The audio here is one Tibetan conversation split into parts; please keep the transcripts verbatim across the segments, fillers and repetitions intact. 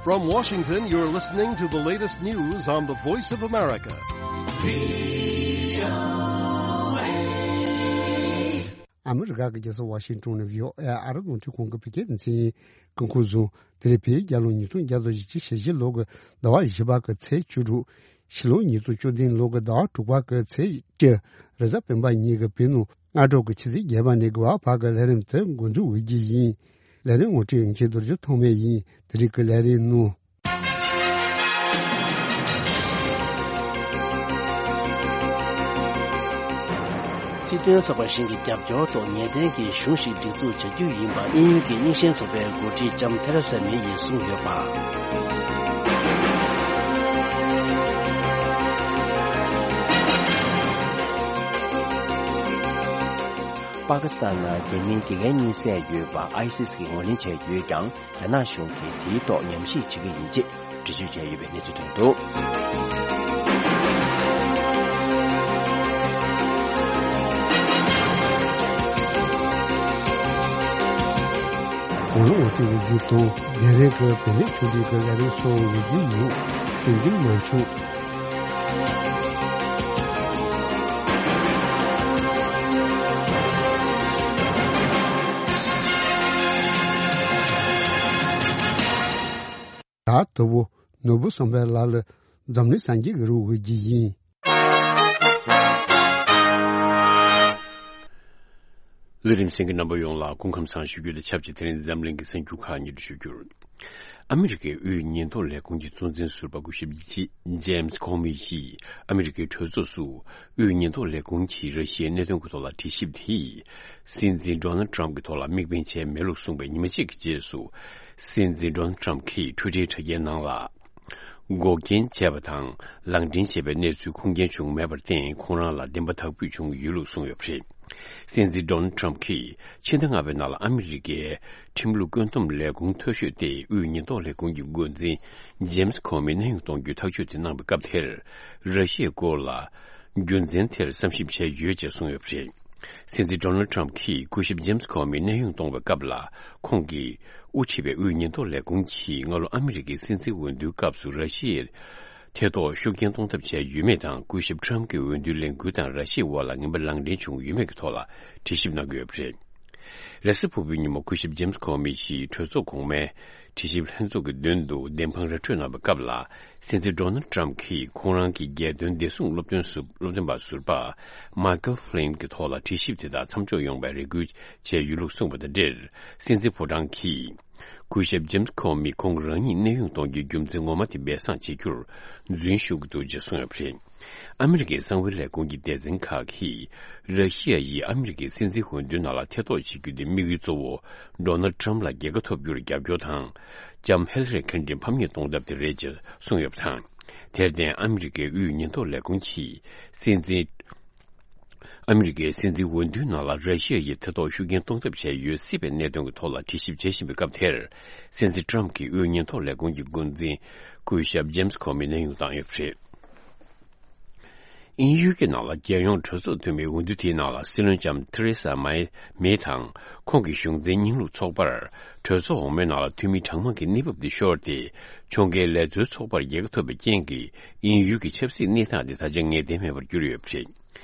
From Washington, you're listening to the latest news on the Voice of America. ཨ་མི་རི་ཀ་གི་རྒྱལ་ས་ཝ་ཤིང་ཏོན་ནས་བྷི་ཨོ་ཨེ་ཨ་རི་རླུང་འཕྲིན་ཁང་གི་བོད་སྐད་སྡེ་ཚན་ཡིན། སྐུ་ཁམས་བཟང་། དེ་རིང་བོད་རྒྱལ་ལོ་ཉིས་སྟོང་བརྒྱ་དང་བཞི་བཅུ་ཞེ་བཞི་ལོ་གི་ཟླ་བ་བཞི་པ་གི་ཚེས་བཅུ་དྲུག་ཕྱི་ལོ་ཉིས་སྟོང་བཅུ་བདུན་ལོ་གི་ཟླ་བ་དྲུག་པ་གི་ཚེས་བཅུ། རེས་གཟའ་སྤེན་པ་ཉིན་གྱི་བོད་ནང་སྔ་དྲོ་གི་ཆུ་ཚོད་བརྒྱད་པ་ནས་དགུ་པ་བར་གྱི་ལས་རིམ་དེ་འགོ་འཛུགས་འོས་ཀྱི་ཡིན། ལས་རིམ་ངོ་སྤྲོད་ཡིན་ཆེད་རྡོ་རྗེ་ཐོགས་མེད་ཡིན། དེ་རིང་གི་ལས་རིམ་ནང་། སྲིད་དོན་ཚོགས་པ་གཞན་གྱི་རྒྱབ་སྐྱོར་ཐོག་ངེས་གཏན་གྱི་གཞུང་ཞིག་སྒྲིག་འཛུགས་བྱ་རྒྱུ་ཡིན་པ་དབྱིན་ཡུལ་གྱི་རྙིང་ཞེན་ཚོགས་པའི་འགོ་ཁྲིད་ལྕམ་ཐེ་རེ་ས་མེ་ཡིས་གསུངས་ཡོད་པ། པ་ཀི་སི་ཐན་ནང་རྒྱ་མིའི་དགེ་རྒན་གཉིས་བསད་ཡོད་པ་ཨའི་སི་སི་གིས་ངོས་ལེན་བྱས་ཡོད་ཀྱང་། རྒྱ་ནག་གཞུང་གིས་དེའི་ཐོག་ཉམས་ཞིབ་བྱེད་ཀྱི་ཡིན་ཅེས་འགྲེལ་བརྗོད་བྱས་ཡོད་པའི་གནས་ཚུལ་ཐོན་འདུག། གོང་ལ་འོ་ཏི་གི་གཟིགས་དང་རྒན་རེ་གི་བོད་ནས་ཆུང་འདྲིས་ཀྱི་ལས་རིམ་སོགས་ཡོད་རྒྱུ་ཡིན། སེམས་འགུལ་མ་བྱུང་། ད་དོ་བོ་ནོར་བུ་བསམ་འཕེལ་ལགས་ལ་འཛམ་གླིང་སངས་རྒྱས་ཀྱི་རིགས་འོས་ཀྱི་ཡིན། ལས་རིམ་གསན་མཁན་རྣམ་པ་ཡོངས་ལ་སྐུ་ཁམས་བཟང་ཞུ་རྒྱུ་དང་ཆབས་ཅིག་དེ་རིང་འཛམ་གླིང་གི་གསར་འགྱུར་ཁག་སྙན་སྒྲོན་ཞུ་རྒྱུར། ཨ་མི་རི་ཀའི་དབུས་ཉེན་རྟོག་ལས་ཁུངས་ཀྱི་གཙོ་འཛིན་ཟུར་པ་སྐུ་ཞབས་ཇེམ་སི་ཁོ་མི་ཡིས་ཨ་མི་རི་ཀའི་གྲོས་ཚོགས་སུ་དབུས་ཉེན་རྟོག་ལས་ཁུངས་ཀྱིས་ར་ཤི་ཡའི་གནད་དོན་གྱི་ཐོག་ལ་དྲི་ཞིབ་དེས་སྲིད་འཛིན་ཌོ་ནལ་ཏྲམ་གྱི་ཐོག་ལ་དམིགས་འབེན་བྱས་མེད་ལུགས་གསུངས་པའི་ཉི་མ་གཅིག་གི་རྗེས་སུ། སྲིད་འཛིན་ཌོ་ནལ་ཏྲམ་གྱིས་ཊུའི་ཊར་དྲ་རྒྱའི་ནང་ལ། འགོག་རྐྱེན་བྱས་པ་དང་ལག་འདྲེན་བྱས་པའི་གནས་ཚུལ་ཁུངས་སྐྱེལ་བྱུང་མེད་པར་བརྟེན་ཁོང་རང་ལ་བདེན་པ་དག་འབུད་བྱུང་ཡོད་ལུགས་གསུངས་ཡོད་པ་རེད། སྲིད་འཛིན་ཌོ་ནལ་ཏྲམ་གྱིས་ཕྱི་ཟླ་ལྔ་པའི་ནང་ལ་ཨ་མི་རི་ཀའི་ཁྲིམས་ལུགས་བཀོད་འདོམས་ལས་ཁུངས་མཐོ་ཤོས་ཏེ་དབུས་ཉེན་རྟོག་ལས་ཁུངས་ཀྱི་འགོ་འཛིན་ཇེམ་སི་ཁོ་མི་གནས་དབྱུང་གཏོང་རྒྱུའི་ཐག་གཅོད་དེ་གནང་བའི་སྐབས་དེར། ར་ཤི་ཡའི་སྐོར་ལ་རྒྱུ་མཚན་དེར་བསམ་ཞིབ་བྱས་ཡོད་ཅེས་གསུངས་ཡོད་པ་རེད། སྲིད་འཛིན་ཌོ་ནལ་ཏྲམ་གྱིས་སྐུ་ཞབས་ཇེམ་སི་ཁོ་མི་གནས་དབྱུང་གཏོང་བའི་སྐབས་ལ་ཁོང་གིས་དབུ་ཁྲིད་པའི་དབུས་ཉེན་རྟོག་ལས་ཁུངས་ཀྱིས་སྔ་ལོ་ཨ་མི་རི་ཀའི་སྲིད་འཛིན་འོས་བསྡུའི་སྐབས་སུ་ར་ཤི་ཡའི་ཐེ་གཏོགས་ཤུགས་རྐྱེན་གཏོང་ཐབས་བྱས་ཡོད་མེད་དང་། སྐུ་ཞབས་ཏྲམ་གྱི་འོས་བསྡུའི་ལས་འགུལ་དང་ར་ཤི་ཡའི་དབར་ལ་ངན་པ་ལག་འབྲེལ་བྱུང་ཡོད་མེད་ཀྱི་ཐོག་ལ་དྲི་ཞིབ་གནང་གི་ཡོད་པ་རེད། རེས་གཟའ་ཕུར་བུའི་ཉིན་མོ་སྐུ་ཞབས་ཇེམ་སི་ཁོ་མི་ཡིས་གྲོས་ཚོགས་གོང་མའི་དྲི་ཞིབ་ལྷན་ཚོགས་ཀྱི་མདུན་དུ་བདེན་དཔང་ར་སྤྲོད་གནང་བའི་སྐབས་ལ། སྲིད་འཛིན་ཌོ་ནལ་ཏྲམ་གྱིས་ཁོང་རང་གི་རྒྱལ་དོན་བདེ་སྲུང་སློབ་སྟོན་ཟུར་སློབ་སྟོན་པ་ཟུར་པ་མའི་ཀལ་ཕི་ལིན་གྱི་ཐོག་ལ་དྲི་ཞིབ་དེ་དག་མཚམས་འཇོག་ཡོང་བའི་རེ་སྐུལ་བྱས་ཡོད་ལུགས་གསུངས་པ་དང་འབྲེལ། སྲིད་འཛིན་ཕོ་བྲང་གིས་སྐུ་ཞབས་ཇེམ་སི་ཁོ་མི་ཁོང་རང་ཉིད་གནས་དབྱུང་གཏོང་རྒྱུའི་རྒྱུ་མཚན་ངོ་མ་དེ་སྦས་གསང་བྱེད་རྒྱུར་རྫུན་ཞུ་གི་འདུག་ཅེས་གསུངས་ཡོད་པ་རེད། ཨ་མི་རི་ཀའི་གསང་བའི་ལས་ཁུངས་ཀྱི་སྡེ་ཚན་ཁག་གིས་ར་ཤི་ཡ་ཡིས་ཨ་མི་རི་ཀའི་སྲིད་འཛིན་འོས་བསྡུའི་ནང་ལ་ཐེ་གཏོགས་བྱེད་རྒྱུ་དེ་དམིགས་ཡུལ་གཙོ་བོ་ཌོ་ནལ་ཏྲམ་ལ་རྒྱལ་ཁ་ཐོབ་རྒྱུར་རྒྱབ་སྐྱོར་དང་། ལྕམ་ཧེ་ལ་རི་ཁིན་ཏོན་ཕམ་ཉེས་གཏོང་ཐབས་དེ་རེད་ཅེས་གསུངས་ཡོད་པ་དང་། དེར་བརྟེན་ཨ་མི་རི་ཀའི་དབུས་ཉེན་རྟོག་ལས་ཁུངས་ཀྱིས་སྲིད་འཛིན། ཨ་མི་རི་ཀའི་སྲིད་འཛིན་འོས་བསྡུའི་ནང་ལ་ར་ཤི་ཡ་ཡིས་ཐེ་གཏོགས་ཤུགས་རྐྱེན་གཏོང་ཐབས་བྱས་ཡོད་སྲིད་པའི་གནད་དོན་གྱི་ཐོག་ལ་དྲི་ཞིབ་བྱེད་བཞིན་པའི་སྐབས་དེར། སྲིད་འཛིན་ཏྲམ་གྱིས་དབུས་ཉེན་རྟོག་ལས་ཁུངས་ཀྱི་འགོ་འཛིན་སྐུ་ཞབས་ཇེམ་སི་ཁོ་མི་གནས་དབྱུང་བཏང་ཡོད་པ་རེད། དབྱིན་ཡུལ་གྱི་ནང་ལ་རྒྱལ་ཡོངས་གྲོས་ཚོགས་འཐུས་མིའི་འོས་བསྡུ་དེའི་ནང་ལ་སྲིད་བློན་ལྕམ་ཐེ་རེ་ས་མེ་མེ་དང་ཁོང་གི་གཞུང་འཛིན་རྙིང་ལུགས་ཚོགས་པར་གྲོས་ཚོགས་འོག་མའི་ནང་ལ་འཐུས་མི་གྲངས་མང་གི་གནས་བབ་དེ་ཤོར་ཏེ། ཕྱོགས་འགལ་ལས་བཟོའི་ཚོགས་པར་རྒྱལ་ཁ་ཐོབ་པའི་རྐྱེན་གྱིས་དབྱིན་ཡུལ་གྱི་ཆབ་སྲིད་གནས་སྟངས་དེ་ད་ཆ་ངེས་གཏན་མེད་པར་གྱུར་ཡོད་པ་རེད།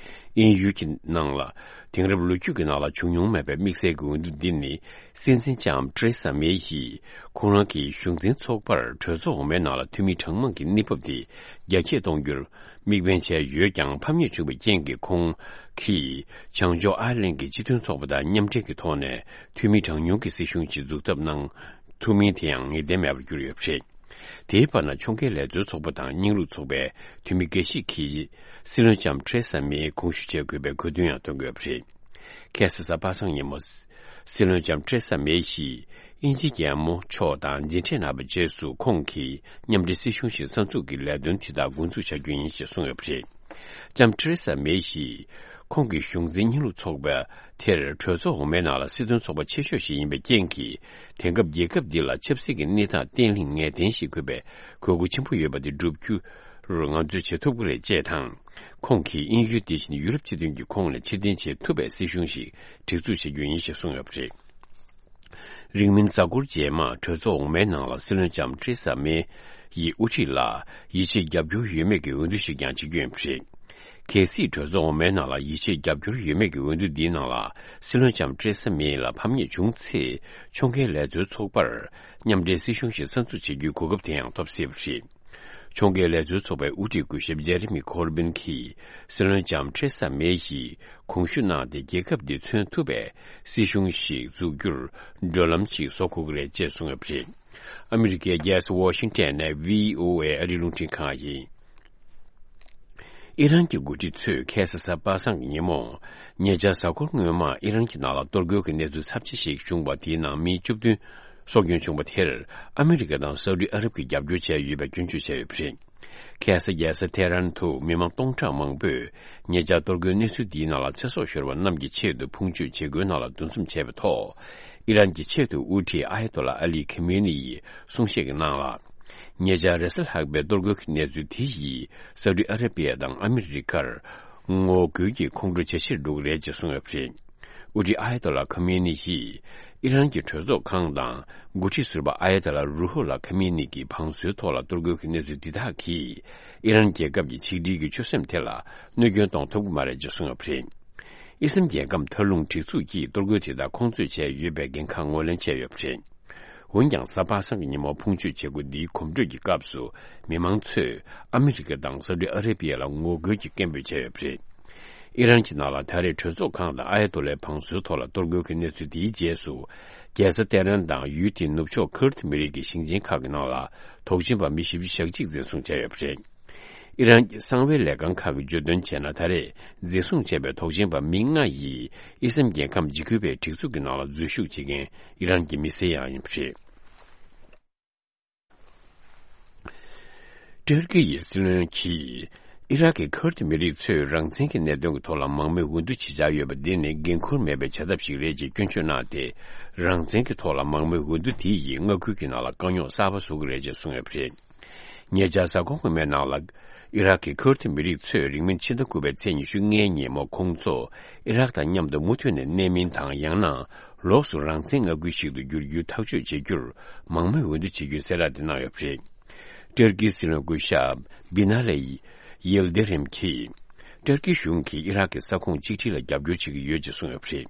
དབྱིན་ཡུལ་གྱི་ནང་ལ་དེང་རབས་ལོ་རྒྱུས་ཀྱི་ནང་ལ་བྱུང་མྱོང་མེད་པའི་དམིགས་བསལ་གྱི་འོས་བསྡུ་འདི་ནི། སྲིད་འཛིན་ལྕམ་ཐེ་རེ་ས་མེ་ཡིས་ཁོང་རང་གི་གཞུང་འཛིན་ཚོགས་པར་གྲོས་ཚོགས་འོག་མའི་ནང་ལ་འཐུས་མི་གྲངས་མང་གི་གནས་བབ་དེ་རྒྱ་སྐྱེད་གཏོང་རྒྱུར་དམིགས་འབེན་བྱས་ཡོད་ཀྱང་། ཕམ་ཉེས་བྱུང་བའི་རྐྱེན་གྱིས་ཁོང་གིས་བྱང་ཕྱོགས་ཨར་ལན་གྱི་སྤྱི་མཐུན་ཚོགས་པ་དང་མཉམ་འབྲེལ་གྱི་ཐོག་ནས་འཐུས་མི་གྲངས་ཉུང་གི་སྲིད་གཞུང་ཞིག་འཛུགས་ཐབས་གནང་ཐུབ་མིན་དེ་ཡང་ངེས་གཏན་མེད་པར་གྱུར་ཡོད་པ་རེད། དེའི་བར་ན་ཕྱོགས་འགལ་ལས་བཟོའི་ཚོགས་པ་དང་རྙིང་ལུགས་ཚོགས་པའི་འཐུས་མི་འགའ་ཞིག་གིས་སྲིད་བློན་ལྕམ་ཐེ་རེ་ས་མེའི་དགོངས་ཞུ་བྱེད་དགོས་པའི་གོ་སྟོན་ཡང་བཏོན་དགོས་པ་རེད། ཁ་སང་གཟའ་པ་སངས་ཉིན་མོ། སྲིད་བློན་ལྕམ་ཐེ་རེ་ས་མེ་ཡིས་དབྱིན་ཇིའི་རྒྱལ་མོ་མཆོག་དང་མཇལ་འཕྲད་གནང་བའི་རྗེས་སུ་ཁོང་གིས་མཉམ་འབྲེལ་སྲིད་གཞུང་ཞིག་གསར་འཛུགས་ཀྱི་ལས་དོན་དེ་དག་འགོ་འཛུགས་བྱ་རྒྱུ་ཡིན་ཞེས་གསུངས་ཡོད་པ་རེད། ལྕམ་ཐེ་རེ་ས་མེ་ཡིས་ཁོང་གི་གཞུང་འཛིན་རྙིང་ལུགས་ཚོགས་པ་དེར་གྲོས་ཚོགས་འོག་མའི་ནང་ལ་སྲིད་དོན་ཚོགས་པ་ཆེ་ཤོས་ཤིག་ཡིན་པའི་རྐྱེན་གྱིས། དེང་སྐབས་རྒྱལ་ཁབ་འདི་ལ་ཆབ་སྲིད་ཀྱི་གནས་སྟངས་བརྟན་ལྷིང་ངེས་གཏན་ཞིག་དགོས་པའི་དགོས་མཁོ་ཆེན་པོ་ཡོད་པ་དེ་བསྒྲུབ་རྒྱུར་ང་ཚོས་བྱེད་ཐུབ་ཀྱི་རེད་ཅེས་དང་། ཁོང་གིས་དབྱིན་ཡུལ་དེ་བཞིན་ཡུ་རོབ་སྤྱི་མཐུན་གྱི་ཁོངས་ནས་ཕྱིར་འཐེན་བྱེད་ཐུབ་པའི་སྲིད་གཞུང་ཞིག་སྒྲིག་འཛུགས་བྱེད་རྒྱུ་ཡིན་ཞེས་གསུངས་ཡོད་པ་རེད། རིང་མིན་གཟའ་འཁོར་རྗེས་མ་གྲོས་ཚོགས་འོག་མའི་ནང་ལ་སྲིད་བློན་ལྕམ་ཏྲེ་ས་མེ་ཡི་དབུ་ཁྲིད་ལ་ཡིད་ཆེས་རྒྱབ་སྐྱོར་ཡོད་མེད་ཀྱི་འོས་བསྡུ་ཞིག་ཀྱང་བྱེད་རྒྱུ་ཡིན་པ་རེད། གལ་སྲིད་གྲོས་ཚོགས་འོག་མའི་ནང་ལ་ཡིད་ཆེས་རྒྱབ་སྐྱོར་ཡོད་མེད་ཀྱི་འོས་བསྡུ་འདིའི་ནང་ལ་སྲིད་བློན་ལྕམ་ཏྲེ་ས་མེ་ལ་ཕམ་ཉེས་བྱུང་ཚེ། ཕྱོགས་འགལ་ལས་བཟོའི་ཚོགས་པར་མཉམ་འབྲེལ་སྲིད་གཞུང་ཞིག་གསར་འཛུགས་བྱེད་རྒྱུའི་གོ་སྐབས་དེ་ཡང་ཐོབ་སྲིད་པ་རེད། ཕྱོགས་འགལ་ལས་བཟོའི་ཚོགས་པའི་དབུ་ཁྲིད་སྐུ་ཞབས་ཇེ་རེ་མི་ཁོར་བིན་གྱིས་སྲིད་བློན་ལྕམ་ཏྲེ་ས་མེ་ཡིས་དགོངས་ཞུ་གནང་སྟེ། རྒྱལ་ཁབ་འདི་མཚོན་ཐུབ་པའི་སྲིད་གཞུང་ཞིག་འཛུགས་རྒྱུར་བགྲོད་ལམ་ཞིག་བཟོ་དགོས་ཀྱི་རེད་ཅེས་གསུངས་ཡོད་པ་རེད། ཨ་མི་རི་ཀའི་རྒྱལ་ས་ཝ་ཤིང་ཊོན་ནས་བྷི་ཨོ་ཨེ་ཨ་རིའི་རླུང་འཕྲིན་ཁང་ཡིན། ཨི་རན་གྱི་འགོ་ཁྲིད་ཚོས་ཁ་སང་གཟའ་པ་སངས་ཀྱི་ཉིན་མོ། ཉེ་ཆར་གཟའ་འཁོར་སྔོན་མ་ཨི་རན་གྱི་ནང་ལ་གཏོར་རྒོལ་གྱི་གནས་ཚུལ་ཚབས་ཆེ་ཞིག་བྱུང་བ་དེའི་ནང་མི་བཅུ་བདུན་སྲོག་སྐྱོན་བྱུང་བ་དེར་ཨ་མི་རི་ཀ་དང་སའུ་ཏི་ཨ་རབ་ཀྱིས་རྒྱབ་སྐྱོར་བྱས་ཡོད་པའི་སྐྱོན་བརྗོད་བྱས་ཡོད་པ་རེད། ཁ་སང་རྒྱལ་ས་ཐེ་རན་དུ་མི་མང་སྟོང་ཕྲག་མང་པོས་ཉེ་ཆར་གཏོར་རྒོལ་གནས་ཚུལ་འདིའི་ནང་ལ་ཚེ་སྲོག་ཤོར་བ་རྣམས་ཀྱི་ཆེད་དུ་ཕུང་མཆོད་བྱེད་སྒོའི་ནང་ལ་འདུ་འཛོམས་བྱས་པའི་ཐོག་ཨི་རན་གྱི་ཆེས་མཐོའི་དབུ་ཁྲིད་ཨ་ཡ་ཏོ་ལ་ཨ་ལི་ཁེ་མེ་ནི་ཡིས་གསུང་བཤད་ཀྱི་ནང་ལ། ཉེ་ཆར་རེས་གཟའ་ལྷག་པའི་གཏོར་རྒོལ་གྱི་གནས་ཚུལ་དེ་ཡིས་སའུ་ཏི་ཨ་ར་པི་ཡ་དང་ཨ་མི་རི་ཀར་ངོ་རྒོལ་གྱི་ཁོང་ཁྲོ་ཇེ་ཆེར་འགྲོ་གི་རེད་ཅེས་གསུངས་ཡོད་པ་རེད། དབུ་ཁྲིད་ཨ་ཡ་ཏོ་ལ་ཁ་མེ་ནི་ཡིས་ཨི་རན་གྱི་གྲོས་ཚོགས་ཁང་དང་འགོ་ཁྲིད་ཟུར་པ་ཨ་ཡ་ཏོ་ལ་རུ་ཧོ་ལ་ཁ་མེ་ནི་གྱི་བང་སོའི་ཐོག་ལ་གཏོར་རྒོལ་གྱི་གནས་ཚུལ་འདི་དག་གིས་ཨི་རན་རྒྱལ་ཁབ་ཀྱི་ཆིག་སྒྲིལ་གྱི་ཆོད་སེམས་དེ་ལ་གནོད་སྐྱོན་གཏོང་ཐུབ་ཀྱི་མ་རེད་ཅེས་གསུངས་ཡོད་པ་རེད། ཨི་སི་རལ་རྒྱལ་ཁམས་མཐའ་ལྷུང་སྒྲིག་འཛུགས་ཀྱིས་གཏོར་རྒོལ་དེ་དག་ཁོང་ཚོས་བྱས་ཡོད་པའི་འགན་ཁག་ངོས་ལེན་བྱས་ཡོད་པ་རེད། འོན་ཀྱང་གཟའ་པ་སངས་ཀྱི་ཉིན་མོ་ཕུང་མཆོད་བྱེད་སྒོ་འདིའི་གོམ་བགྲོད་ཀྱི་སྐབས་སུ་མི་མང་ཚོས་ཨ་མི་རི་ཀ་དང་སའུ་ཏི་ཨ་ར་པི་ཡ་ལ་ངོ་རྒོལ་གྱི་སྐད་འབོད་བྱས་ཡོད་པ་རེད། ཨི་རན་གྱི་ནང་ལ་ད་རེས་གྲོས་ཚོགས་ཁང་དང་ཨ་ཡ་ཏོ་ལའི་བང་སོའི་ཐོག་ལ་གཏོར་རྒོལ་གྱི་གནས་ཚུལ་དེའི་རྗེས་སུ། རྒྱལ་ས་ཏེ་རན་དང་ཡུལ་དེའི་ནུབ་ཕྱོགས་ཁུར་ཏི་མི་རིགས་ཀྱི་ཞིང་ཆེན་ཁག་གི་ནང་ལ་དོགས་ཅན་པ་མི་བཞི་བཅུ་ཞེ་གཅིག་འཛིན་བཟུང་བྱས་ཡོད་པ་རེད། ཨི་རན་གྱི་གསང་བའི་ལས་ཁང་ཁག་གིས་བརྗོད་དོན་བྱས་ན། ད་རེས་འཛིན་བཟུང་བྱས་པའི་དོགས་ཅན་པ་མི་ལྔ་ཡིས་ཨི་སི་རལ་རྒྱལ་ཁམས་འཇིགས་སྐུལ་བའི་སྒྲིག་འཛུགས་ཀྱི་ནང་ལ་འཛུལ་ཞུགས་བྱེད་མཁན་ཨི་རན་གྱི་མི་སེར་ཡང་ཡིན་པ་རེད། ཏུར་ཀི་ཡི་སྲིད་བློན་གྱིས་ཨི་རག་གི་ཁུར་ཏི་མི་རིགས་ཚོས་རང་བཙན་གྱི་གནད་དོན་གྱི་ཐོག་ལ་མང་མོས་འོས་བསྡུ་བྱེད་འཆར་ཡོད་པ་འདི་ནི་འགན་ཁུར་མེད་པའི་བྱ་ཐབས་ཤིག་རེད་ཅེས་སྐྱོན་བརྗོད་གནང་སྟེ། རང་བཙན་གྱི་ཐོག་ལ་མང་མོས་འོས་བསྡུ་དེ་ཡིས་མངའ་ཁུལ་གྱི་ནང་ལ་དཀའ་རྙོག་གསར་པ་བཟོ་གི་རེད་ཅེས་གསུངས་ཡོད་པ་རེད། ཉེ་ཆར་གཟའ་འཁོར་སྔོན་མའི་ནང་ལ། ཨི་རག་གི་ཁུར་ཏི་མི་རིགས་ཚོས་རིང་མིན་ཕྱི་ཟླ་དགུ་པའི་ཚེས་ཉི་ཤུ་ལྔའི་ཉིན་མོ་ཁོང་ཚོ་ཨི་རག་དང་མཉམ་དུ་མུ་མཐུད་ནས་གནས་མིན་དང་། ཡང་ན་ལོགས་སུ་རང་བཙན་མངའ་ཁུལ་ཞིག་ཏུ་བསྒྱུར་རྒྱུའི་ཐག་གཅོད་བྱེད་རྒྱུར་མང་མོས་འོས་བསྡུ་བྱེད་རྒྱུའི་གསལ་བསྒྲགས་དེ་གནང་ཡོད་པ་རེད། ཏུར་ཀིའི་སྲིད་བློན་སྐུ་ཞབས་བི་ན་ལེ་ཡིལ་དེ་རིམ་གྱིས། ཏུར་ཀི་གཞུང་གིས་ཨི་རག་གི་ས་ཁོངས་གཅིག་སྒྲིལ་ལ་རྒྱབ་སྐྱོར་བྱེད་ཀྱི་ཡོད་ཅེས་གསུངས་ཡོད་པ་རེད།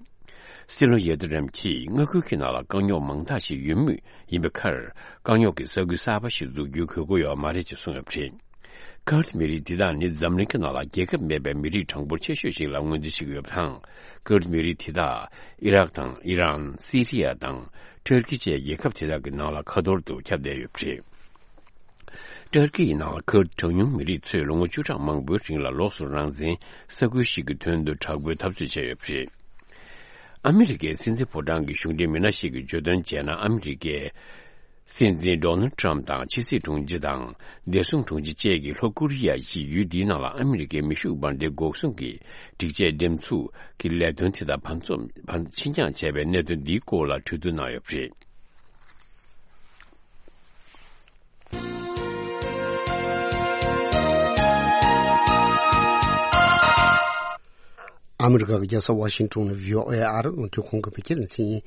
སྲིད་བློན་ཡེ་ཏི་རམ་གྱིས་མངའ་ཁུལ་གྱི་ནང་ལ་དཀའ་རྙོག་མང་དག་ཞིག་ཡོད་མུས་ཡིན་པའི་ཁར། དཀའ་རྙོག་གི་ས་ཁུལ་གསར་པ་ཞིག་འཛུགས་རྒྱུའི་དགོས་མཁོ་ཡོད་མ་རེད་ཅེས་གསུངས་ཡོད་པ་རེད། ཁུར་ཏི་མི་རིགས་འདི་དག་ནི་འཛམ་གླིང་གི་ནང་ལ་རྒྱལ་ཁབ་མེད་པའི་མི་རིགས་གྲངས་འབོར་ཆེ་ཤོས་ཤིག་ལ་ངོས་འཛིན་བྱེད་ཀྱི་ཡོད་པ་དང་། ཁུར་ཏི་མི་རིགས་དེ་དག་ཨི་རག་དང་ཨི་རན། སི་རི་ཡ་དང་ཏུར་ཀི་བཅས་རྒྱལ་ཁབ་དེ་དག་གི་ནང་ལ་ཁ་ཐོར་དུ་ཁྱབ་བསྡད་ཡོད་པ་རེད། ཏུར་ཀི་ཡི་ནང་ལ་ཁུར་ཏི་གྲངས་ཉུང་མི་རིགས་ཚོས་ལོ་ངོ་བཅུ་ཕྲག་མང་པོའི་རིང་ལ་ལོགས་སུ་རང་བཙན་ས་ཁུལ་ཞིག་གི་དོན་དུ་དྲག་པོའི་འཐབ་རྩོད་བྱས་ཡོད་པ་རེད། ཨ་མི་རི་ཀའི་སྲིད་འཛིན་ཕོ་བྲང་གི་གཞུང་འབྲེལ་མི་སྣ་ཞིག་གིས་བརྗོད་དོན་བྱས་ན། ཨ་མི་རི་ཀའི་སྲིད་འཛིན་ཌོ་ནལ་ཊམ་དང་ཕྱི་སྲིད་དྲུང་ཆེ་དང་བདེ་སྲུང་དྲུང་ཆེ་བཅས་ཀྱིས་ལྷོ་ཀོ་རི་ཡ་ཡིས་ཡུལ་འདིའི་ནང་ལ་ཨ་མི་རི་ཀའི་མེ་ཤུགས་འབར་མདེལ་འགོག་སྲུང་གི་སྒྲིག་ཆས་འགྲེམས་ཚུགས་ཀྱི་ལས་དོན་དེ་དག་བར་འཛོམས་བར་ཕྱི་འགྱངས་བྱས་པའི་གནད་དོན་འདིའི་སྐོར་ལ་གྲོས་བསྡུར་གནང་ཡོད་པ་རེད། ཨ་མི་རི་ཀ་གི་རྒྱལ་ས་ཝ་ཤིང་ཊོན་ནས་བྷི་ཨོ་ཨེ་ཨ་རིའི་རླུང་འཕྲིན་ཁང་གི་བོད་སྐད་སྡེ་ཚན་ཡིན།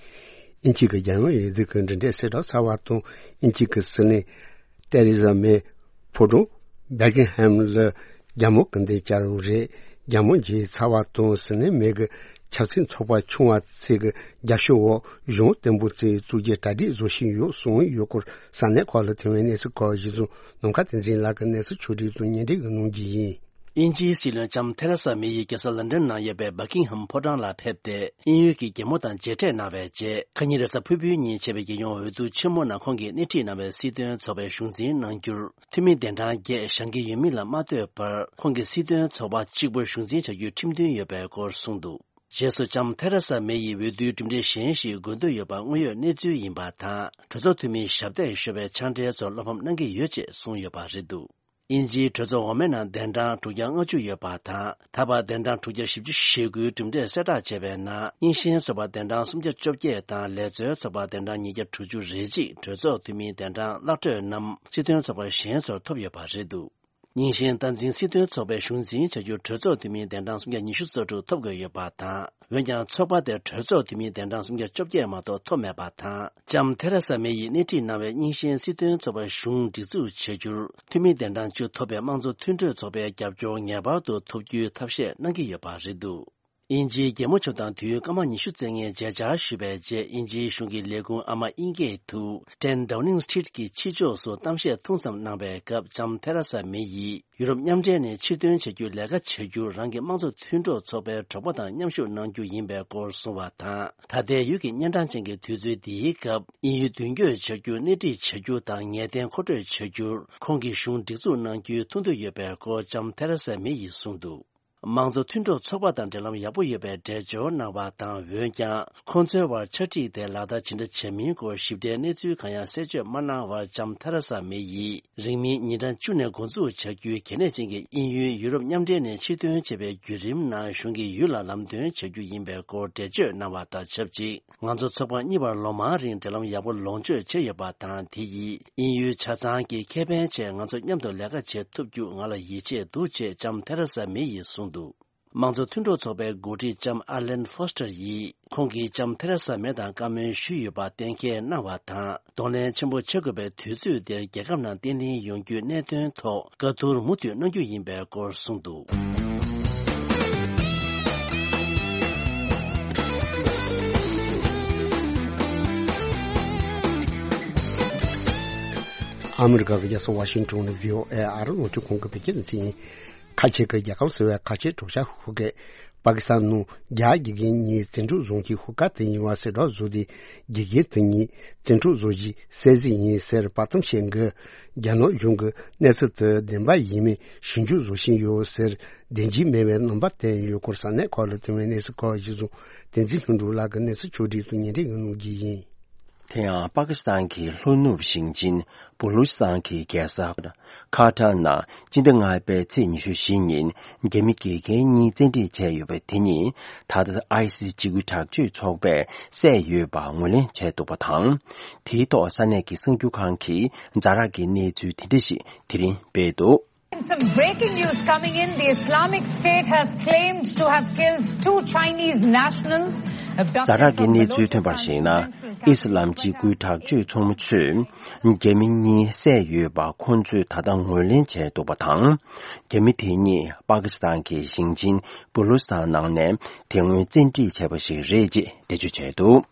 དབྱིན་ཇི་གི་རྒྱལ་ཡོངས་འོས་བསྡུ་གི་གྲུབ་འབྲས་གསལ་བསྒྲགས་ཚར་བ་དང་། དབྱིན་ཇི་གི་སྲིད་བློན་ཏེ་རེ་ཟ་མེ་ཕོ་བྲང་བྷེ་ཀིང་ཧེམ་ལ་རྒྱལ་མོ་སྐུ་མདུན་བཅར་བ་རེད། རྒྱལ་མོ་མཇལ་ཚར་བ་དང་། སྲིད་བློན་མེ་གི་ཆབ་སྲིད་ཚོགས་པ་ཆུང་བ་ཚོས་ཀྱི་རྒྱབ་སྐྱོར་འོག་གཞུང་བརྟན་པོ་བཙུགས་བཙུགས་རྒྱུའི་གྲ་སྒྲིག་བཟོ་བཞིན་ཡོད་གསུངས་ཡོད་སྐོར་ས་གནས་ཁག་ལ་ཐོན་པའི་གནས་ཚུལ་ཁག་གཞི་བཟུང་ནམ་མཁའ་བསྟན་འཛིན་ལགས་ཀྱིས་གནས་ཚུལ་ཕྱོགས་སྒྲིག་དང་སྙན་སྒྲོན་གནང་རྒྱུ་ཡིན། དབྱིན་ཇིའི་སྲིད་བློན་ལྕམ་ཐེ་རེ་ས་མེ་ཡིས་རྒྱལ་ས་ལན་ཀྲན་ནང་ཡོད་པའི་བྷ་ཀིང་ཧམ་ཕོ་བྲང་ལ་ཕེབས་ཏེ། དབྱིན་ཡུལ་གྱི་རྒྱལ་མོ་དང་མཇལ་འཕྲད་གནང་བའི་རྗེས། ཁ་ཉིན་རེས་གཟའ་ཕུར་བུའི་ཉིན་བྱས་པའི་རྒྱལ་ཡོངས་འོས་བསྡུ་ཆེན་མོ་ནང་ཁོང་གིས་སྣེ་ཁྲིད་གནང་བའི་སྲིད་དོན་ཚོགས་པའི་གཞུང་འཛིན་གནང་རྒྱུར། འཐུས་མི་གདན་གྲངས་བརྒྱད་བཞེངས་ཀྱི་ཡོད་མིན་ལ་མ་ལྟོས་པར། ཁོང་གིས་སྲིད་དོན་ཚོགས་པ་གཅིག་པུར་གཞུང་འཛིན་བྱ་རྒྱུའི་ཁྲིམས་མཐུན་ཡོད་པའི་སྐོར་གསུངས་འདུག་རྗེས་སུ་ལྕམ་ཐེ་རེ་ས་མེ་ཡིས་འོས་བསྡུའི་གྲུབ་འབྲས་གཞན་ཞིག་དགོས་འདོད་ཡོད་པ་དངོས་ཡོད་གནས་ཚུལ་ཡིན་པ་དང་། གྲོས་ཚོགས་འཐུས་མིའི་ཞབས་སྟེགས་ཤོར་བའི་ཕྱག་འབྲེལ་ཚོར་བློ་ཕམ་གནང་གི་ཡོད་ཅེས་གསུངས་ཡོད་པ་རེད་འདུག་དབྱིན་ཇིའི་གྲོས་ཚོགས་འོག་མའི་ནང་གདན་གྲངས་དྲུག་བརྒྱ་ལྔ་བཅུ་ཡོད་པ་དང་། ད་བར་གདན་གྲངས་དྲུག་བརྒྱ་བཞི་བཅུ་ཞེ་དགུའི་གྲུབ་འབྲས་གསལ་བསྒྲགས་བྱས་པའི་ནང་། རྙིང་ཞེན་ཚོགས་པ་གདན་གྲངས་སུམ་བརྒྱ་བཅོ་བརྒྱད་དང་། ལེགས་བཙོན་ཚོགས་པ་གདན་གྲངས་ཉིས་བརྒྱ་དྲུག་ཅུ་རེ་གཅིག་གྲོས་ཚོགས་འཐུས་མིའི་གདན་གྲངས་གླག་འཕྲོས་རྣམས་སྲིད་དོན་ཚོགས་པ་གཞན་ཚོར་ཐོབ་ཡོད་པ་རེད་འདུག་རྙིང་ཞེན་སྟངས་འཛིན་སྲིད་དོན་ཚོགས་པའི་གཞུང་འཛིན་བྱ་རྒྱུར་གྲོས་ཚོགས་འཐུས་མིའི་གདན་གྲངས་སུམ་བརྒྱ་ཉི་ཤུ་རྩ་དྲུག་ཐོབ་དགོས་ཡོད་པ་དང་། འོན་ཀྱང་ཚོགས་པ་དེར་གྲོས་ཚོགས་འཐུས་མིའི་གདན་གྲངས་སུམ་བརྒྱ་བཅོ་བརྒྱད་མ་གཏོགས་ཐོབ་མེད་པ་དང་། ལྕམ་ཐེ་རེ་ས་མེ་ཡིས་སྣེ་ཁྲིད་གནང་བའི་རྙིང་ཞེན་སྲིད་དོན་ཚོགས་པའི་གཞུང་སྒྲིག་འཛུགས་བྱ་རྒྱུར་འཐུས་མིའི་གདན་གྲངས་བཅུ་ཐོབ་པའི་དམངས་གཙོ་མཐུན་གྲོས་ཚོགས་པའི་རྒྱབ་སྐྱོར་ངེས་པར་དུ་ཐོབ་རྒྱུའི་ཐབས་ཤེས་གནང་གི་ཡོད་པ་རེད་འདུག་དབྱིན་ཇིའི་རྒྱལ་མོ་མཆོག་དང་དུས་ཡུན་སྐར་མ་ཉི་ཤུ་རྩེ་ལྔའི་མཇལ་བཅར་ཞུས་པའི་རྗེས། དབྱིན་ཇིའི་གཞུང་གི་ལས་ཁུངས་ཨ་མ་དབྱིན་སྐད་དུ་ཊེན་ཌའུ་ནིང་སི་ཊི་རིཊ་གྱི་ཕྱི་ཕྱོགས་སུ་གཏམ་བཤད་ཐུང་ཙམ་གནང་པའི་སྐབས། ལྕམ་ཐེ་རེ་ས་མེ་ཡིས་ཡུ་རོབ་མཉམ་འབྲེལ་ནས་ཕྱིར་ཐོན་བྱ་རྒྱུའི་ལས་ཀ་བྱ་རྒྱུར་རང་གི་དམངས་གཙོ་མཐུན་གྲོགས་ཚོགས་པའི་གྲོགས་པོ་དང་མཉམ་ཞུགས་གནང་རྒྱུ་ཡིན་པའི་སྐོར་གསུངས་པ་དང་། ད་ལྟའི་ཡུལ་གྱི་གཉན་འཕྲང་ཅན་གྱི་དུས་ཚོད་འདིའི་སྐབས། དབྱིན་ཡུལ་མདུན་སྐྱོད་བྱ་རྒྱུ། སྣེ་ཁྲིད་བྱ་རྒྱུ་དང་ངེས་གཏན་མཁོ་སྤྲོད་བྱ་རྒྱུར་ཁོང་གི་གཞུང་སྒྲིག་འཛུགས་གནང་རྒྱུའི་ཐུགས་འདུན་ཡོད་པའི་སྐོར་ལྕམ་ཐེ་རེ་ས་མེ་ཡིས་གསུངས་འདུག་དམངས་གཙོ་མཐུན་གྲོགས་ཚོགས་པ་དང་འབྲེལ་ལམ་ཡག་པོ་ཡོད་པའི་འགྲེལ་བརྗོད་གནང་བ་དང་། འོན་ཀྱང་ཁོང་ཚོའི་དབར་ཕྱག་བྲིས་དེ་ལག་བསྟར་ཇི་འདྲ་བྱས་མིན་སྐོར་ཞིབ་ཕྲའི་གནས་ཚུལ་གང་ཡང་གསལ་བརྗོད་མ་གནང་བར། ལྕམ་ཐེ་རེ་ས་མེ་ཡིས་རིང་མིན་ཉིན་གྲངས་བཅུ་ནས་འགོ་འཛུགས་བྱ་རྒྱུའི་གལ་གནད་ཅན་གྱི་དབྱིན་ཡུལ་ཡུ་རོབ་མཉམ་འབྲེལ་ནས་ཕྱིར་ཐོན་བྱས་པའི་བརྒྱུད་རིམ་ནང་གཞུང་གིས་ཡུལ་ལ་ལམ་སྟོན་བྱ་རྒྱུ་ཡིན་པའི་སྐོར་འགྲེལ་བརྗོད་གནང་བ་དང་ཆབས་ཅིག་ང་ཚོ་ཚོགས་པ་གཉིས་བར་ལོ་མང་རིང་འབྲེལ་ལམ་ཡག་པོ་ལོངས་སྤྱོད་བྱས་ཡོད་པ་དང་། དེ་ཡིས་དབྱིན་ཡུལ་ཆ་ཚང་གི་ཁེ་ཕན་ཆེད་ང་ཚོ་མཉམ་དུ་ལས་ཀ་བྱེད་ཐུབ་རྒྱུ་ང་ལ་ཡིད་ཆེས་འདུག་ཅེས་ལྕམ་ཐེ་རེ་ས་མེ་ཡིས་གསུངས་འདུག་དམངས་གཙོ་མཐུན་གྲོགས་ཚོགས་པའི་འགོ་ཁྲིད་ལྕམ་ཨར་ལན་ཧྥོ་སི་ཊར་ཡིས་ཁོང་གིས་ལྕམ་ཐེ་རེ་ས་མེ་དང་བཀའ་མོལ་ཞུས་ཡོད་པ་གཏན་འཁེལ་གནང་བ་དང་། གདོང་ལེན་ཆེན་པོ་བྱེད་དགོས་པའི་དུས་ཚོད་འདིར་རྒྱལ་ཁབ་ནང་བརྟན་ལྷིང་ཡོང་རྒྱུའི་གནད་དོན་ཐོག་བཀའ་བསྡུར་མུ་མཐུད་གནང་རྒྱུ་ཡིན་པའི་སྐོར་གསུངས་འདུག་ཨ་མི་རི་ཀ་གི་རྒྱལ་ས་ཝ་ཤིང་ཊོན་ནས་བྷི་ཨོ་ཨེ་ཨ་རི་རླུང་འཕྲིན་ཁང་གི་བོད་སྐད་སྡེ་ཚན་ཡིན། ཁ་ཆེ་གི་རྒྱལ་ཁབ་ཟེར་བའི་ཁ་ཆེ་གྲོགས་ཤར་ཧུ་ཀེ། པ་ཀི་སི་ཐན་ནང་རྒྱ་དགེ་རྒན་གཉིས་བཙན་འཕྲོག་བཟུང་མཁན་ཧུར་ཐག་དེ་ཡིན་པ་གསལ་བསྒྲགས་བཟོས་ཏེ། དགེ་རྒན་དེ་གཉིས་བཙན་འཕྲོག་བཟོ་གཞི་གསལ་གཟིགས་ཡིན་ཟེར་པར་སྟོན་བྱས་འགོ། རྒྱ་ནག་གཞུང་གིས་གནས་ཚུལ་དེ་བདེན་པ་ཡིན་མིན་ཞིབ་འཇུག་བཟོ་བཞིན་ཡོད་ཟེར། བདེན་འཛིན་མེད་པའི་རྣམ་པ་བསྟན་ཡོད་སྐོར་ས་གནས་ཁག་ལ་ཐོན་པའི་གནས་ཚུལ་ཁག་གཞི་བཟུང་བསྟན་འཛིན་ལྷུན་གྲུབ་ལགས་ཀྱིས་གནས་ཚུལ་ཕྱོགས་སྒྲིག་ཏུ་ཉན་སྒྲིག་གནང་གནང་གི་ཡིན། དེ་ཡང་པ་ཀི་སི་ཐན་གྱི་ལྷོ་ནུབ་ཞིང་ཆེན་བུ་ལུ་ཅི་སི་ཐན་གྱི་རྒྱལ་ས་ཁ་ཐར་ནང་སྤྱི་ཟླ་ལྔ་པའི་ཚེས་ཉི་ཤུ་བཞི་ཉིན་རྒྱ་མི་དགེ་རྒན་གཉིས་བཙན་ཁྲིད་བྱས་ཡོད་པ་དེ་ཉིད་ད་ལྟ་ཨའི་སི་སི་འཇིགས་སྐུལ་དྲག་སྤྱོད་ཚོགས་པས་བསད་ཡོད་པ་ངོས་ལེན་བྱས་འདུག་པ་དང་། དེའི་ཐོག་ས་གནས་ཀྱི་གསར་འགྱུར་ཁང་གིས་ཛ་དྲག་གི་གནས་ཚུལ་དེ་འདྲ་ཞིག་དེ་རིང་སྤེལ་འདུག Some breaking news coming in. The Islamic State has claimed to have killed two Chinese nationals. ཛ་དྲག་གི་གནས་ཚུལ་ཐོན་པར་གཞིགས་ན། ཨི་སི་ལམ་འཇིགས་སྐུལ་དྲག་སྤྱོད་ཚོགས་མི་ཚོས་རྒྱ་མི་གཉིས་བསད་ཡོད་པ་ཁོང་ཚོས་ད་ལྟ་ངོས་ལེན་བྱས་འདུག་པ་དང་། རྒྱ་མི་དེ་གཉིས་པ་ཀི་སི་ཐན་གྱི་ཞིང་ཆེན་བུ་ལུ་སི་ཐན་ནང་ནས་དེ་སྔོན་བཙན་ཁྲིད་བྱས་པ་ཞིག་རེད་ཅེས་འགྲེལ་བརྗོད་བྱས་འདུག་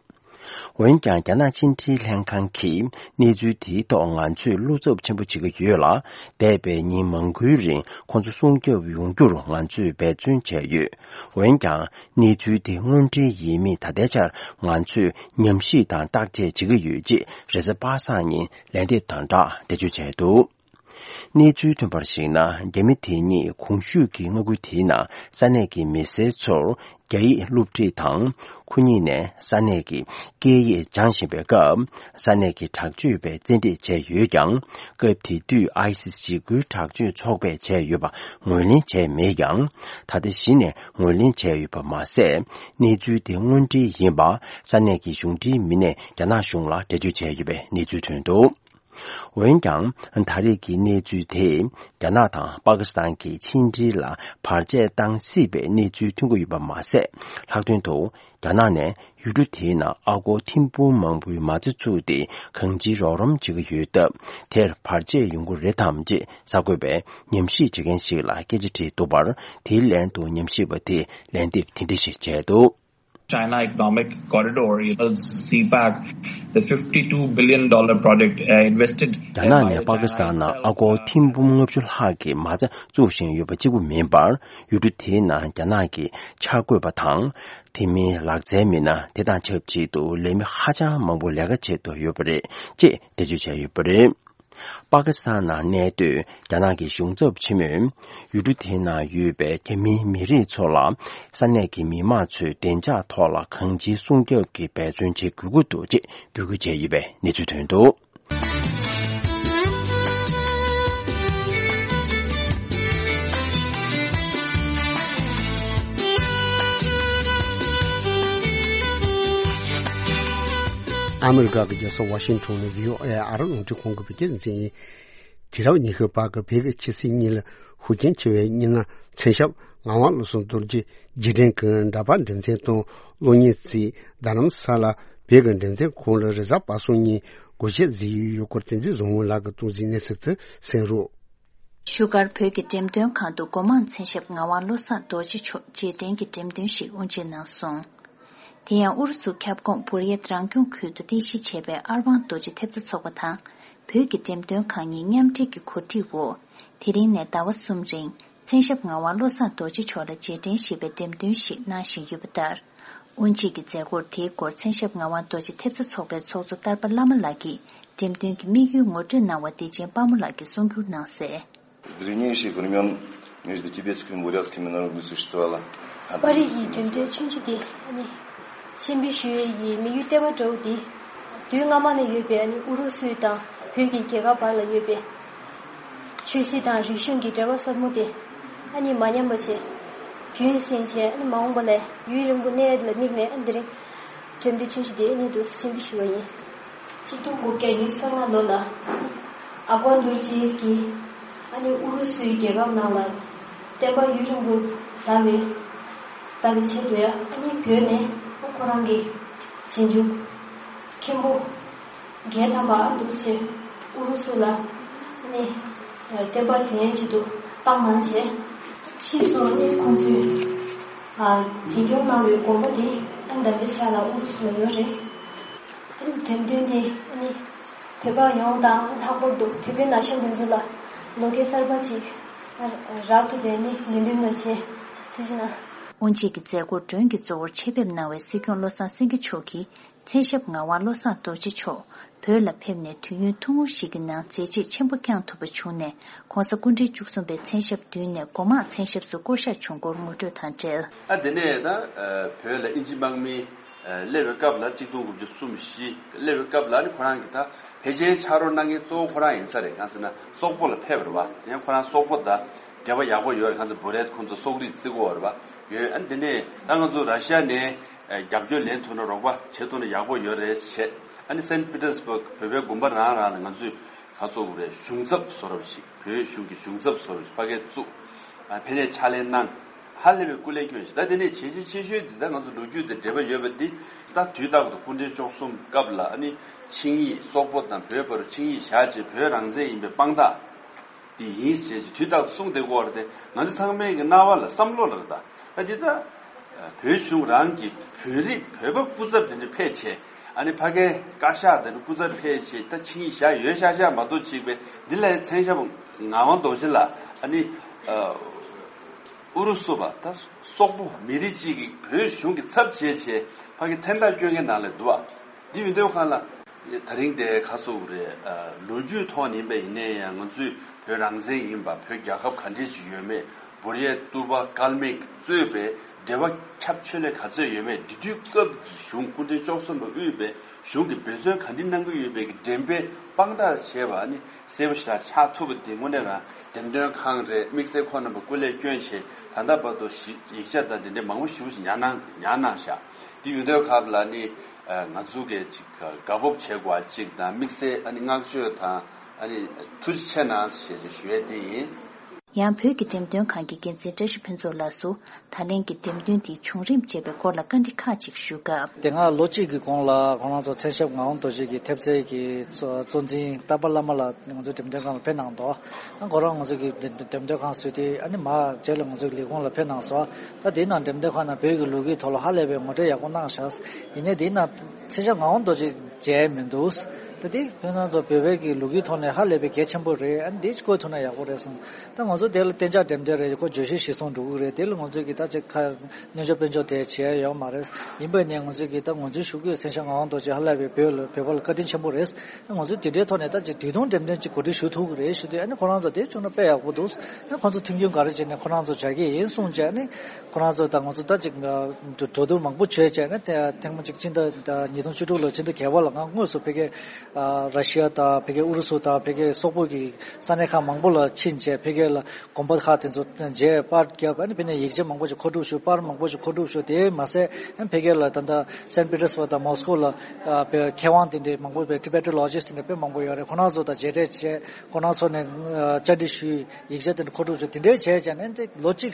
འོན་ཀྱང་རྒྱ་ནག་ཕྱི་འབྲེལ་ལྷན་ཁང་གིས་གནས་ཚུལ་དེའི་ཐོག་ང་ཚོས་བློ་འཚབ་ཆེན་པོ་བྱེད་ཀྱི་ཡོད་ལ། འདས་པའི་ཉིན་མང་པོའི་རིང་ཁོང་ཚོ་སྲུང་སྐྱོབ་ཡོང་རྒྱུར་ང་ཚོས་འབད་བརྩོན་བྱས་ཡོད། འོན་ཀྱང་གནས་ཚུལ་དེ་དངོས་འབྲེལ་ཡིན་མིན་ད་ལྟའི་ཆར་ང་ཚོས་ཉམས་ཞིབ་དང་བརྟག་དཔྱད་བྱེད་ཀྱི་ཡོད་ཅེས་རེས་གཟའ་པ་སངས་ཉིན་ལན་འདེབས་དང་སྦྲགས་འགྲེལ་བརྗོད་བྱས་འདུག་གནས་ཚུལ་ཐོན་པར་གཞིགས་ན། རྒྱ་མི་དེ་གཉིས་གོང་ཞུས་ཀྱི་མངའ་ཁུལ་དེའི་ནང་ས་གནས་ཀྱི་མི་སེར་ཚོར་རྒྱ་ཡིག་སློབ་ཁྲིད་དང་། ཁོ་གཉིས་ནས་ས་གནས་ཀྱི་སྐད་ཡིག་སྦྱང་བཞིན་པའི་སྐབས། ས་གནས་ཀྱི་དྲག་སྤྱོད་པས་བཙན་ཁྲིད་བྱས་ཡོད་ཀྱང་། སྐབས་དེ་དུས་ཨའི་སི་སི་འཇིགས་སྐུལ་དྲག་སྤྱོད་ཚོགས་པས་བྱས་ཡོད་པ་ངོས་ལེན་བྱས་མེད་ཀྱང་། ད་ལྟ་གཞི་ནས་ངོས་ལེན་བྱས་ཡོད་པ་མ་ཟད། གནས་ཚུལ་དེ་དངོས་འབྲེལ་ཡིན་པ་ས་གནས་ཀྱི་གཞུང་འབྲེལ་མི་སྣས་རྒྱ་ནག་གཞུང་ལ་འགྲེལ་བརྗོད་བྱས་ཡོད་པའི་གནས་ཚུལ་ཐོན་འདུག་འོན་ཀྱང་། ད་རེས་ཀྱི་གནས་ཚུལ་དེས་རྒྱ་ནག་དང་པ་ཀི་སི་ཐན་གྱི་ཕྱི་འབྲེལ་ལ་བར་ཆད་བཏང་སྲིད་པའི་གནས་ཚུལ་ཐོན་གྱི་ཡོད་པ་མ་ཟད། ལྷག་དོན་དུ་རྒྱ་ནག་ནས་ཡུལ་གྲུ་དེའི་ནང་ཨ་སྒོར་ཐེར་འབུམ་མང་པོའི་མ་རྩ་བཙུགས་ཏེ་གང་ཅིའི་རོགས་རམ་བྱེད་ཀྱི་ཡོད་སྟབས། དེར་བར་ཆད་ཡོང་གི་རེད་དམ་ཅེས་གསར་འགོད་པས་ཉམས་ཞིབ་བྱེད་མཁན་ཞིག་ལ་སྐད་ཆ་དྲིས་འདུག་པར། དེའི་ལན་དུ་ཉམས་ཞིབ་པ་དེས་ལན་འདེབས་དེ་འདྲ་ཞིག་བྱས་འདུག China Economic Corridor, you know, CPEC, the fifty-two billion dollar project, uh, invested རྒྱ་ནག་ནས་པ་ཀི་སི་ཐན་ནང་ཨ་སྒོར་ཐེར་འབུམ་ལྔ་བཅུ་ལྷག་གི་མ་རྩ་བཙུགས་བཞིན་ཡོད་པ་གཅིག་པུ་མིན་པར། ཡུལ་གྲུ་དེའི་ནང་རྒྱ་ནག་གི་འཆར་འགོད་པ་དང་། དེ་མིན་ལག་རྩལ་མི་སྣ། དེ་དང་ཆབས་ཅིག་ཏུ་ལས་མི་ཧ་ཅང་མང་པོ་ལས་ཀ་བྱེད་འདོད་ཡོད་པ་རེད་ཅེས་འགྲེལ་བརྗོད་བྱས་ཡོད་པ་རེད། པ་ཀི་སི་ཐན་ནང་གནས་སྡོད་རྒྱ་ནག་གི་གཞུང་ཚབ་ཆེན་མོས། ཡུལ་གྲུ་དེའི་ནང་ཡོད་པའི་རྒྱ་མིའི་མི་རིགས་ཚོ་ལ། ས་གནས་ཀྱི་མི་མང་ཚོས་བདེ་འཇགས་ཐོག་ལ་གང་ཅིའི་སྲུང་སྐྱོབ་ཀྱི་འབད་བརྩོན་བྱེད་དགོས་ཀྱི་འདུག་ཅེས་འབོད་སྐུལ་བྱས་ཡོད་པའི་གནས་ཚུལ་ཐོན་འདུག་ཨ་མི་རི་ཀ་གི་རྒྱལ་ས་ཝ་ཤིང་ཊོན་ནས་བྷི་ཨོ་ཨེ་ཨ་རི་རླུང་འཕྲིན་ཁང་གི་བོད་སྐད་སྡེ་ཚན་ཡིན། དུས་རབས་ཉི་ཤུ་པ་གི་བོད་ཀྱི་ཆོས་སྲིད་གཉིས་ལ་ཤུགས་རྐྱེན་ཆེ་བའི་གཉེར་སྣ་མཚན་ཞབས་ངག་དབང་བློ་བཟང་རྡོ་རྗེ་རྗེས་དྲན་གྱི་འདྲ་པར་འགྲེམས་སྟོན་དང་གློག་བརྙན་རྩིས་རྡ་རམ་ས་ལ་བོད་ཀྱི་འགྲེམས་སྟོན་ཁང་ལ་རེས་གཟའ་པ་སངས་ཉིན་སྒོ་ཕྱེ་མཛད་ཡོད་སྐོར་བསྟན་འཛིན་བཟང་མོ་ལགས་ཀྱིས་གཏོང་མཛད་གནས་ཚུལ་དུ་གསན་རོགས། བཞུགས་སྒར་བོད་ཀྱི་འགྲེམས་སྟོན་ཁང་དུ་སྒོ་མང་མཚན་ཞབས་ངག་དབང་བློ་བཟང་རྡོ་རྗེ་མཆོག་རྗེས་དྲན་གྱི་འགྲེམས་སྟོན་ཞིག་དབུ་འབྱེད་གནང་སོང་། དེ་ཡང་ཨུ་རུ་སུ་ཁྱབ་ཁོངས་བུར་ཡེད་རང་སྐྱོང་ཁུལ་དུ་རྟེན་གཞི་བྱས་པའི་ཨར་ཝང་རྡོ་རྗེ་ཐེབས་རྩ་ཚོགས་པ་དང་། བོད་ཀྱི་འགྲེམས་སྟོན་ཁང་གཉིས་མཉམ་འབྲེལ་གྱི་གོ་སྒྲིག་འོག་དེ་རིང་ནས་ཟླ་བ་གསུམ་རིང་མཚན་ཞབས་ངག་དབང་བློ་བཟང་རྡོ་རྗེ་མཆོག་ལ་རྗེས་དྲན་ཞེས་པའི་འགྲེམས་སྟོན་ཞིག་གནང་བཞིན་ཡོད་པ་ལྟར། དབུ་འབྱེད་ཀྱི་མཛད་སྒོར་དེའི་སྐོར་མཚན་ཞབས་ངག་དབང་རྡོ་རྗེ་ཐེབས་རྩ་ཚོགས་པའི་ཚོགས་གཙོ་སྟར་པ་བླ་མ་ལགས་ཀྱིས་འགྲེམས་སྟོན་གྱི་དམིགས་ཡུལ་ངོ་སྤྲོད་གནང་བ་བདེ་ཆེན་དཔལ་མོ་ལགས་ཀྱིས་གསུང་བསྒྱུར་གནང་གསལ། Древнейших времён между тибетскими и бурятскими народами существовала одна. པར་རིས་ཀྱི་འགྲེམས་སྟོན་ཆུང་ཆུང་དེ་ནི་ཆེན་པོའི་ཞུ་ཡས་ཀྱི་དམིགས་ཡུལ་ལྟེ་བ་འདྲ་བོ་དེ། དུས་སྔ་མ་ནས་ཡོད་པའི་ཨ་ནི་ཨུ་རུ་སུ་དང་བོད་ཀྱི་རྒྱལ་ཁབ་བར་ལ་ཡོད་པའི་ཆོས་སྲིད་དང་རིག་གཞུང་གི་འབྲེལ་བ་ཟབ་མོ་དེ་ཨ་ནི་མ་ཉམས་པ་བྱས། རྒྱུན་བསྲིངས་བྱས་ཨ་ནི་མ་འོངས་པ་ལ་ཡུན་རིང་པོ་གནས་ཡས་ལ་དམིགས་ནས་ཨ་ནི་དེ་རིང་འགྲེམས་སྟོན་ཆུང་ཆུང་དེ་ཨ་ནི་འདུག་སེ་ཆེན་པོ་ཞུ་བ་ཡིན། གཅིག་སྟོང་དགུ་བརྒྱ་ཉི་ཤུ་རྩ་ལྔ་ལོ་ལ་ཨ་ཁུ་ཨན་རྡོ་རྗེ་གིས་ཨ་ནི་ཨུ་རུ་སུའི་རྒྱལ་ཁབ་ནང་ལ་བསྟན་པ་ཡུན་རིང་པོ་དར་བའི་དར་བའི་ཆེད་དུ་ཡང་ཨ་ནི་བོད་ནས་ཁོ་རང་གི་རྗེས་འཇུག་མཁན་པོ་བརྒྱད་ཐམ་པ་ཨ་འདུག་སེ་ཨུ་རུ་སུ་ལ་ཨ་ནི་བསྟན་པ་འཛིན་ཡས་ཆེད་དུ་བཏང་གནང་བྱས། ཕྱིས་སུ་ཨ་ནི་ཁོང་ཚོས་ཨ་འཛིན་སྐྱོང་གནང་བའི་དགོན་པ་དེ་ཨ་ནི་ད་ལྟའི་ཆ་ལ་ཨུ་རུ་སུ་ལ་ཡོད་རེད། ཨ་ནི་འགྲེམས་སྟོན་དེ་ཨ་ནི་བོད་པ་ཡོངས་དང་ལྷག་པར་དུ་བོད་པའི་ན་གཞོན་དེ་ཚོ་ལ་ལོ་སྐལ་གསར་པ་ཅིག་རག་ཐུབ་པའི་ནི་ངོས་འཛིན་ལ་བྱས། ཐུགས་རྗེ་གནང་། དབུ་འབྱེད་ཀྱི་མཛད་སྒོར་མགྲོན་གྱི་གཙོ་བོར་ཆེད་ཕེབས་གནང་བའི་སྲིད་སྐྱོང་བློ་བཟང་སེང་གེ་མཆོག་གིས་མཚན་ཞབས་ངག་དབང་བློ་བཟང་རྡོ་རྗེ་མཆོག་བོད་ལ་ཕེབས་ནས་དུས་ཡུན་ཐུང་ངུ་ཞིག་གི་ནང་མཛད་རྗེས་ཆེན་པོ་བསྐྱངས་ཐུབ་པ་བྱུང་ནས་༸གོང་ས་སྐུ་ཕྲེང་བཅུ་གསུམ་པའི་མཚན་ཞབས་བདུན་ནས་སྒོ་མང་མཚན་ཞབས་སུ་བསྐོ་གཞག་བྱུང་སྐོར་ངོ་སྤྲོད་དང་འབྲེལ། ཨ་དེ་ནས་ད་བོད་ལ་དབྱིན་ཇི་དམག་མི་སླེབས་པའི་སྐབས་ལ་གཅིག་སྟོང་དགུ་བརྒྱ་གསུམ་བཞི་སླེབས་པའི་སྐབས་ལ་ནི་ཁོ་རང་གིས་ད་ཕལ་ཆེར་ཕྱག་རོགས་གནང་མཁན་གཙོ་བོ་ཁོ་རང་ཡིན་ས་རེད། གང་ཟེར་ན་སོག་པོ་ལ་ཕེབས་པ་རེད་བ། ཡང་ཁོ་རང་སོག་པོ་དང་འབྲེལ་བ་ཡག་པོ་ཡོད་རེད། གང་ཟེར་བུ་རེད། ཁོང་ཚོ་སོག་རིགས་བརྩི་གི་ཡོད་རེད་བ། ཡོད། ཨ་ནི་དེ་ནས་ད་ང་ཚོ་ར་ཤི་ཡ་ནས་རྒྱབ་སྐྱོར་ལེན་ཐུབ་ན་རོགས་པ་བྱེད་ཐུབ་ན་ཡག་པོ་ཡོད་རེད་བྱས། ཨ་ནི་སན་པི་ཏེར་སྦུག་བོད་པའི་དགོན་པ་རང་རང་ལ་ང་ཚོས་ག་ཚོད་རེད། གཞུང་ཚབ་བཟོ་འདྲ་ཞིག་བོད་གཞུང་གི་གཞུང་ཚབ་བཟོ་འདྲ་ཞིག་ཕ་གིར་བཙུགས། ཨ་ཕ་གིར་ཕྱག་ལས་གནང་། ཧ་ལས་པའི་སྐུ་ལས་བསྐྱོན་ཞིག་ད་དེ་ནས་བྱས་རྗེས་ཆེ་ཤོས་འདི་ད་ང་ཚོ་ལོ་རྒྱུས་དང་འབྲེལ་བ་ཡོད་པ་འདི་ད་དུས་རྟག་ཏུ་སྐུ་ཕྲེང་བཅུ་གསུམ་སྐབས་ལ་ཨ་ནི་ཆིངས་ཡིག་སོག་པོ་དང་བོད་བར་ཆིངས་ཡིག་བཞག་བྱས་བོད་རང་བཙན་ཡིན་པའི་དཔང་རྟགས་འདི་ཡིན་ཞེས་དུས་རྟག་ཏུ་གསུངས་བསྡད་ཀྱི་ཡོད་རེད་དེ། ང་ཚོ་ཚང་མའི་གི་རྣ་བ་ལ་བསམ་བློ་ལ་རེད། ད་ད་འདི་ད་བོད་གཞུང་རང་གི་བོད་རིགས་བོད་པ་སྐུ་ཚབ་དེ་འདྲ་ཕེབས་བྱས། ཨ་ནི་ཕ་གིའི་བཀའ་ཤག་དེ་འདྲ་སྐུ་ཚབ་ཕེབས་བྱས། ད་ཆིངས་ཡིག་བཞག་ཡོད་ཤག་ཤག་མ་གཏོགས་ཅིག་པས་འདི་ལ་མཚན་ཞབས་ངག་དབང་རྡོ་རྗེ་ལགས་ཨ་ནི་ཨུ་རུ་སུ་པ་ད་སོག་པོ་མི་རིགས་གཅིག་གི་བོད་གཞུང་གི་ཚབ་བྱས་བྱས་ཕ་གི་མཚན་རྟགས་བསྐྱོན་མཁན་ནང་ལ་འདུག་བ། འདི་ཡོད་དུས་གང་ལ་ད་རིང་དེ་ཁ་སོ་རེད། ལོ་རྒྱུས་ཐོག་ནས་ཡིན་པ་ཡིན་ནའི་ཡང་ང་ཚོས་བོད་རང་བཙན་ཡིན་པ། བོད་རྒྱལ་ཁབ་ག་འདྲས་ཅིག་ཡོད་མེད། བོར་ཡས་ཏུ་པ་ཀལ་མིག་གཙོས་པའི་འབྲེལ་བ་ཁྱབ་ཆེ་ལས་ག་ཚོད་ཡོད་མེད། དེ་དུས་སྐབས་ཀྱི་གཞུང་སྐུ་ཕྲེང་བཅུ་གསུམ་པ་དབུས་པའི་གཞུང་གིས་འབད་བརྩོན་ག་འདྲ་གནང་གི་ཡོད་པའི་གི་འགྲེམས་སྤེལ་དཔང་རྟགས་བྱས་པ་ནི་གསལ་པོ་ཞེ་དྲག་ཆགས་ཐུབ་པ་དེ་དངོས་གནས་རང་འགྲེམས་སྟོན་ཁང་རེད། དམིགས་བསལ་ཁོང་རྣམ་པ་སྐུ་ལས་བསྐྱོན་བྱས་ད་ལྟ་བར་དུ་ཞི་ཡིག་ཆ་དང་དེ་འདྲའི་མང་པོ་ཞེ་པོ་ཞིག་ཉར་གནང་ཉར་གནང་བཞག་དེ་ཡོད་དུས་སྐབས་ལ་ནི་ང་ཚོ་གི་ཅིག་དགའ་སྤོབས་བྱེད་དགོས་པ་ཅིག་དང་དམིགས་བསལ་ཨ་ནི་བསྔགས་བརྗོད་དང་ཨ་ནི་ཐུགས་རྗེ་ཆེ་གནང་ཞེས་ཞུ་ཡས་དེ་ཡིན། ཡང་བོད་ཀྱི་འགྲེམས་སྟོན་ཁང་གི་འགན་འཛིན་བཀྲ་ཤིས་ཕུན་ཚོགས་ལགས་སུ་ད་ལན་གྱི་འགྲེམས་སྟོན་དེའི་བྱུང་རིམ་བཅས་པའི་སྐོར་ལ་བཀའ་འདྲི་ཁག་ཅིག་ཞུས་སྐབས། དེ་སྔ་ལོ་གཅིག་གི་གོང་ལ་ཁོང་རང་ཚོ་མཚན་ཞབས་ངག་དབང་རྡོ་རྗེ་གི་ཐེབས་རྩའི་གི་གཙོ་གཙོ་འཛིན་སྟག་པ་བླ་མ་ལགས་ང་ཚོའི་འགྲེམས་སྟོན་ཁང་ལ་ཕེབས་གནང་འདུག་ཁོ་རང་ང་ཚོ་གི་འགྲེམས་སྟོན་ཁང་བཟོས་ཏེ་ཨ་ནི་མ་རྗེས་ལ་ང་ཚོའི་ལས་ཁུངས་ལ་ཕེབས་གནང་སོང་། ད་དེའི་ནང་འགྲེམས་སྟོན་ཁང་ནང་བོད་ཀྱི་ལོ་རྒྱུས་ཐོག་ལ་ཧ་ལས་པའི་ངོ་སྤྲོད་ཡག་པོ་གནང་ཤག་ཡིན་ནའི་དེའི་ནང་མཚན་ཞབས་ངག་དབང་རྡོ་རྗེ་མཇལ་མི་འདུག་ད་དེ་ཁྱོད་རང་ཚོ་བོད་པའི་གི་ལོ་རྒྱུས་ཐོག་ནས་ཧ་ལས་པའི་གལ་ཆེན་པོ་རེད། ཨ་ནི་དེ་བཀོད་ཐུབ་ན་ཡག་པོ་རེད་གསུངས། ད་ང་ཚོ་དེ་ལ་གཏན་འཇགས་འགྲེམས་སྟོན་རེད། ཁོ་བརྗོད་གཞི་གཞིར་བཟུང་འགྲོ་གི་རེད། དེ་ལ་ང་ཚོས་གི་ད་ཅིག་ཁ་སྙན་ཞུ་དཔལ་འབྱོར་དེ་བྱས་ཡོད་མ་རེད། ཡིན་པ་ནས་ང་ཚོས་གི་ད་ང་ཚོའི་ཞུ་སྐུལ་མཚན་ཞབས་ངག་དབང་རྡོ་རྗེ་ཧ་ལས་པའི་བོད་ལ་བོད་པ་ལ་བཀའ་དྲིན་ཆེན་པོ་རེད། ང་ཚོས་དེ་འདྲའི་ཐོག་ནས་ད་ཅིག་དུས་ཐུང་འགྲེམས་སྟོན་ཅིག་གོ་སྒྲིག་ཞུ་ཐུབ་ཀྱི་རེད་ཞུ་དུས། ཨ་ནི་ཁོ་རང་ཚོ་དེ་བྱུང་ན་དཔེ་ཡག་པོ་འདུག་ཨ་ཁོ་ཚོ་མཐུན་རྐྱེན་ག་རེ་བྱས་ནས་ཁོ་རང་ཚོ་བྱ་གི་ཡིན་གསུངས་བྱས། ཨ་ནི་ཁོ་རང་ཚོ་དང་ང་ཚོ་ད་ཅིག་འགྲོ་འགྲོ་འདུག་མང་པོ་བྱས་བྱས་ན་དེ་ཐེངས་མ་གཅིག་ཕྱི་ཟླ་ཉིས་སྟོང་བཅུ་དྲུག་ལོ་ཕྱི་ཟླ་བརྒྱད་པ་ལ་ང་དངོས་སུ་ཕ་གིར་ ཨ་ར་ཤི་ཡ་དང་ཕ་གི་ཨུ་རུ་སུ་དང་ཕ་གི་སོག་པོ་གི་ས་གནས་ཁག་མང་པོ་ལ་ཕྱིན་བྱས་ཕ་གི་ལ་དགོན་པ་ཁག་དེ་ཚོ་མཇལ་པར་བརྒྱབ། ཨ་ནི་ཕ་ནས་ཡིག་ཆ་མང་པོ་ཞིག་མཁོ་སྒྲུབ་ཞུ། པར་མང་པོ་ཞིག་མཁོ་སྒྲུབ་ཞུ། དེ་མ་ཟད་ཨ་ནི་ཕ་གི་ལ་ད་ལྟ་སན་པི་ཏེར་སྦུག་དང་མོ་སི་ཀོ་ལ་ཨ་པའི་མཁས་དབང་དེ་འདྲའི་མང་པོ་པའི་ཊི་བེ་ཊོ་ལོ་ཇི་སི་དེ་འདྲ་དཔེ་མང་པོ་ཡོད་རེད། ཁོ་རང་ཚོ་དང་མཇལ་འཕྲད་བྱས། ཁོ་རང་ཚོ་ནས་ཨ་བཅར་འདྲི་ཞུས། ཡིག་ཆ་དེ་འདྲ་མཁོ་སྒྲུབ་བྱས། དེ་འདྲའི་བྱས་བྱས་ནས་ཨ་ནི་ལོ་གཅིག་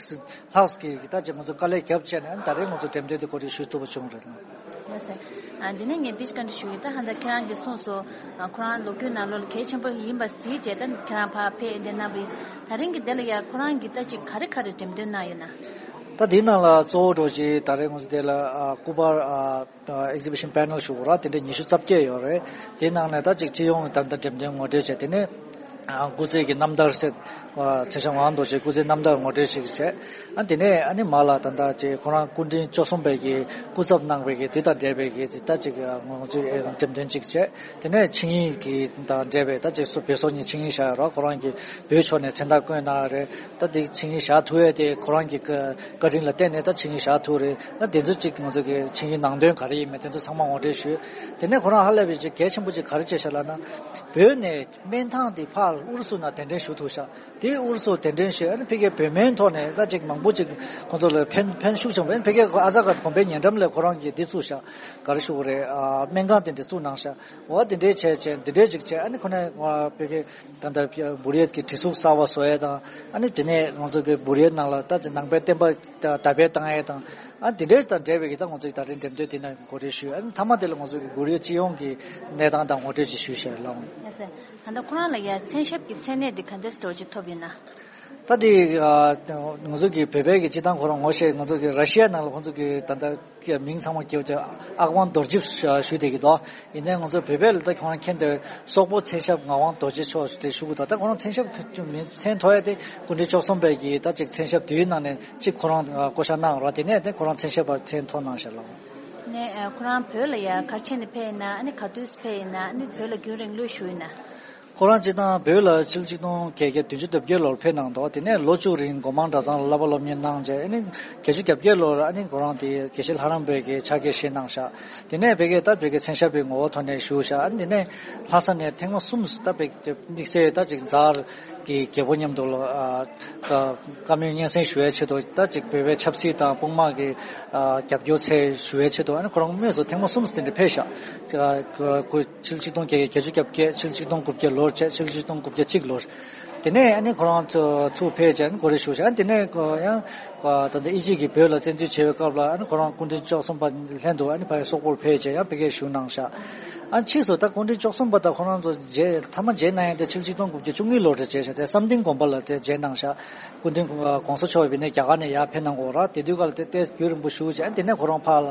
ལྷག་གི་ད་ཅིག་ང་ཚོ་དཀའ་ལས་བརྒྱབ་བྱས་ནས་ཨ་ནི་ད་རེས་ང་ཚོ་འགྲེམས་སྟོན་དེ་གོ་སྒྲིག་ཞུ་ཐུབ་པ་བྱུང་རེད། ལགས་སོ། ཨ་འདི་ནས་ངས་འདི་བཀའ་འདྲི་ཞུ་གི། ད་ཧ་ད་ཁྱེད་རང་གིས་གསུངས་སོང་། ཨ་ཁོ་རང་ལོ་རྒྱུས་ནང་ལོགས་ལ་གལ་ཆེན་པོ་ཡིན་པ་གཟིགས་བྱས་ད་ཁྱེད་རང་ཕར་ཕེབས་འདི་གནང་བ་ཡིན། ད་རིང་གི་འདི་ལ་ཡ་ཁོ་རང་གིས་ད་ཅིག་ག་རེ་ག་རེ་འགྲེམས་སྟོན་གནང་ཡོད་ན། ད་འདི་ནང་ལ་གཙོ་བོ་འདྲ་ཅིག་ད་རེས་ང་ཚོ་འདི་ལ་ཨ་སྐུ་པར་ཨ་ཨེག་ཟི་བི་ཤན་པེ་ནལ་ཞུ་དགོས་ར། དེ་འདྲ་ཉི་ཤུ་རྩ་བརྒྱད་ཡོད་རེད། དེའི་ནང་ནས་ད་ཅིག་སྤྱི་ཡོངས་ད་ལྟ་འགྲེམས་སྟོན་ངོ་སྤྲོད་བྱས། དེ་ནས་ཨ་སྐུ་ཚེ་གི་རྣམ་ཐར་ཟེར་ཨ་མཚན་ཞབས་ངག་དབང་རྡོ་རྗེའི་སྐུ་ཚེའི་རྣམ་ཐར་ངོ་སྤྲོད་ཞིག་བྱས། ཨ་དེ་ནས་ཨ་ནི་མ་ལ་ད་ལྟ་ཅིག་ཁོ་རང་སྐུ་ཕྲེང་བཅུ་གསུམ་པའི་གི་སྐུ་ཚབ་གནང་བའི་གི་དེ་དང་འབྲེལ་བའི་གི་དེ་ད་ཅིག་ཨ་ང་ཚོས་ཨེ་འགྲེམས་སྟོན་ཅིག་བྱས། དེ་ནས་ཆིངས་ཡིག་གི་དང་འབྲེལ་བའི་ད་ཅིག་སོ་བོད་སོག་གཉིས་ཆིངས་ཡིག་བཞག་ཡོད་ར། ཁོ་རང་གིས་བོད་ཕྱོགས་ནས་མཚན་རྟགས་བསྐོས་གནང་ཡོད་རེད། ད་དེ་ཆིངས་ཡིག་བཞག་ཐུབ་ཡས་དེ་ཁོ་རང་གི་བཀའ་བཀའ་དྲིན་ལ་བརྟེན་ནས་ད་ཆིངས་ཡིག་བཞག་ཐུབ་རེད། ད་དེ་ཚོ་གཅིག་ང་ཚོ་གི་ཆིངས་ཡིག་ནང་དོན་ག་རེ་ཡིན་མིན་དེ་ཚོ་ཚང་མ་ངོ་སྤྲོད་ཞུས། དེ་ནས་ཁོ་རང་ཧ་ལས་པའི་ཅིག་གལ་ཆེན་པོ་ཅིག་ག་རེ་བྱས་ཤག་ལབ་ན། བོད་ནས་སྨན་ཐང་དེ་ཕར་ཨུ་རུ་སུ་ནང་གདན་འདྲེན་ཞུ་ཐུབ་ཤག་དེ་ཨུ་རུ་སུ་གདན་འདྲེན་ཞུས། ཨ་ནི་ཕ་གིའི་བོད་སྨན་ཐོག་ནས་ད་ཅིག་མང་པོ་ཅིག་ཁོང་ཚོ་ལ་ཕན་ཕན་ཤུགས་ཆེན་པོ། ཨ་ནི་ཕ་གིའི་ཨ་ཛ་ག་གོང་འཕེལ་ཉེ་འགྲམ་ལ་ཁོ་རང་གིས་འདི་བཙུགས་ཤག་ག་རེ་ཞུ་དགོས་རེད། ཨ་སྨན་ཁང་དེ་འདྲ་བཙུགས་གནང་ཤག་འོ་དེ་འདྲའི་བྱས་བྱས་འདི་འདྲའི་ཅིག་བྱས། ཨ་ནི་ཁོ་ནས་ཨ་ཕ་གི་ད་ལྟ་བུ་རིའི་གི་གྲི་གཟུགས་གསར་བ་བཟོ་ཡས་དང་། ཨ་ནི་དེ་ནས་ང་ཚོ་གི་བུ་རིའི་ནང་ལ་ད་ནང་པའི་བསྟན་པ་དར་སྤེལ་བཏང་ཡས་དང་། ཨ་དེ་འདྲའི་དང་འབྲེལ་བའི་གི་ད་ང་ཚོ་གི་ད་རེས་འགྲེམས་སྟོན་དེ་ནས་གོ་སྒྲིག་ཞུས། ཨ་ནི་མཐའ་མ་དེ་ལ་ང་ཚོ་གི་བུ་རིའི་སྤྱི་ཡོངས་ཀྱི་གནས་སྟངས་དང་ངོ་སྤྲོད་ཅིག་ཞུས་ཤག་ལགས། ལགས་སོ། ད་ལྟ་ཁོ་རང་ལ་ཡ་མཚན་ཞབས་ཀྱི་མཚན་གནས་འདི་ག་འདྲ་འདྲ་བོ་ཅིག་ཐོབ་ཡོད་ན། ད་དེ་ཨ་ང་ཚོ་གི་བོད་པའི་གི་སྤྱི་བཏང་ཁོ་རང་ངོ་ཤེས། ང་ཚོ་གི་ར་ཤི་ཡ་ནང་ལ་ཁོང་ཚོ་གི་ད་ལྟ་མིང་ཚང་མ་སྐྱེ་བ་ཨག་ཝང་རྡོ་རྗེ་ཞུ་བསྡད་ཀྱི་འདུག་ཡིན་ནའི་ང་ཚོ་བོད་པའི་ལ་ད་ཁོ་རང་མཁྱེན་ཏེ་སོག་པོ་མཚན་ཞབས་ངག་དབང་རྡོ་རྗེ་མཆོག་དེ་ཞུ་གི་འདུག་ད་ཁོ་རང་མཚན་ཞབས་མཚན་ཐོ་ཡ་དེ་སྐུ་ཕྲེང་བཅུ་གསུམ་པའི་གི་ད་ཅིག་མཚན་ཞབས་དེའི་ནང་ནས་གཅིག་ཁོ་རང་བསྐོ་བཞག་གནང་རོགས། དེ་ནས་དེ་ཁོ་རང་མཚན་ཞབས་པ་མཚན་ཐོ་གནང་ཤག་ལགས། ནས་ཁོ་རང་བོད་ལ་ཡ་ག་རེ་བྱས་ནས་ཕེབས་ཡིན་ན། ཨ་ནི་ག་དུས་ཕེབས་ཡིན་ན། ཨ་ནི་བོད་ལ་རྒྱུན་རིང་ལོས་བཞུགས་ཡིན་ན། ཁོ་རང་སྤྱིར་བཏང་བོད་ལ་ཕྱི་ལོ་ཆིག་སྟོང་བརྒྱད་བརྒྱ་བདུན་ཅུ་དོན་བརྒྱད་ལོར་ཕེབས་གནང་འདུག་དེ་ནས་ལོ་བཅུ་རིང་སྒོ་མང་གྲྭ་ཚང་ལ་བསླབ་པ་སློབ་གཉེར་གནང་རྗེས། ཨ་ནི་བརྒྱད་ཅུ་གྱ་བརྒྱད་ལོར་ཨ་ནི་ཁོ་རང་དེ་དགེ་བཤེས་ལྷ་རམས་པའི་གི་ཕྱག་འཁྱེར་བཞེས་གནང་ཤག་དེ་ནས་ཕ་གིའི་ད་བོད་ཀྱི་མཚན་ཞབས་པའི་ངོ་བོ་ཐོག་ནས་བཞུགས་ཤག་ཨ་ནི་དེ་ནས་ལྷ་ས་ནས་ཐེངས་མ་གསུམ་ད་བོད་ཀྱི་དམིགས་བསལ་ད་ཅིག་ཛ་དབར་གྱི་རྒྱལ་པོ་མཉམ་དུ་ལ་ཨ་བཀའ་བཀའ་མོལ་སྙན་སེང་ཞུ་ཡའི་ཆེད་དུ། ད་ཅིག་བོད་པའི་ཆབ་སྲིད་དང་དཔུང་དམག་གི་ཨ་རྒྱབ་སྐྱོར་ཆེད་ཞུ་ཡའི་ཆེད་དུ། ཨ་ནི་ཁོ་རང་དངོས་སུ་ཐེངས་མ་གསུམ་དེ་འདྲ་ཕེབས་ཤག་ཨ་ཁོ་ཕྱི་ལོ་ཆིག་སྟོང་བརྒྱད་བརྒྱད་ཅུ་གྱ་བརྒྱད། ཕྱི་ལོ་ཆིག་སྟོང་དགུ་བརྒྱ་ལོར་བྱས། ཕྱི་ལོ་ཆིག་སྟོང་དགུ་བརྒྱ་གཅིག་ལོར། དེ་ནས་ཨ་ནི་ཁོ་རང་ཚོ་ཚུར་ཕེབས་བྱས་ཨ་ནི་གོ་སྒྲིག་ཞུ་བྱས། ཨ་ནི་དེ་ནས་ཁོ་ཡང་ད་ལྟ་དབྱིན་ཇི་གིས་བོད་ལ་བཙན་འཛུལ་བྱས་པའི་སྐབས་ལ། ཨ་ནི་ཁོ་རང་སྐུ་ཕྲེང་བཅུ་གསུམ་པ་ལྷན་དུ་ཨ་ནི་ཕ་གི་སོག་པོར་ཕེབས་བྱས་ཡང་ཕ་གིར་བཞུགས་གནང་ཤག་ཨ་ཕྱིས་སུ་ད་སྐུ་ཕྲེང་བཅུ་གསུམ་པ་དང་ཁོ་རང་ཚོ་མཇལ་མཐའ་མ་མཇལ་གནང་ཡས་དེ་ཕྱི་ལོ་ཆིག་སྟོང་དགུ་བརྒྱ་བཅུ་གཉིས་ལོར་རེད། མཇལ་ཤག་དེ་བསམ་གཏན་དགོན་པ་ལ་དེ་མཇལ་གནང་ཤག་སྐུ་ཕྲེང་གོང་ས་མཆོག་ཡིན་ནའི་རྒྱ་གར་ནས་ཡར་ཕེབས་གནང་གི་ཡོད་ར། དེ་དུས་སྐབས་ལ་དེ་དེ་རྒྱུན་རིང་པོ་བཞུགས་བྱས། ཨ་དེ་ནས་ཁོ་རང་ཕར་ལ་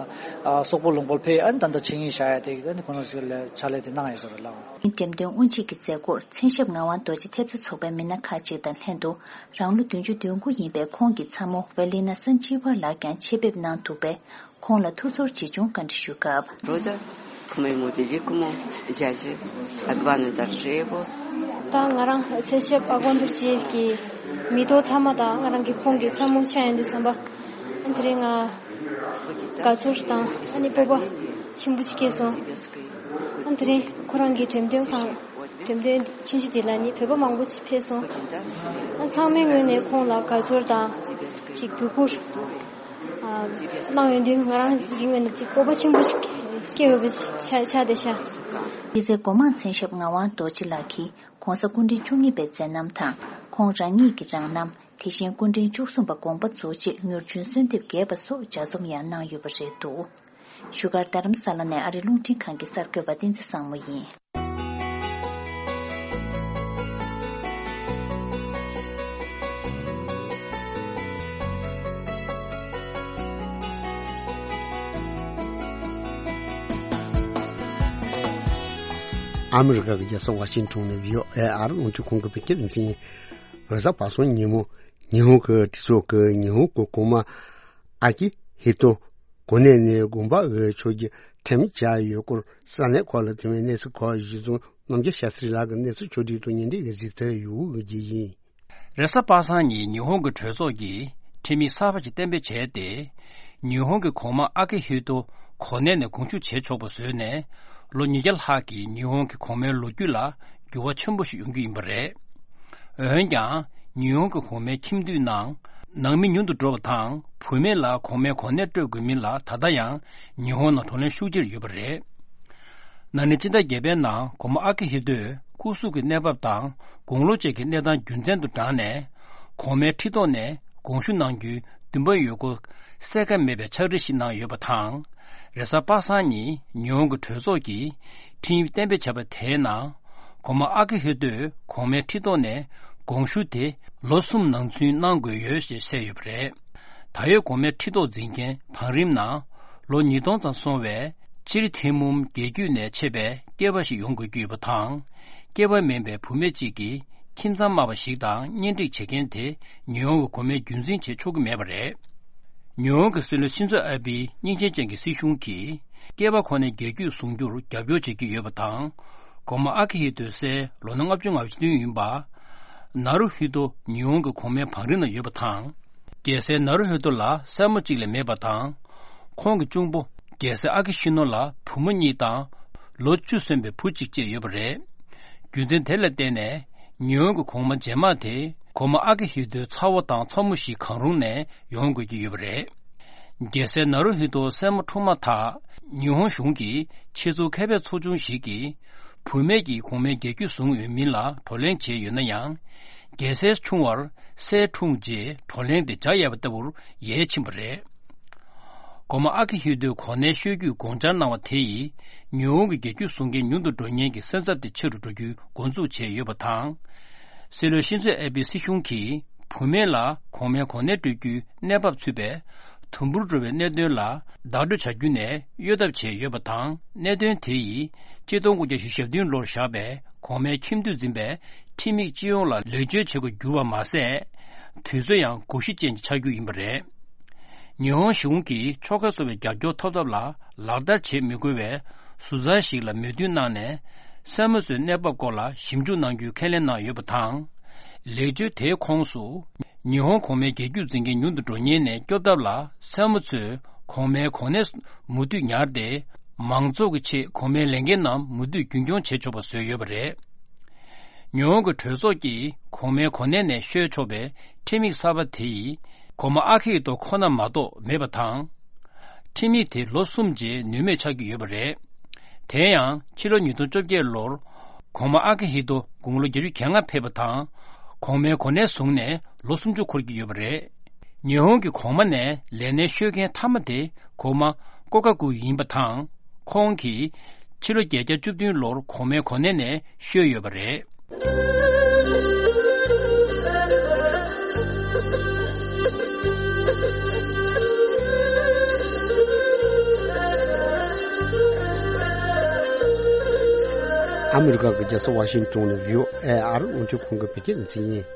ཨ་སོག་པོ་ལུང་པར་ཕེབས། ཨ་ནི་ད་ལྟ་ཆིངས་ཡིག་བཞག་ཡ་དེ་ཨ་ནི་ཁོ་རང་ཚོ་ལ་ཕྱག་ལས་དེ་གནང་ཡོད་ཟེར་རོ་ལགས། འགྲེམས་སྟོན་དབུ་འབྱེད་ཀྱི་མཛད་སྒོར་མཚན་ཞབས་ངག་དབང་རྡོ་རྗེ་ཐེབས་རྩ་ཚོགས་པའི་མི་སྣ་ཁག་ཅིག་དང་ལྷན་དུ་རང་ལོ་བདུན་ཅུ་དོན་དགུ་ཡིན་པའི་ཁོང་གི་ཚ་མོ་ཝེ་ལི་ན་སན་ཅི་ཝར་ལགས་ཀྱང་ཆེད་ཕེབས་གནང་འདུག་པས། ཁོང་ལ་ཐུགས་ཚོར་ཇི་བྱུང་བཀའ་འདྲི་ཞུས་སྐབས། Рода к моему великому дяде Агвану Доржиеву. ད་ང་རང་མཚན་ཞབས་ཨ་གོན་དུར་ཅིའི་གི་མི་ཐོག་མཐའ་མ་དང་ང་རང་གི་ཁོང་གི་ཚ་མོ་ཆགས་ཡོང་དུས་ཙམ་པ། ཨ་དེ་རིང་ང་དགའ་ཚོར་དང་ཨ་ནི་སྤོབས་པ་ཆེན་པོ་ཅིག་སྐྱེས་སོང་། ཨ་དེ་རིང་ཁོ་རང་གི་འགྲེམས་སྟོན་ཁང་འགྲེམས་སྟོན་ཆུང་ཆུང་དེ་ལ་ནི་བོད་པ་མང་པོ་ཅིག་ཕེབས་སོང་། ཨ་ཚང་མའི་ངོས་ནས་ཁོང་ལ་དགའ་ཚོར་དང་ཅིག་བརྒྱུད་བསྐུར། གནང་ཡོང་དུས་ང་རང་རིང་ངོས་ནས་ཅིག་སྤོབས་པ་ཆེན་པོ་ཞིག་སྐྱེ་འོས་པ་ཆགས་ཆགས་བསྡད་ཤག་དེ་ཚེ་སྒོ་མང་མཚན་ཞབས་ངག་དབང་རྡོ་རྗེ་ལགས་ཀྱིས་གོང་ས་སྐུ་ཕྲེང་བཅུ་གཉིས་པའི་མཛད་རྣམ་དང་། ཁོང་རང་ཉིད་ཀྱི་རང་རྣམ། དེ་བཞིན་སྐུ་ཕྲེང་བཅུ་གསུམ་པ་དགོངས་པ་རྫོགས་རྗེས་མྱུར་བྱོན་གསོལ་འདེབས་རྒྱས་པ་སོགས་ལྗགས་རྩོམ་ཡང་གནང་ཡོད་པ་རེད་འདུག་བཞུགས་སྒར་རྡ་རམ་ས་ལ་ནས་ཨ་རིའི་རླུང་འཕྲིན་ཁང་གི་གསར་འགོད་པ་བསྟན་འཛིན་བཟང་མོ་ཡིན། ཨ་མི་རི་ཀ་གི་རྒྱལ་ས་ཝ་ཤིང་ཊོན་ནས་བྷི་ཨོ་ཨེ་ཨ་རི་རླུང་འཕྲིན་ཁང་གི་བོད་སྐད་སྡེ་ཚན་ཡིན། རེས་གཟའ་པ་སངས་ཉིན་མོ་ཉི་ཧོང་གི་གྲོས་ཚོགས་ཀྱི་ཉི་ཧོང་གི་གོང་མ་ཨ་ཀི་ཧི་ཏོ་གོ་གནས་ནས་དགོངས་པ་འོས་ཆོག་རྒྱུ་ཁྲིམས་བཅའ་ཡོད་སྐོར་ས་གནས་ཁག་ལ་ཐོན་པའི་གནས་ཚུལ་ཁག་གཞི་བཟུང་རྣམ་རྒྱལ་ཤཱ་སྟྲི་ལགས་ཀྱི་གནས་ཚུལ་ཕྱོགས་སྒྲིག་ཏུ་ཉིན་འདི་གི་གཟིགས་ཐོན་ཡོད་ཀྱི་ཡིན། རེས་གཟའ་པ་སངས་ཉིན་ཉི་ཧོང་གི་གྲོས་ཚོགས་ཀྱིས་ཁྲིམས་ཡིག་གསར་པ་ཞིག་གཏན་འབེབས་བྱས་ཏེ། ཉི་ཧོང་གི་གོང་མ་ཨ་ཀི་ཧི་ཏོ་ གོ་གནས་ནས་དགོངས་ཞུ་བྱེད་ཆོག་པ་བཟོས་ནས། ལོ་ཉིས་བརྒྱ་ལྷག་གི་ཉི་ཧོང་གི་གོང་མའི་ལོ་རྒྱུས་ལ་འགྱུར་བ་ཆེན་པོ་ཞིག་ཡོང་རྒྱུ་ཡིན་པ་རེད། འོན་ཀྱང་། ཉི་ཧོང་གི་གོང་མའི་ཁྱིམ་དུད་ནང་ནང་མི་ཉུང་དུ་འགྲོ་བ་དང་། བུད་མེད་ལ་གོང་མའི་གོ་གནས་སྤྲོད་དགོས་མིན་ལ་ད་ལྟ་ཡང་ཉི་ཧོང་ནང་བགྲོ་གླེང་ཤུགས་ཆེར་ཡོད་པ་རེད། ན་ནིང་སྤྱི་ཟླ་བརྒྱད་པའི་ནང་སྒོ་མོ་ཨ་ཀི་ཧི་ཏོས་སྐུ་གཟུགས་ཀྱི་གནས་བབ་དང་དགུང་ལོ་བཅས་ཀྱི་གནས་སྟངས་རྒྱུ་མཚན་དུ་བགྲངས་ནས། གོང་མའི་ཁྲི་ཐོག་ནས་དགོངས་ཞུ་གནང་རྒྱུའི་འདུན་པ་ཡོད་སྐོར་གསལ་ཁ་མེད་པའི་ཕྱག་བྲིས་ཤིག་གནང་ཡོད་པ་དང་། རེས་གཟའ་པ་སངས་ཉིན་ཉི་ཧོང་གི་གྲོས་ཚོགས་ཀྱིས་ཁྲིམས་ཡིག་གཏན་འབེབས་བྱས་པ་དེའི་ནང་། སྒོ་མོ་ཨ་ཀི་ཧི་ཏོས་གོང་མའི་ཁྲི་ཐོག་ནས་དགོངས་ཞུ་དེ་ལོ་གསུམ་ནང་ཚུན་གནང་དགོས་ཡོད་ཅེས་གསལ་ཡོད་པ་རེད། ད་ཡོད་གོང་མའི་ཁྲི་ཐོག་འཛིན་མཁན་བང་རིམ་ནང་ལོ་ཉིས་སྟོང་ཙམ་སོང་བའི་སྤྱིར་ཐེ་མུམ་རྒྱལ་རྒྱུད་ནས་མཆེད་པའི་སྐྱེས་པ་ཞིག་ཡོང་དགོས་ཀྱི་ཡོད་པ་དང་། སྐྱེས་པ་མིན་པའི་བུད་མེད་ཅིག་གིས་ཁྱིམ་ཚང་དམའ་བ་ཞིག་དང་གཉེན་སྒྲིག་བྱེད་མཁན་དེ་ཉི་ཧོང་གི་གོང་མའི་རྒྱུན་འཛིན་བྱེད་ཆོག་གི་མེད་པ་རེད། ཉི་ཧོང་གི་སྲིད་བློན་ཤིན་ཛོ་ཨ་བྷེའི་སྙིང་རྗེ་ཅན་གྱི་སྲིད་གཞུང་གིས་སྐྱེས་པ་ཁོ་ནའི་རྒྱལ་རྒྱུད་བཟུང་རྒྱུར་རྒྱབ་སྐྱོར་བྱེད་ཀྱི་ཡོད་པ་དང་། སྒོ་མོ་ཨ་ཀི་ཧི་ཏོ་སའི་ལོ་ན་ལྔ་བཅུ་ང་བདུན་ཡིན་པ། ནཱ་རུ་ཧི་ཏོ་ཉི་ཧོང་གི་གོང་མའི་བང་རིམ་ན་ཡོད་པ་དང་། རྒྱལ་སྲས་ནཱ་རུ་ཧི་ཏོ་ལ་སྲས་མོ་གཅིག་ལས་མེད་པ་དང་། ཁོང་གི་གཅུང་པོ་རྒྱལ་སྲས་ཨ་ཀི་ཤི་ནོ་ལ་བུ་མོ་གཉིས་དང་། ལོ་བཅུ་སོན་པའི་བུ་གཅིག་བཅས་ཡོད་པ་རེད། རྒྱུ་མཚན་དེ་ལ་བརྟེན་ནས་ཉི་ཧོང་གི་གོང་མ་རྗེས་མ་དེ་གོང་མ་ཨ་ཀི་ཧི་ཏོའི་ཚ་བོ་དང་ཚ་མོ་ཞིག་གང་རུང་ནས་ཡོང་དགོས་ཀྱི་ཡོད་པ་རེད། རྒྱལ་སྲས་ནཱ་རུ་ཧི་ཏོ་སྲས་མོ་འཁྲུངས་མ་ཐག་ཉི་ཧོང་གཞུང་གི་ཆེད་འཛུགས་མཁས་པའི་ཚོགས་ཆུང་ཞིག་གིས་བུད་མེད་ཀྱིས་གོང་མའི་རྒྱལ་རྒྱུད་བཟུང་འོས་མིན་ལ་བགྲོ་གླེང་བྱས་ཡོད་ན་ཡང་། རྒྱལ་སྲས་ཆུང་བར་སྲས་འཁྲུངས་རྗེས་བགྲོ་གླེང་དེ་བྱ་ཡས་པ་ལྟ་བུར་ཡལ་ཕྱིན་པ་རེད། སྒོ་མོ་ཨ་ཀི་ཧི་ཏོའི་གོ་གནས་ཤོར་རྒྱུའི་དགོངས་འཆར་གནང་བ་དེ་ཡིས་ཉི་ཧོང་གི་རྒྱལ་རྒྱུད་བཟུང་མཁན་ཉུང་དུ་འགྲོ་ཉེན་གྱི་སེམས་འཚབ་དེ་ཆེ་རུ་འགྲོ་རྒྱུའི་འགོ་འཛུགས་བྱས་ཡོད་པ་དང་། སྲིད་བློན་ཤིན་ཛོ་ཨེ་བྷེ་སྲིད་གཞུང་གིས་བུད་མེད་ལ་གོང་མའི་གོ་གནས་སྤྲོད་རྒྱུའི་གནས་བབ་ཚུད་པའི་དུམ་བུར་འགྲོ་བའི་གནད་དོན་ལ་བདག་སྤྲོད་བྱ་རྒྱུ་ནས་གཡོལ་ཐབས་བྱས་ཡོད་པ་དང་། གནད་དོན་དེ་ཡིས་གཅིག་སྟོང་དགུ་བརྒྱ་ཞེ་བདུན་ལོར་བཞག་པའི་གོང་མའི་ཁྱིམ་དུད་འཛིན་པའི་ཁྲིམས་ཡིག་སྤྱི་ཡོངས་ལ་ལེགས་བཅོས་བྱེད་དགོས་གྱུར་བ་མ་ཟད། དུས་ཚོད་ཡང་དགོས་གཞི་ཅན་ཆགས་རྒྱུ་ཡིན་པ་རེད། ཉི་ཧོང་གཞུང་གིས་ཕྱོགས་ཁག་སོ་བའི་རྒྱབ་སྐྱོར་ཐོབ་ཐབས་ལ་ལག་བསྟར་བྱེད་མི་དགོས་པའི་ཟུར་ཟ་ཞིག་ལ་མོས་མཐུན་གནང་ནས། སྲས་མོ་ཚོའི་གནས་བབ་སྐོར་ལ་ཞིབ་འཇུག་གནང་རྒྱུའི་ཁས་ལེན་གནང་ཡོད་པ་དང་། ལེགས་བཅོས་དེའི་ཁོངས་སུ། ཉི་ཧོང་གོང་མའི་རྒྱལ་རྒྱུད་འཛིན་མཁན་ཉུང་དུ་འགྲོ་ཉེན་ནས་སྐྱོབ་ཐབས་ལ། སྲས་མོ་ཚོས་གོང་མའི་གོ་གནས་མུ་མཐུད་ཉར་ཏེ། མང་ཚོགས་ཀྱི་ཆེད་གོང་མའི་ལས་འགན་རྣམས་མུ་མཐུད་རྒྱུན་སྐྱོང་བྱེད་ཆོག་པ་བཟོས་ཡོད་པ་རེད། ཉི་ཧོང་གི་གྲོས་ཚོགས་ཀྱིས་གོང་མའི་གོ་གནས་ནས་བཤོལ་ཆོག་པའི་ཁྲིམས་ཡིག་གསར་པ་དེ་ཡིས་གོང་མ་ཨ་ཁི་ཧི་ཏོ་ཁོ་ན་མ་གཏོགས་མེད་པ་དང་། ཁྲིམས་ཡིག་དེ་ལོ་གསུམ་རྗེས་ནུས་མེད་ཆགས་ཀྱི་ཡོད་པ་རེད། དེ་ཡང་ཕྱི་ལོ་ཉིས་སྟོང་བཅོ་བརྒྱད་ལོར་གོང་མ་ཨ་ཁི་ཧི་ཏོ་དགུང་ལོ་བརྒྱད་ཅུ་གྱ་ལྔ་ཕེབས་པ་དང་། གོང་མའི་གོ་གནས་བཟུང་ནས་ལོ་སུམ་ཅུ་འཁོར་གྱི་ཡོད་པ་རེད། ཉི་ཧོང་གི་གོང་མ་ནས་ལས་གནས་བཤོལ་མཁན་མཐའ་མ་དེ་གོང་མ་ཀོ་ཀ་ཀུ་ཡིན་པ་དང་། ཁོང་གིས་ཕྱི་ལོ་བརྒྱད་བརྒྱ་བཅུ་བདུན་ལོར་གོང་མའི་གོ་གནས་ནས་བཤོལ་ཡོད་པ་རེད། ཨ་མི་རི་ཀ་གི་རྒྱལ་ས་ཝ་ཤིང་ཏོན་ནས་བྷི་ཨོ་ཨེ་ཨ་རི་རླུང་འཕྲིན་ཁང་གི་བོད་སྐད་སྡེ་ཚན་ཡིན།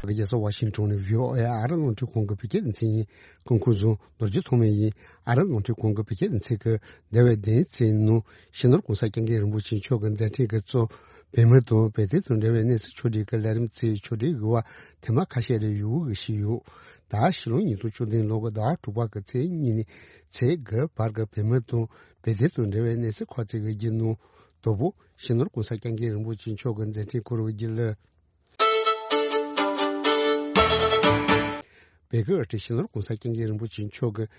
རྒྱལ་ས་ཝ་ཤིང་ཏོན་ནས་བྷི་ཨོ་ཨེ་ཨ་རི་རླུང་འཕྲིན་ཁང་གི་བོད་སྐད་སྡེ་ཚན་ཡིན། སྐུ་ཁམས་བཟང་། ནོར་གྱི་ཐོག་མེད་ཡིན། ཨ་རི་རླུང་འཕྲིན་ཁང་གི་བོད་སྐད་སྡེ་ཚན་གྱི་འདས་པའི་བདུན་ཚིགས་ནང་སྤྱི་ནོར་༸གོང་ས་༸སྐྱབས་མགོན་རིན་པོ་ཆེ་མཆོག་གི་མཛད་འཕྲིན་གྱི་གཙོ་བོད་མི་དང་བོད་དོན་དང་འབྲེལ་བའི་གནས་ཚུལ་ཕྱོགས་སྒྲིག་གི་ལས་རིམ་གྱི་ཕྱོགས་སྒྲིག་གི་བར་ཐེངས་མ་ཁ་ཤས་རེ་ཡོང་གི་བཞིན་ཡོད། ད་ཕྱི་ལོ་ཉིས་སྟོང་བཅུ་བདུན་ལོ་གི་ཟླ་བ་དྲུག་པ་གི་ཚེས་གཉིས་ནས་ཚེས་དགུ་བར་གྱི་བོད་མི་དང་བོད་དོན་དང་འབྲེལ་བའི་གནས་ཚུལ་ཁག་ཅིག་གི་རྒྱུན་ནང་དང་པོ་སྤྱི་ནོར་༸གོང་ས་༸སྐྱབས་མགོན་རིན་པོ་ཆེ་མཆོག་གི་མཛད་འཕྲིན་སྐོར་བའི་རྒྱུན་ལས། བོད་ཀྱི་སྤྱི་ནོར་༸གོང་ས་༸སྐྱབས་མགོན་རིན་པོ་ཆེ་མཆོག་གིས་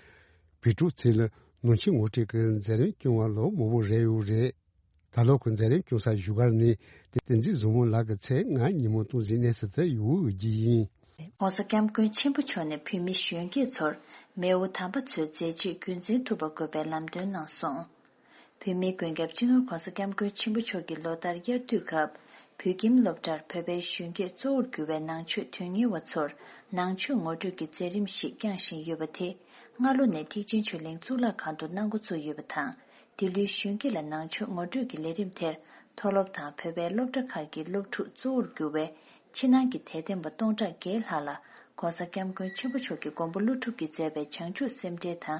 བོད་ཕྲུག་ཚོ་ལ་ནང་ཆོས་ངོ་སྤྲོད་ཀྱི་མཛད་རིམ་སྐྱོང་བ་ལོ་མང་པོ་རེད་ཡོད་རེད། ད་ལོ་ཁོས་མཛད་རིམ་སྐྱོང་ས་བཞུགས་སྒར་ནས་བསྟན་འཛིན་བཟང་མོ་ལགས་ཀྱི་མཚན་སྔ་ཉིན་མོ་སྟོང་ཟིག་གནས་ཚུལ་དུ་ཡོང་བའི་རྒྱུ་ཡིན། ༸གོང་ས་༸སྐྱབས་མགོན་ཆེན་པོ་མཆོག་ནས་བོད་མི་གཞོན་སྐྱེས་ཚོར་མེས་དབོན་དམ་པ་ཚོའི་མཛད་རྗེས་རྒྱུན་འཛིན་ཐུབ་པ་དགོས་པའི་ལམ་སྟོན་གནང་སོང་། བོད་མིའི་མགོན་སྐྱབས་སྤྱི་ནོར་༸གོང་ས་༸སྐྱབས་མགོན་ཆེན་པོ་མཆོག་གི་ལོ་ལྟར་དབྱར་དུས་སྐབས་བོད་ཁྱིམ་སློབ་གྲྭར་བོད་པའི་གཞོན་སྐྱེས་གཙོ་བོར་གྱུར་བའི་ནང་ཆོས་དོན་གཉེར་བ་ཚོར་ནང་ཆོས་ངོ་སྤྲོད་ཀྱི་མཛད་རིམ་ཞིག་བསྐྱངས་བཞིན་ཡོད་པ་དེ་སྔ་ལོ་ནས་ཐེག་ཆེན་ཆོས་གླིང་གཙུག་ལག་ཁང་དུ་གནང་འགོ་བཙུགས་ཡོད་པ་དང་། འདི་ལོའི་གཞོན་སྐྱེས་ལ་ནང་ཆོས་ངོ་སྤྲོད་ཀྱི་ལས་རིམ་དེར་མཐོ་སློབ་དང་བོད་པའི་སློབ་གྲྭ་ཁག་གི་སློབ་ཕྲུག་གཙོ་བོར་གྱུར་བའི་ཕྱི་ནང་གི་དད་ལྡན་པ་སྟོང་ཕྲག་བརྒལ་ལྷག་ལ་༸གོང་ས་༸སྐྱབས་མགོན་ཆེན་པོ་མཆོག་གི་མགོན་པོ་ཀླུ་སྒྲུབ་ཀྱིས་མཛད་པའི་བྱང་ཆུབ་སེམས་འགྲེལ་དང་།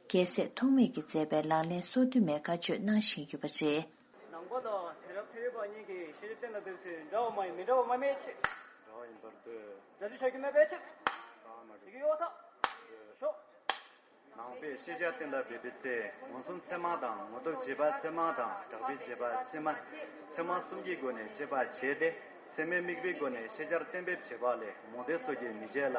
རྒྱལ་སྲས་ཐོགས་མེད་ཀྱིས་མཛད་པའི་ལག་ལེན་སོ་བདུན་མའི་བཀའ་ཆོས་གནང་བཞིན་ཡོད་པ་རེད། ནང་པ་དང་དེང་རབས་ཤེས་རིག་ པ་གཉིས་ཀྱིས་ཤེས་བྱ་གཏན་ལ་འབེབས་ཚུལ་འདྲ་བ་མ་ཡིན་མི་འདྲ་བ་མ་མེད་ཆེད། འདྲ་བ་ཡིན་པར་འདོད། འདྲ་བརྗོད་བྱ་རྒྱུ་མེད་པའི་ཕྱིར། ད་མ་རེད། དེ་གི་གཡོ་ཐག་ཞོག་ནང་པས་ཤེས་བྱ་གཏན་ལ་འབེབས་པའི་ཚེ། མངོན་སུམ་ཚད་མ་དང་། ངོ་བསྟོད་བྱེད་པ་ཚད་མ་དང་། གྲགས་པའི་བྱེད་པ་ཚད་མ། ཚད་མ་གསུམ་གྱི་སྒོ་ནས་དཔྱད་པ་བྱས་ཏེ། ཚད་མའི་དམིགས་པའི་སྒོ་ནས་ཤེས་བྱར་གཏན་འབེབས་བྱེད་པ་ལས་མང་སྡེ་སོགས་ཀྱིས་མི་བྱེད་ལ།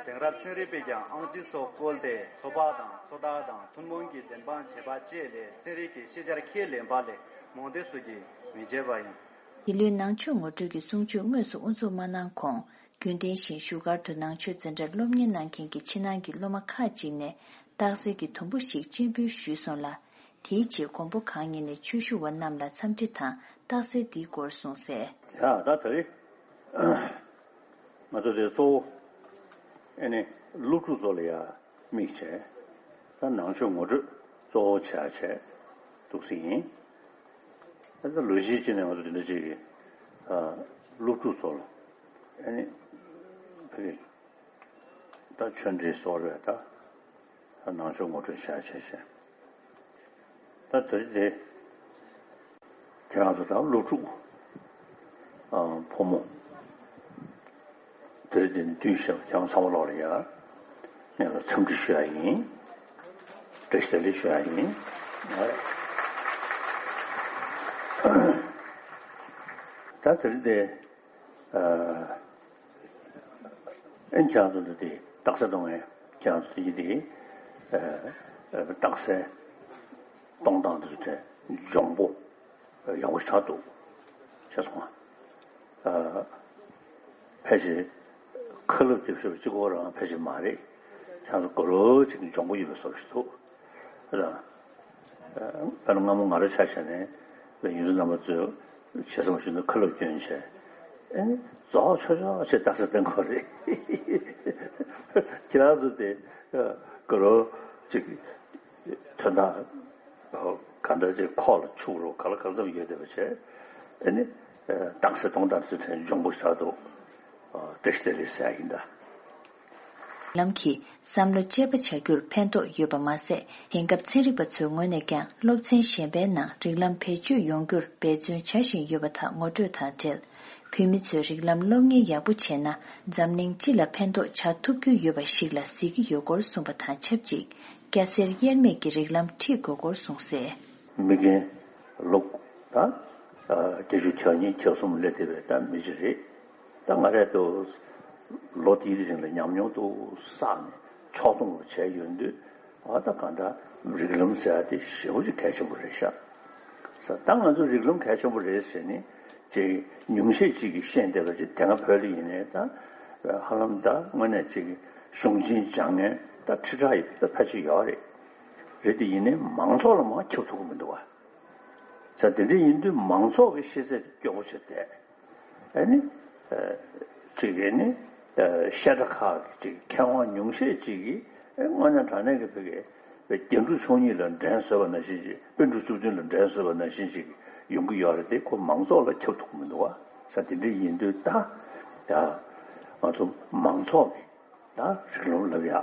དེང་རབས་ཚན་རིག་པས་ཀྱང་ཨང་ཅི་སོགས་བཀོལ་ཏེ། ཚོད་དཔག་དང་། ཚོད་ལྟ་དང་། ཐུན་མོང་གི་བདེན་དཔང་བྱེད་པ་བཅས་ལས་ཚན་རིག་གི་ཤེས་བྱར་ཁས་ལེན་པ་ལས་མང་སྡེ་སོགས་ཀྱིས་མི་བྱེད་པ་ཡིན། འདི་ལོའི་ནང་ཆོས་ངོ་སྤྲོད་ཀྱི་གསུང་ཆོས་དངོས་སུ་དབུ་འཛུགས་མ་གནང་གོང་། རྒྱུན་ལྡན་བཞིན་བཞུགས་སྒར་དུ་ནང་ཆོས་འཛིན་གྲྭར་སློབ་གཉེར་གནང་མཁན་གྱི་ཕྱི་ནང་གི་སློབ་མ་ཁག་ཅིག་ནས་རྟགས་གསལ་གྱི་དུམ་བུ་ཞིག་སྤྱན་འབུལ་ཞུས་སོང་ལ། དེའི་རྗེས་མགོན་པོ་གང་ཉིད་ནས་ཆོས་ཞུ་བ་རྣམས་ལ་འཚམས་འདྲི་དང་རྟགས་གསལ་འདིའི་སྐོར་གསུངས་གསལ། ཡ་ད་ད་རེས་ང་ཚོ་དེ་གཙོ་བོ་ཨེ་ནི་སློབ་ཕྲུག་ཚོ་ལ་ཡ་དམིགས་བྱས། ད་ནང་ཆོས་ངོ་སྤྲོད་གཙོ་བོ་བྱས་བྱས་འདུག་སེ་ཡིན། ད་ལྟ་ལོ་གཞི་གཅིག་ནས་ང་ཚོ་དེ་འདྲ་ཅིག་གི་ཨ་སློབ་ཕྲུག་ཚོ་ལ་ཨ་ནི་ཕ་གི་ད་ཆོས་འབྲེལ་སོགས་རེད། ད་ནང་ཆོས་ངོ་སྤྲོད་བྱས་བྱས་བྱས། ད་དེ་རིང་དེ་ཁྱེད་རང་ཚོ་དང་སློབ་ཕྲུག་ཨ་ཕོ་མོ་དེ་རིང་དེ་འདུས་ཤག་ཁྱེད་རང་ཚང་མ་ལོག་ལ་ཡ་ངས་ལ་འཚམས་འདྲི་ཞུ་ཡ་ཡིན། བཀྲ་ཤིས་བདེ་ལེགས་ཞུ་ཡ་ཡིན། ད་དེ་རིང་དེ་ཨ་ཨེ་ཁྱེད་རང་ཚོ་འདི་དེ་རྟགས་གསལ་གཏོང་མཁན་ཁྱེད་རང་ཚོ་དེ་དེ་ཨ་རྟགས་གསལ་གཏོང་སྟངས་འདི་ཚོ་གྲས་འཇོན་པོ་ཡག་པོ་ཞེ་དྲག་འདུག་ཤེས་སོང་ང་། ཨ་ཕལ་ཆེར་ཁ་ལབ་རྒྱབ་ཤོར་གཅིག་པོ་རང་ཕལ་ཆེར་མ་རེད། ཁྱེད་རང་ཚོ་དགའ་རབ་ཅིག་འཇོན་པོ་ཡོད་པའི་བཟོ་ཞིག་འདུག་ལ། དཔེར་ན་སྔ་མོ་ང་རང་ཆ་བཞག་ནས་ཡོངས་འཛིན་རྣམ་པ་ཚོས་ཞེ་ས་མ་ཞུ་ན་ཁ་ལབ་སྐྱོན་བྱས། ཨེ་ནི་རྫོགས་ཆོག་ཆོག་ཅེས་རྟགས་གསལ་བསྟན་དགོས་རེད། ཁྱེད་རང་ཚོ་དེ་དགའ་རབ་ཅིག་དོན་དག་ག་འདྲ་ཅིག་ཁོག་ལ་ཆུག་རོགས་ག་ལ་གང་འཚམ་ཡོད་བསྡད་པ་བྱས། ཨེ་ནི་རྟགས་གསལ་གཏོང་སྟངས་ཚོ་དྲན་འཇོན་པོ་ཞེ་དྲག་འདུག་བཀྲ་ཤིས་བདེ་ལེགས་ཟེར་ཡ་ཡིན་ད། རིགས་ལམ་གྱིས་བསམ་བློ་དཔྱད་པ་བྱ་རྒྱུར་ཕན་ཐོགས་ཡོད་པ་མ་ཟད། དེང་སྐབས་ཚན་རིག་པ་ཚོའི་ངོས་ནས་ཀྱང་སློབ་ཚན་གཞན་པའི་ནང་རིགས་ལམ་བེད་སྤྱོད་ཡོང་རྒྱུར་འབད་བརྩོན་བྱ་བཞིན་ཡོད་པ་དག་ངོ་སྤྲོད་དང་འབྲེལ། བོད་མི་ཚོས་རིགས་ལམ་སློབ་གཉེར་ཡག་པོ་བྱས་ན་འཛམ་གླིང་སྤྱི་ལ་ཕན་ཐོགས་བྱ་ཐུབ་རྒྱུ་ཡོད་པ་ཞིག་ལ་གཟིགས་ཀྱི་ཡོད་སྐོར་གསུངས་པ་དང་ཆབས་ཅིག་སྐྱ་སེར་དབྱེར་མེད་ཀྱི་རིགས་ལམ་ཁྲིད་དགོས་སྐོར་གསུངས་གསལ། མི་རྒན་ལོ་ད་བརྒྱད་ཅུ་གྱ་གཉིས་གྱ་གསུམ་སླེབས་བསྡད་པའི་ད་མི་ཅིག་རེད། ད་ང་རང་ཚོ་ལོ་དེའི་རིང་ལ་ཉམས་མྱོང་དུ་བསགས་ནས་ཕྱོགས་སྡོམ་བྱས་ཡོང་དུས། ཨ་ད་གང་ལྟར་རིགས་ལམ་ཟེར་ཡ་དེ་ཞེ་པོ་ཅིག་གལ་ཆེན་པོ་རེད་ཤག་ཟེར། ད་ང་ཚོ་རིགས་ལམ་གལ་ཆེན་པོ་རེད་ཟེར་ནས་ཅིག་ཉུང་ཤས་ཅིག་གིས་ཤེས་བསྡད་པ་ཅིག་དེ་སྔ་བོད་ལ་ཡིན་ནའི་ད་ཧ་ལམ་ད་དངོས་གནས་ཅིག་གཞུང་ཆེན་སྦྱང་མཁན་ད་ཁྲི་ཕྲག་ཡི་ད་ཕལ་ཆེར་ཡོད་རེད། རེད་དེ་ཡིན་ནའི་མང་ཚོགས་ལ་མར་ཁྱབ་ཐུབ་ཀྱི་མི་འདུག་བ། ཟེར་དེ་འདྲ་ཡིན་དུས་མང་ཚོགས་ཀྱི་ཤེས་ཚད་དེ་སྐྱོ་པོ་ཆགས་བསྡད། ཨ་ནི། ཨ་ཅིག་ཨ་ནི། ཨ་བཤད་གྲྭ་ཁག་གི་ཅིག་མཁས་དབང་ཉུང་ཤས་ཅིག་གིས་ཨ་དངོས་གནས་དྲང་གནས་ཀྱི་བོད་ཀྱི་རྒྱན་དྲུག་མཆོག་གཉིས་ལ་འགྲན་བཟོས་པ་ནང་བཞིན་ཅིག་དཔེ་འབྲུ་བཅུ་བདུན་ལ་འགྲན་བཟོས་པ་ནང་བཞིན་ཅིག་ཡོང་གི་ཡོད་རེད་དེ། ཁོ་མང་ཚོགས་ལ་ཁྱབ་ཐུབ་ཀྱི་མི་འདུག་བ། ཟེར་དེ་འདྲ་ཡིན་དུས་ད་ཡ་ང་ཚོ་མང་ཚོགས་ཀྱི་ད་རིགས་ལམ་ལབ་ཡ་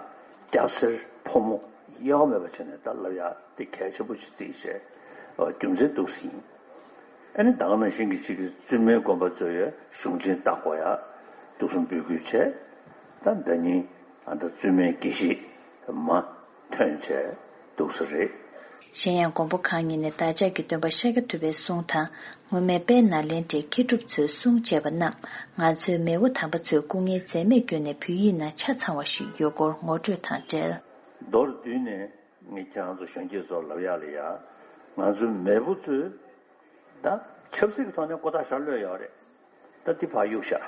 སྐྱ་སེར་ཕོ་མོ་དབྱེ་བ་མེད་པ་བྱས་ནས་ད་ལབ་ཡ་དེ་གལ་ཆེན་པོ་ཞིག་བརྩིས་བྱས། ཨ་རྒྱུ་མཚན་འདུག་སེ་ཡིན། ཨ་ནི་ད་ག་ནང་བཞིན་གྱི་གཅིག་གི་བཙུན་མའི་དགོན་པ་ཚོ་ཡ་གཞུང་ཆེན་ལྟ་དགོས་ཡ་འདུག་སེ་འབོད་སྐུལ་བྱས། ད་ཟླ་ཉིན་ཨ་ད་བཙུན་མའི་དགེ་བཤེས་མ་ཐོན་བྱས་འདུག་སེ་རེད། གཞན་ཡང་མགོན་པོ་གང་ཉིད་ནས་བདག་ཅག་གི་སྟོན་པ་ཤཱཀྱ་ཐུབ་པའི་གསུང་དང་། སྔོན་མའི་དཔལ་ནཱ་ལེནྡྲའི་མཁས་གྲུབ་ཚོའི་གསུང་བཅས་པ་རྣམས་ང་ཚོའི་མེས་པོ་དམ་པ་ཚོས་སྐུ་ངལ་འཛེམས་མེད་བསྐྱོན་ནས་བོད་ཡིག་ནང་ཆ་ཚང་བ་ཞིག་ཡོད་སྐོར་ངོ་སྤྲོད་དང་འབྲེལ། མདོར་བསྡུས་ནས་ངས་ཁྱེད་རང་ཚོ་གཞོན་སྐྱེས་ཚོར་ལབ་ཡག་ལ་ཡ། ང་ཚོའི་མེས་པོ་ཚོས་ད་ཆབ་སྲིད་ཀྱི་ཐོག་ནས་ཀོ་ཐག་ཞྭ་གློད་ཡོད་རེད། ད་འདི་ཕར་གཡུག་བཞག་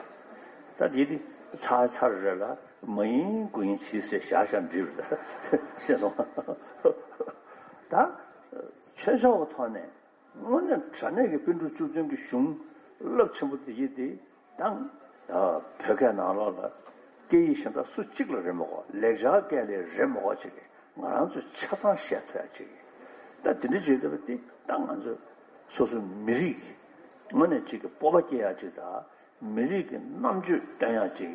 ད་འདི་འདི་ཚར་ཚར་རེད་ལ་མ་ཡིན་དགུ་ཡིན་བྱིས་ཟེར་བཞག་བཞག་འགྲིག་རེད། ཤེས་སོང་། ད་ཆོས་ཕྱོགས་ཀྱི་ཐོག་ནས། དངོས་གནས་དྲང་གནས་ཀྱི་དཔེ་འབྲུ་བཅུ་བདུན་གྱི་གཞུང་རླབས་ཆེན་པོ་དེ་ཡིན་ཏེ། དང་། བོད་སྐད་ནང་ལོགས་ལ་སྐད་ཡིག་གཞན་དག་སུ་གཅིག་ལ་རེད་མ་གོ། ལེགས་སྦྱར་སྐད་ལ་རེད་མ་གོ་ཅིག་གིས་ང་རང་ཚོས་ཆ་ཚང་བཤད་ཐུབ་ཡ་ཅིག་གིས། ད་དེ་འདྲ་བྱེད་ཐུབ་པ་དེ་ད་ང་ཚོ་སོ་སོའི་མི་རིགས་ཀྱི་དངོས་གནས་ཅིག་གི་སྤོབས་པ་སྐྱེ་ཡ་ཅིག་དང་། མི་རིགས་ཀྱི་རྣམ་དཔྱོད་སྟོན་ཡག་ཅིག་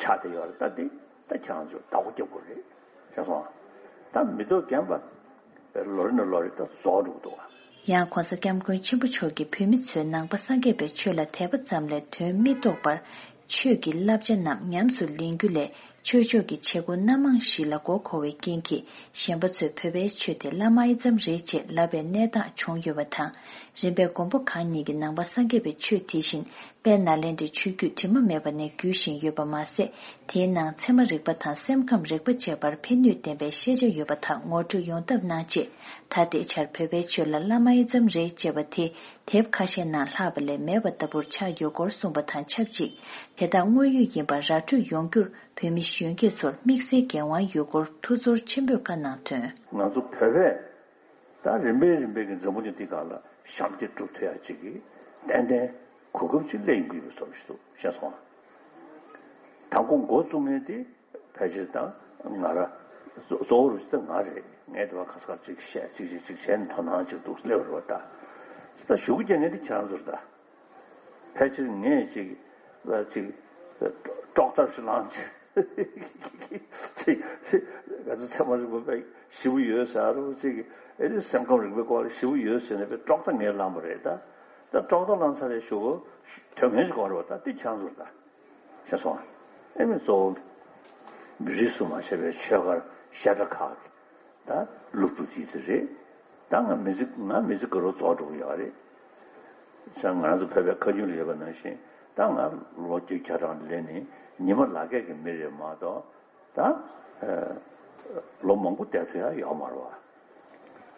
ཆགས་བསྡད་ཡོད་རེད། ད་འདི་ད་ཁྱེད་རང་ཚོས་བདག་པོ་རྒྱབ་དགོས་རེད། ཤེས་སོང་། ད་མི་ཐོག་རྒན་པ་ལོ་རེ་ནས་ལོ་རེ་ད་རྫོགས་འགྲོ་གི་འདུག་བ། ཡང་གོང་ས་སྐྱབས་མགོན་ཆེན་པོ་མཆོག་གིས་བོད་མི་ཚོས་ནང་པ་སངས་རྒྱས་པའི་ཆོས་ལ་དད་པ་ཙམ་ལས་དོན་མི་རྟོགས་པར། ཆོས་ཀྱི་བསླབ་བྱ་རྣམས་ཉམས་སུ་ལེན་རྒྱུ་ལས། ཆོས་ཕྱོགས་ཀྱི་བྱེད་སྒོ་སྣ་མང་ཞིག་ལ་མགོ་འཁོར་བའི་རྐྱེན་གྱིས། གཞན་པ་ཚོས་བོད་པའི་ཆོས་དེ་བླ་མ་ཨེ་ཙམ་རེད་ཅེས་ལབ་པའི་གནས་སྟངས་བྱུང་ཡོད་པ་དང་། རིམ་པས་མགོན་པོ་གང་ཉིད་ཀྱིས་ནང་པ་སངས་རྒྱས་པའི་ཆོས་དེ་བཞིན། དཔལ་ནཱ་ལེནྡྲའི་ཆོས་བརྒྱུད་དྲི་མ་མེད་པ་ནས་བརྒྱུད་བཞིན་ཡོད་པ་མ་ཟད། དེའི་ནང་ཚད་མ་རིག་པ་དང་སེམས་ཁམས་རིག་པ་བཅས་པར་ཕན་ནུས་ལྡན་པའི་ཤེས་བྱ་ཡོད་པ་དག་ངོ་སྤྲོད་ཡོང་ཐབས་གནང་ཆེད། ད་ལྟའི་ཆར་བོད་པའི་ཆོས་ལ་བླ་མ་ཨེ་ཙམ་རེད་ཅེས་པ་དེ་དེབ་ཁ་ཤས་ནང་ལྷག་པ་ལས་མེད་པ་ལྟ་བུར་ཆགས་ཡོད་སྐོར་གསུངས་པ་དང་ཆབས་ཅིག་དེ་དག་དངོས་ཡོད་ཡིན་པར་ར་སྤྲོད་ཡོང་རྒྱུར་བོད་མི་གཞོན་སྐྱེས་ཚོར་དམིགས་བསལ་འགན་དབང་ཡོད་སྐོར་ཐུགས་ཚོར་ཆེན་པོས་བཀའ་གནང་དོན། ང་ཚོ་བོད་པས། ད་རིམ་པས་རིམ་པས་ཀྱི་འཛམ་བུ་གླིང་འདི་སྒང་ལ་ཞབས་འདེགས་སྒྲུབ་ཐུབ་ཡ་ཅིག་གི་ཏན་ཏན་གོ་སྐབས་ཅིག་སླེབས་ཡོང་གི་ཡོད་བཟོ་ཞིག་འདུག་ཤེས་སོང་ང་། དང་པོ་འགོ་བཙུགས་མཁན་དེ་ཕལ་ཆེར་དང་ང་ར་གཙོ་གཙོ་བོ་རུ་ཞིག་ད་ང་རེད། ངས་དེ་བ་ཁ་སྐར་ཅིག་བཤད་ཅིག་ཅིག་ཅིག་བྱས་ནས་དོ་སྣང་ཅིག་འདུག་སླེབས་རེད་བ་ད། ད་ཞུ་གུ་རྒྱག་མཁན་དེ་ཁྱེད་རང་ཚོ་རེད་ད། ཕལ་ཆེར་ངས་ཅིག་ལ་ཅིག་དཀྲོག་ཐབས་ཤིག་བླངས་ཅིག་ཅིག་ཅིག་ང་ཚོ་ཚད་མ་རིག་པ་དཔེ་ཞེ་པོ་ཡོད་ཟེར་རོ་ཅིག་ཨེ་ནི་སེམས་ཁམས་རིག་པའི་སྐོར་ལ་ཞེ་པོ་ཡོད་ཟེར་ནས་དཔེ་དཀྲོག་ཐབས་ངས་བླངས་པ་རེད་ད། ད་དཀྲོག་ཐབས་བླངས་ཚར་རེད་ཞུ་གོ། དོན་ངན་ཞིག་གོ་རེད་བ་ད་འདི་ཁྱང་ཚོར་ད། ཤེས་སོང་ཨ། ཨེ་མི་གཙོ་བོ་རིས་སུ་མ་ཆད་པའི་ཆོས་སྒར་བཤད་གྲྭ་ཁག་གི་ད་སློབ་ཕྲུག་ཅིག་དེ་རེད། ད་ང་མི་ཚེ་ང་མི་ཚེ་དགའ་རབ་རྫོགས་འགྲོ་གི་ཡོད་རེད། ས་ང་རང་ཚོ་བོད་པའི་ཁ་རྒྱུན་ལ་ཡོད་པ་ནང་བཞིན་ད་ང་ལོ་བཅུ་གྱ་གྲངས་ལས་ནི་ཉི་མ་ལག་སྐྱེས་ཀྱི་མི་རེད་མ་གཏོགས་ད་ལོ་མང་པོ་བསྡད་ཐུབ་ཡ་ཡོད་མ་རེད་བ།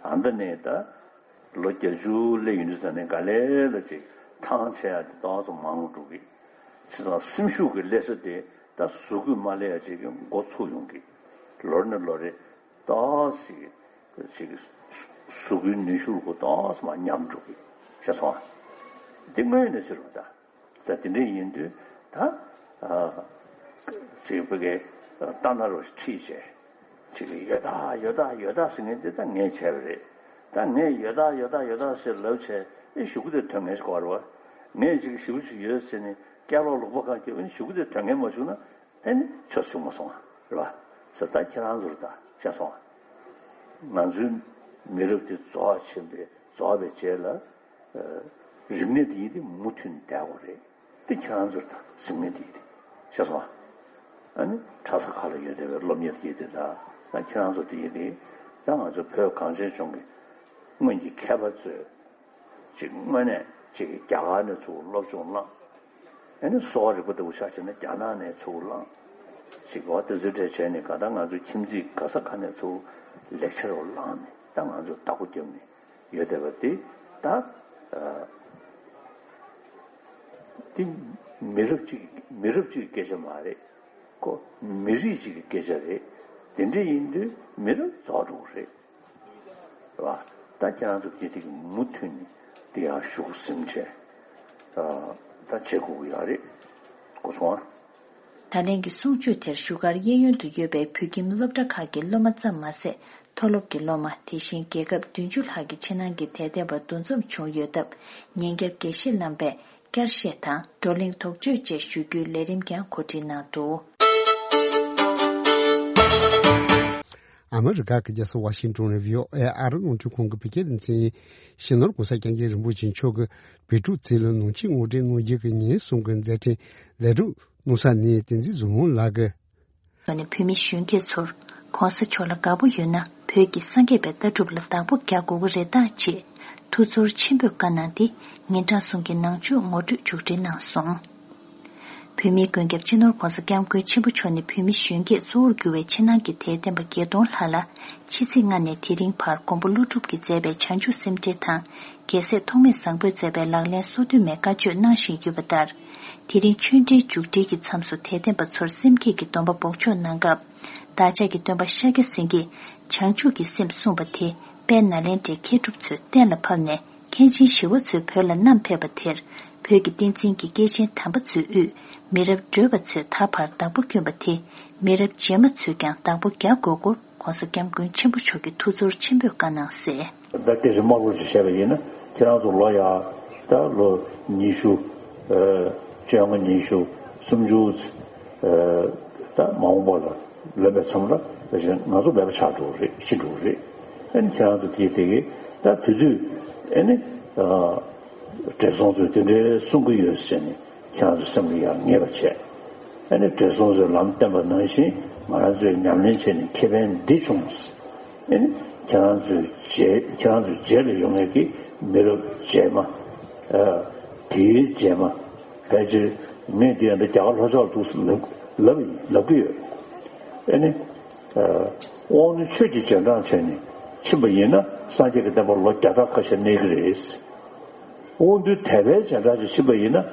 ཨ་མདའ་ནས་ད་ལོ་བརྒྱད་ཅུ་སླེབས་ཡོང་དུས་ཙ་ནས་ག་ལེ་ལ་ཅིག་ཐང་ཆད་ཡ་དེ་ཏོག་ཙམ་མང་རུ་འགྲོ་གི། བྱས་ཙང་སེམས་ཤུགས་ཀྱི་སླེབས་ས་དེ་ད་གཟུགས་པོས་མ་སླེབས་ཡ་ཅིག་གི་འགོ་ཚུགས་ཡོང་གི། ལོ་རེ་ནས་ལོ་རེ། ཏོག་ཙམ་ཅིག་གཟུགས་པོའི་ནུས་ཤུགས་ལ་ཏོག་ཙམ་མར་ཉམས་འགྲོ་གི་ཤེས་སོང་ཨ། འདི་དངོས་ཡོད་གནས་ཚུལ་རེད་ད། ད་དེ་འདྲ་ཡིན་དུས་ད་ཅིག་བོད་སྐད་ལྟ་ན་རོ་ཁྲིད་བྱས་ཅིག་ཡོད་ད་ཡོད་ད་ཡོད་ད་ཟེར་མཁན་འདི་ད་ངས་བྱས་པ་རེད། ད་ངས་ཡོད་ད་ཡོད་ད་ཡོད་ད་ཟེར་ལབ་བྱས་ཨེ་ཞུ་གི་དེ་དོན་ངན་ཞིག་གོ་རེད་བ། ངས་ཅིག་ཞེ་པོ་ཅིག་ཡོད་ཟེར་ནས་སྐད་ལོག་ལོག་པ་གང་སྐྱེ་བ་ནི་ཞུ་གི་དེ་དོན་ངན་མ་བྱུང་ན། ཨེ་ནི་ཆོས་བྱུང་མ་སོང་བ་རེད་བ། ཟེར་ད་ཁྱེད་རང་ཚོར་ད་བཤད་སོང་བ། ང་ཚོའི་མི་རབས་དེ་རྫོགས་ཕྱིན་པའི་རྫོགས་པའི་རྗེས་ལ་རིག་གནས་དེ་ཡིན་དེ་མུ་མཐུད་ནས་བསྡད་དགོས་རེད། དེ་ཁྱེད་རང་ཚོར་ད་གཟིགས་ངེས་དེ་ཡིན་དེ་བཤད་སོང་བ། ཨ་ནི་གྲྭ་ས་ཁག་ལ་ཡོད་བསྡད་པའི་སློབ་གཉེར་དེ་དེ་ད་ད་ཁྱེད་རང་ཚོ་དེ་ཡིན་དེ་ད་ང་ཚོ་བོད་གངས་ཅན་ལྗོངས་ཀྱི་སྔོན་གྱི་མཁས་པ་ཚོས། ཅིག་དངོས་གནས་ཅིག་རྒྱ་གར་ནས་ཚུར་སློབ་སྦྱོང་བླངས། ཨ་ནི་གསོ་བ་རིག་པ་ལྟ་བུ་ཆ་བཞག་ན་རྒྱ་ནག་ནས་ཚུར་བླངས། ཅིག་འོ་དེ་ཚོའི་གྲས་བྱས་ནས་ག་ད་ང་ཚོའི་ཁྱིམ་མཚེས་ག་ས་ག་ནས་ཚུར་ལེགས་ཆ་རུ་བླངས་ནས་ད་ང་ཚོ་བདག་པོ་བརྒྱབ་ནས་ཡོད་བསྡད་པ་དེ་ད་དེ་མི་རབས་གཅིག་མི་རབས་གཅིག་གི་སྐད་ཆ་མ་རེད། ཁོ་མི་རིགས་གཅིག་གི་སྐད་ཆ་རེད། དེ་འདྲ་ཡིན་དུས་མི་རབས་རྫོགས་འགྲོ་གི་རེད། རེད་བ། ད་ཁྱེད་རང་ཚོ་སྐད་ཐིག་མུ་མཐུད་ནས་དེ་ཡང་ཞུགས་ཟིན་བྱས། ད་བྱེད་དགོས་ཀྱི་ཡོད་རེད། གོ་སོང་ཨ། ད་ལན་གྱི་གསུང་ཆོས་དེར་བཞུགས་སྒར་གཡས་གཡོན་དུ་ཡོད་པའི་བོད་ཁྱིམ་སློབ་གྲྭ་ཁག་གི་སློབ་མ་ཙམ་མ་ཟད། མཐོ་སློབ་ཀྱི་སློབ་མ་དེ་བཞིན་རྒྱལ་ཁབ་བདུན་ཅུ་ལྷག་གི་ཕྱི་ནང་གི་དད་ལྡན་པ་འདུ་འཛོམས་བྱུང་ཡོད་སྟབས། ཉིན་རྒྱབ་དགེ་བཤེས་རྣམ་པས། བསྐྱར་བཤད་དང་བགྲོ་གླེང་དོགས་གཅོད་བཅས་ཞུ་རྒྱུའི་ལས་རིམ་ཀྱང་གོ་སྒྲིག་གནང་འདུག་ཨ་མི་རི་ཀ་གི་རྒྱལ་ས་ཝ་ཤིང་ཏོན་ནས་བྷི་ཨོ་ཨེ་ཨ་རི་རླུང་འཕྲིན་ཁང་གི་བོད་སྐད་སྡེ་ཚན་ཡིན། སྤྱི་ནོར་༸གོང་ས་༸སྐྱབས་མགོན་རིན་པོ་ཆེ་མཆོག་གིས་བོད་ཕྲུག་ཚོ་ལ་ནང་ཆོས་ངོ་སྤྲོད་གནང་རྒྱུ་གི་ཉིན་གསུམ་གྱི་མཛད་འཕྲིན་ལེགས་གྲུབ་གནང་ས་ནས་བསྟན་འཛིན་ཟུར་དབང་ལགས་ཀྱིས། ལོ་ནས་བོད་མི་གཞོན་སྐྱེས་ཚོར་༸གོང་ས་མཆོག་ལ་དགའ་པོ་ཡོད་ན་བོད་ཀྱི་སངས་རྒྱས་པའི་ལྟ་གྲུབ་ལ་བདག་པོ་རྒྱག་དགོས་ཀྱི་རེད་ད་ཅེས་ཐུགས་ཚོར་ཆེན་པོས་བཀའ་གནང་སྟེ་ཉིན་གྲངས་གསུམ་གྱི་ནང་ཆོས་ངོ་སྤྲོད་མཇུག་སྒྲིལ་གནང་སོང་། བོད་མིའི་མགོན་སྐྱབས་སྤྱི་ནོར་༸གོང་ས་༸སྐྱབས་མགོན་ཆེན་པོ་མཆོག་ནས་བོད་མི་གཞོན་སྐྱེས་གཙོ་བོར་གྱུར་བའི་ཕྱི་ནང་གི་དད་ལྡན་པ་བརྒྱད་སྟོང་ལྷག་ལ་ཕྱི་ཚེས་ལྔ་ནས་དེ་རིང་བར་མགོན་པོ་ཀླུ་སྒྲུབ་ཀྱིས་མཛད་པའི་བྱང་ཆུབ་སེམས་འགྲེལ་དང་རྒྱལ་སྲས་ཐོགས་མེད་བཟང་པོས་མཛད་པའི་ལག་ལེན་སོ་བདུན་མའི་བཀའ་ཆོས་གནང་བཞིན་ཡོད་པ་ལྟར། དེ་རིང་ཆོས་འབྲེལ་མཇུག་སྒྲིལ་གྱི་མཚམས་སུ་དད་ལྡན་པ་ཚོར་སེམས་བསྐྱེད་ཀྱི་སྡོམ་པ་འབོགས་ཆོག་གནང་སྐབས། བདག་ཅག་གི་སྟོན་པ་ཤཱཀྱ་སེང་གེས་བྱང་ཆུབ་ཀྱི་སེམས་གསུངས་པ་དེ་དཔལ་ནཱ་ལེནྡྲའི་མཁས་གྲུབ་ཚོས་གཏན་ལ་ཕབ་ནས་མཁན་ཆེན་ཞི་བ་འཚོས་བོད་ལ་བསྣམས་ཕེབས་པ་དེར་བོད་ཀྱི་བསྟན་འཛིན་གྱི་སྐྱེས་ཆེན་དམ་པ་ཚོའི་དབུས་མི་རབས་བགྲོས་པ་ཚོས་ད་བར་བདག་པོ་བསྐྱོན་པ་དེ་མི་རབས་རྗེས་མ་ཚོས་ཀྱང་བདག་པོ་རྒྱག་དགོས་སྐོར་༸གོང་ས་༸སྐྱབས་མགོན་ཆེན་པོ་མཆོག་གིས་ཐུགས་ཚོར་ཆེན་པོས་བཀའ་གནང་གསལ། ད་དེ་བཞིན་དམར་པོ་ཞིག་བཤད་པ་ཡིན་ན་ཁྱེད་རང་ཚོ་ལོ་ཡ་ད་ལོ་ཉི་ཤུ། བཅོ་ལྔ་ཉི་ཤུ་སུམ་ཅུ། ད་མ་འོངས་པ་ལ་ལོན་པའི་མཚམས་ལ་དེ་བཞིན་ང་ཚོ་མེད་པ་ཆགས་འགྲོ་གི་རེད་ཤི་འགྲོ་གི་རེད། ཨ་ནི་ཁྱེད་རང་ཚོ་དེ་དེ་གི་ ད་དེ་དུས་ཨེ་ནི་བགྲེས་སོང་ཚོས་དེ་འདྲའི་གསུང་གི་ཡོད་ཟེར་ནས་ཁྱེད་རང་ཚོ་སེམས་ལ་ཡང་ངེས་པ་བྱས། ཨེ་ནི་བགྲེས་སོང་ཚོས་ལམ་བསྟན་པ་ནང་བཞིན་ང་རང་ཚོས་ཉམས་ལེན་བྱས་ནས་ཁེ་ཕན་འདི་བྱུང་། ཨེ་ནི་ཁྱེད་རང་ཚོའི་རྗེས་ཁྱེད་རང་ཚོའི་རྗེས་ལ་ཡོང་མཁན་གྱི་མི་རབས་རྗེས་མ། དེའི་རྗེས་མ་ཕལ་ཆེར་ངས་འདི་ཡང་འདི་རྒྱ་གར་ལྷོ་ཕྱོགས་ལ་འདུག་ལབ་ལབ་ལབ་ཀྱི་ཡོད། ཨེ་ནི། དབང་ནི་ཆོས་ཀྱི་རྗེས་འབྲང་བྱས་ནས་ཕྱིན་པ་ཡིན་ན་སངས་རྒྱས་ཀྱི་བསྟན་པ་ལོ་བརྒྱ་ཕྲག་ཁ་ཤས་གནས་ཀྱི་རེད། དབང་རྟུལ་དད་པའི་རྗེས་འབྲང་ཅིག་ཕྱིན་པ་ཡིན་ན་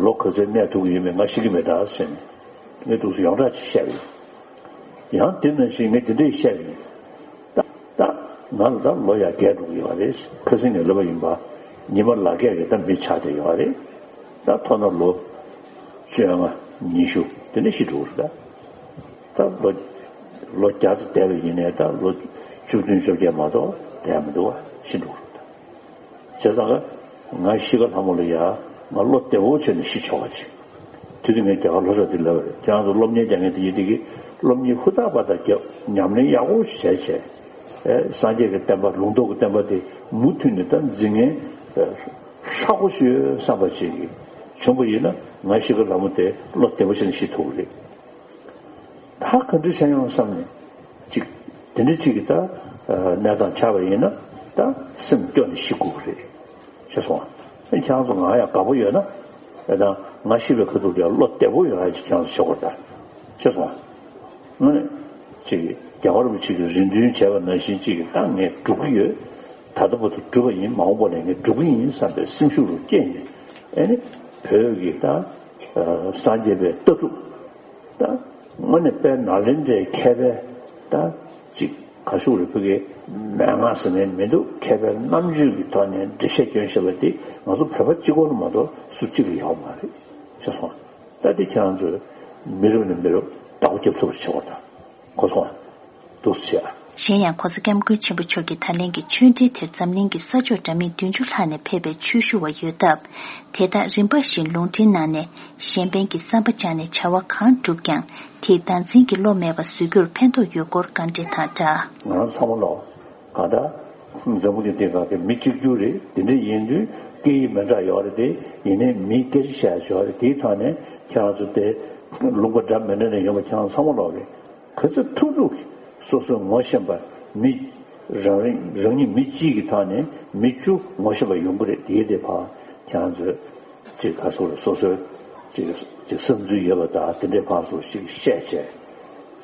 ལོ་ག་ཚོད་གནས་ཐུབ་ཀྱི་ཡོད་མེད་ང་ཤེས་ཀྱི་མེད་ད་ཟེར་ནས་ངས་འདུག་སེ་ཡོངས་གྲགས་ཅིག་བཤད་པ་ཡིན། ཡང་དེ་ནང་བཞིན་ངས་དེ་འདྲས་བཤད་པ་ཡིན། ད་ད་ང་ལ་ད་ལོ་ཡར་རྒས་འགྲོ་གི་ཡོད་རེད། ཁ་སང་ནས་ལབ་པ་ཡིན་པ། ཉི་མ་ལག་སྐྱེས་ཀྱི་ད་མི་ཆགས་བསྡད་ཡོད་རེད། ད་ཐོག་མཐའ་ལོ་བཅོ་ལྔ་ཉི་ཤུ་དེ་འདྲ་ཤི་འགྲོ་གི་རེད་ད། ད་ལོ་ལོ་བརྒྱ་ཙམ་བསྡད་པ་ཡིན་ནའི་ད་ལོ་བཅུ་བདུན་བཅོ་བརྒྱད་མ་གཏོགས་བསྡད་མི་འདུག་བ། ཤི་འགྲོ་གི་རེད་ད། བྱས་ཙང་ང་ཤི་ཁ་ལྷ་མོ་ལ་ཡ་ང་བློ་བདེ་བོ་བྱས་ནས་ཤི་ཆོག་པ་ཅིག་དེ་དུས་ངས་རྒྱ་གར་ལྷོ་ཕྱོགས་དེ་ལབ་པ་རེད། ཁྱེད་རང་ཚོ་སློབ་གཉེར་རྒྱག་མཁན་དེ་ཡིན་དེ་གི་སློབ་གཉེར་ཧུར་ཐག་པ་དང་རྒྱབ་ཉམས་ལེན་ཡག་པོ་ཞིག་བྱས་བྱས། ཨེ་སངས་རྒྱས་ཀྱི་བསྟན་པ་ལུང་རྟོགས་ཀྱི་བསྟན་པ་དེ་མུ་མཐུད་ནས་ད་འཛིན་མཁན་ཧྲག་པོ་ཞིག་ཡོད་བསམ་པ་ཅིག་གི་བྱུང་པ་ཡིན་ན་ང་ཤི་ཁ་ལྷ་མོ་དེ་བློ་བདེ་བོ་བྱས་ནས་ཤི་ཐུབ་ཀྱི་རེད། ད་ག་འདྲ་བྱས་ཡོང་བསམ་ནས་ཅིག་དེ་འདྲ་ཅིག་གི་ད་གནས་སྟངས་ཆགས་པ་ཡིན་ན་ད་སེམས་སྐྱོ་ནས་ཤི་དགོས་ཀྱི་རེད། ཤེས་སོང་ཨ། ཁྱེད་རང་ཚོ་ང་ཡང་དགའ་པོ་ཡོད་ན་ད་ང་ཤི་བའི་ཁ་ཐུག་དེ་བློ་བདེ་པོ་ཡོང་ཡ་ཅིག་ཁྱེད་རང་ཚོ་བྱེད་དགོས་ད། ཤེས་སོང་ཨ། ངས་ཅིག་རྒྱལ་བ་རིན་པོ་ཆེ་གི་རེ་འདུན་བྱས་པ་ནང་བཞིན་ཅིག་ད་ངས་སྒྲུབ་ཀྱི་ཡོད། ད་ལྟ་བར་དུ་སྒྲུབ་པ་ཡིན། མ་འོངས་པ་ལ་ངས་སྒྲུབ་ཀྱི་ཡིན་བསམ་པའི་སེམས་ཤུགས་རུ་སྐྱེས་ནས་ཨེ་ནི་བོད་ཀྱི་ད་སངས་རྒྱས་པའི་ལྟ་གྲུབ། ད་དངོས་གནས་དཔལ་ནཱ་ལེནྡྲའི་མཁས་པའི་ད་ཅིག་ག་ཤུག་རེ་ཕུ་གེ་མན་ངག་ཟེར་ནས་མི་འདུག་མཁས་པའི་རྣམ་དཔྱོད་ཀྱི་ཐོག་ནས་འགྲེལ་བཤད་སྐྱོན་བཤད་པ་དེ་ང་ཚོ་བོད་པ་གཅིག་པོ་ལ་མ་གཏོགས་སུ་གཅིག་ལ་ཡོད་མ་རེད། ཤེས་སོང་། ད་དེ་ཁྱེད་རང་ཚོས་མི་རབས་ནས་མི་རབས་བདག་པོ་རྒྱབ་ཐུབ་པ་བྱེད་དགོས་ད། གོ་སོང་ཨ། འདུག་སེ་བྱས་ཨ། གཞན་ཡང་༸གོང་ས་༸སྐྱབས་མགོན་ཆེན་པོ་མཆོག་གི་ད་ལན་གྱི་ཆོས་འབྲེལ་དེར་འཛམ་གླིང་གི་ས་ཕྱོགས་འདྲ་མིན་བདུན་ཅུ་ལྷག་ནས་ཕེབས་པའི་ཆོས་ཞུ་བ་ཡོད་སྟབས། དེ་དག་རིམ་པ་བཞིན་ལུང་འདྲེན་གནང་ནས་གཞན་ཕན་གྱི་བསམ་པ་བཅངས་ནས་བྱ་བ་གང་བསྒྲུབས་ཀྱང་དེས་བདག་འཛིན་གྱི་བློ་མེད་པ་བཟོ་རྒྱུར་ཕན་ཐོགས་ཡོད་སྐོར་བཀའ་འདྲི་དང་སྦྲགས། ང་རང་ཚང་མ་ལོག་གང་ལྟར་འཛམ་བུ་གླིང་འདི་ག་གི་མི་གཅིག་གྱུར་རེད། དེ་འདྲ་ཡིན་དུས་སྐད་ཡིག་མི་འདྲ་ཡོད་རེད་དེ། ཡིན་ནའི་མིའི་སྐད་ཆ་བཤད་ཡ་ཡོད་རེད། དེའི་ཐོག་ནས་ཁྱེད་རང་ཚོ་དེ་ལུང་པ་འདྲ་མི་འདྲ་ནས་ཡོང་བ་ཁྱེད་རང་ཚང་མ་ལོག་གི་ག་ཚོད་ཐུབ་ཐུབ་ཀྱིས་སོ་སོའི་ངོ་ཤེས་པ་མི་རང་རིང་རང་ཉིད་མི་གཅིག་གི་ཐོག་ནས་མི་བཅུ་ངོ་ཤེས་པ་ཡོང་གི་རེད། དེའི་དེ་ཕར་ཁྱེད་རང་ཚོས་ཅིག་ག་སོགས་ལ་སོ་སོའི་ཅིག་ཅིག་བསམ་ཚུལ་ཡོད་པ་དང་དེ་འདྲའི་ཕར་ཚུར་ཅིག་བཤད་བྱས་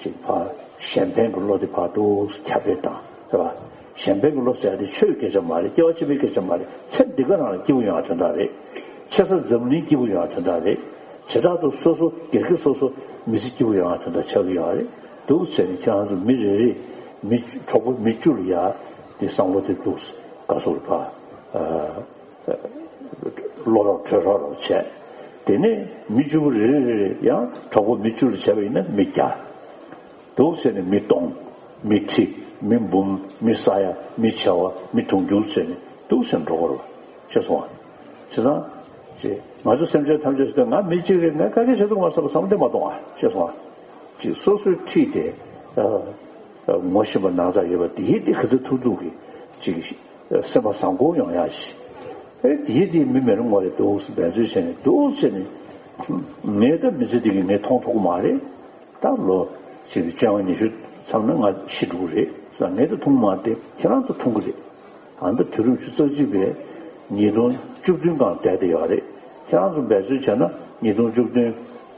ཅིག་ཕར་གཞན་ཕན་གྱི་བློ་དེ་ཕར་འདུག་ཁྱབ་སྤེལ་བཏང་རེད་པ། གཞན་ཕན་གྱི་བློ་ཟེར་ཡ་དེ་ཆོས་སྐད་ཆ་མ་རེད། སྐྱེ་བ་ཕྱི་མའི་སྐད་ཆ་མ་རེད། ཚེ་འདི་ག་རང་ལ་སྐྱིད་པོ་ཡོང་ཡ་དོན་དག་རེད། ཆེ་ས་འཛམ་གླིང་སྐྱིད་པོ་ཡོང་ཡ་དོན་དག་རེད། བྱེ་བྲག་ཏུ་སོ་སོ་སྒེར་གྱི་སོ་སོ་མི་ཚེ་སྐྱིད་པོ་ཡོང་ཡ་དོན་དག་ཆགས་ཀྱི་ཡོད་རེད། འདུག་ཟེར་ནས་ཁྱེད་རང་ཚོ་མི་རེ་རེ་མི་གྲོགས་པོ་མི་བཅུ་ལ་ཡ་དེ་བསམ་བློ་དེ་འདུག་ག་སོགས་ལ་ཕར་བློ་རོགས་གྲོས་རོགས་རོགས་བྱས། དེ་ནས་མི་བཅུ་པོ་རེ་རེ་རེ་རེ་ཡང་གྲོགས་པོ་མི་བཅུ་ལ་བྱས་པ་ཡིན་ན་མི་བརྒྱ། འདུག་ཟེར་ནས་མི་སྟོང་། མི་ཁྲི། མི་འབུམ། མི་ས་ཡ། མི་བྱེ་བ། མི་དུང་ཕྱུར་ཟེར་ནས་འདུག་ཟེར་འགྲོ་གི་རེད། ཤེས་སོང་ཨ། བྱས་ཙང་། ཅེས་ང་ཚོ་སེམས་ཅན་ཐམས་ཅད་ཟེར་ཏེ་ང་མི་གཅིག་རེད། ང་ག་གེ་བྱེད་ཐུབ་མ་སོང་བསམ་བློ་དེ་མ་གཏོང་ཨ། ཤེས་སོང་ཨ། ཅིག་སོ་སོའི་འཁྲིས་དེ་ངོ་ཤེས་པ་ནང་ཚགས་ཡོད་པ་དེ་དེ་ག་ཚོད་ཐུབ་ཐུབ་ཀྱིས་ཅིག་སེམས་པ་བཟང་པོ་ཡོང་ཡ་ཞིག་ཨེ་དེ་དེ་མི་མེད་རུང་ངོ་རེ་འདུག་སེ་འབད་རྩོལ་བྱས་ནས་འདུག་ཟེར་ནས་ངས་ད་མི་ཚེ་འདི་གི་ངས་མཐོང་ཐུབ་ཀྱི་མ་རེད། ད་ལོ་ཅིག་བཅོ་ལྔ་ཉི་ཤུ་མཚམས་ན་ང་ཤི་འགྲོ་གི་རེད་ཟེར། ངས་ད་མཐོང་མ་དེ་ཁྱེད་རང་ཚོ་མཐོང་གི་རེད། ཨ་ད་དུས་རབས་ཉི་ཤུ་རྩ་གཅིག་པའི་ཉིས་སྟོང་བཅུ་བདུན་སྒང་བསྡད་དེ་ཡོད་རེད། ཁྱེད་རང་ཚོ་འབད་རྩོལ་བྱས་ན་ཉིས་སྟོང་བཅུ་བདུན།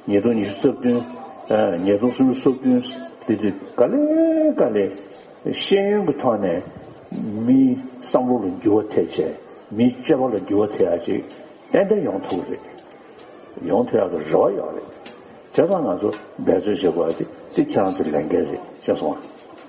ཉིས་སྟོང་ཉི་ཤུ་རྩ་བདུན། ཨ་ཉིས་སྟོང་སུམ་ཅུ་སོ་བདུན། དེ་དུས་ག་ལེ་ག་ལེ་ཤེས་ཡོན་གྱི་ཐོག་ནས་མིའི་བསམ་བློ་ལ་འགྱུར་བ་ཐེབས་བྱས། མིའི་སྤྱོད་པ་ལ་འགྱུར་བ་ཐེབས་ཡ་ཅིག་ཏན་ཏན་ཡོང་ཐུབ་ཀྱི་རེད། ཡོང་ཐུབ་ཡག་གི་རེ་བ་ཡོད་རེད། བྱས་ཙང་ང་ཚོ་འབད་རྩོལ་བྱེད་དགོས་པ་དེ་དེ་ཁྱེད་རང་ཚོའི་ལས་འགན་རེད། ཤེས་སོང་ཨ།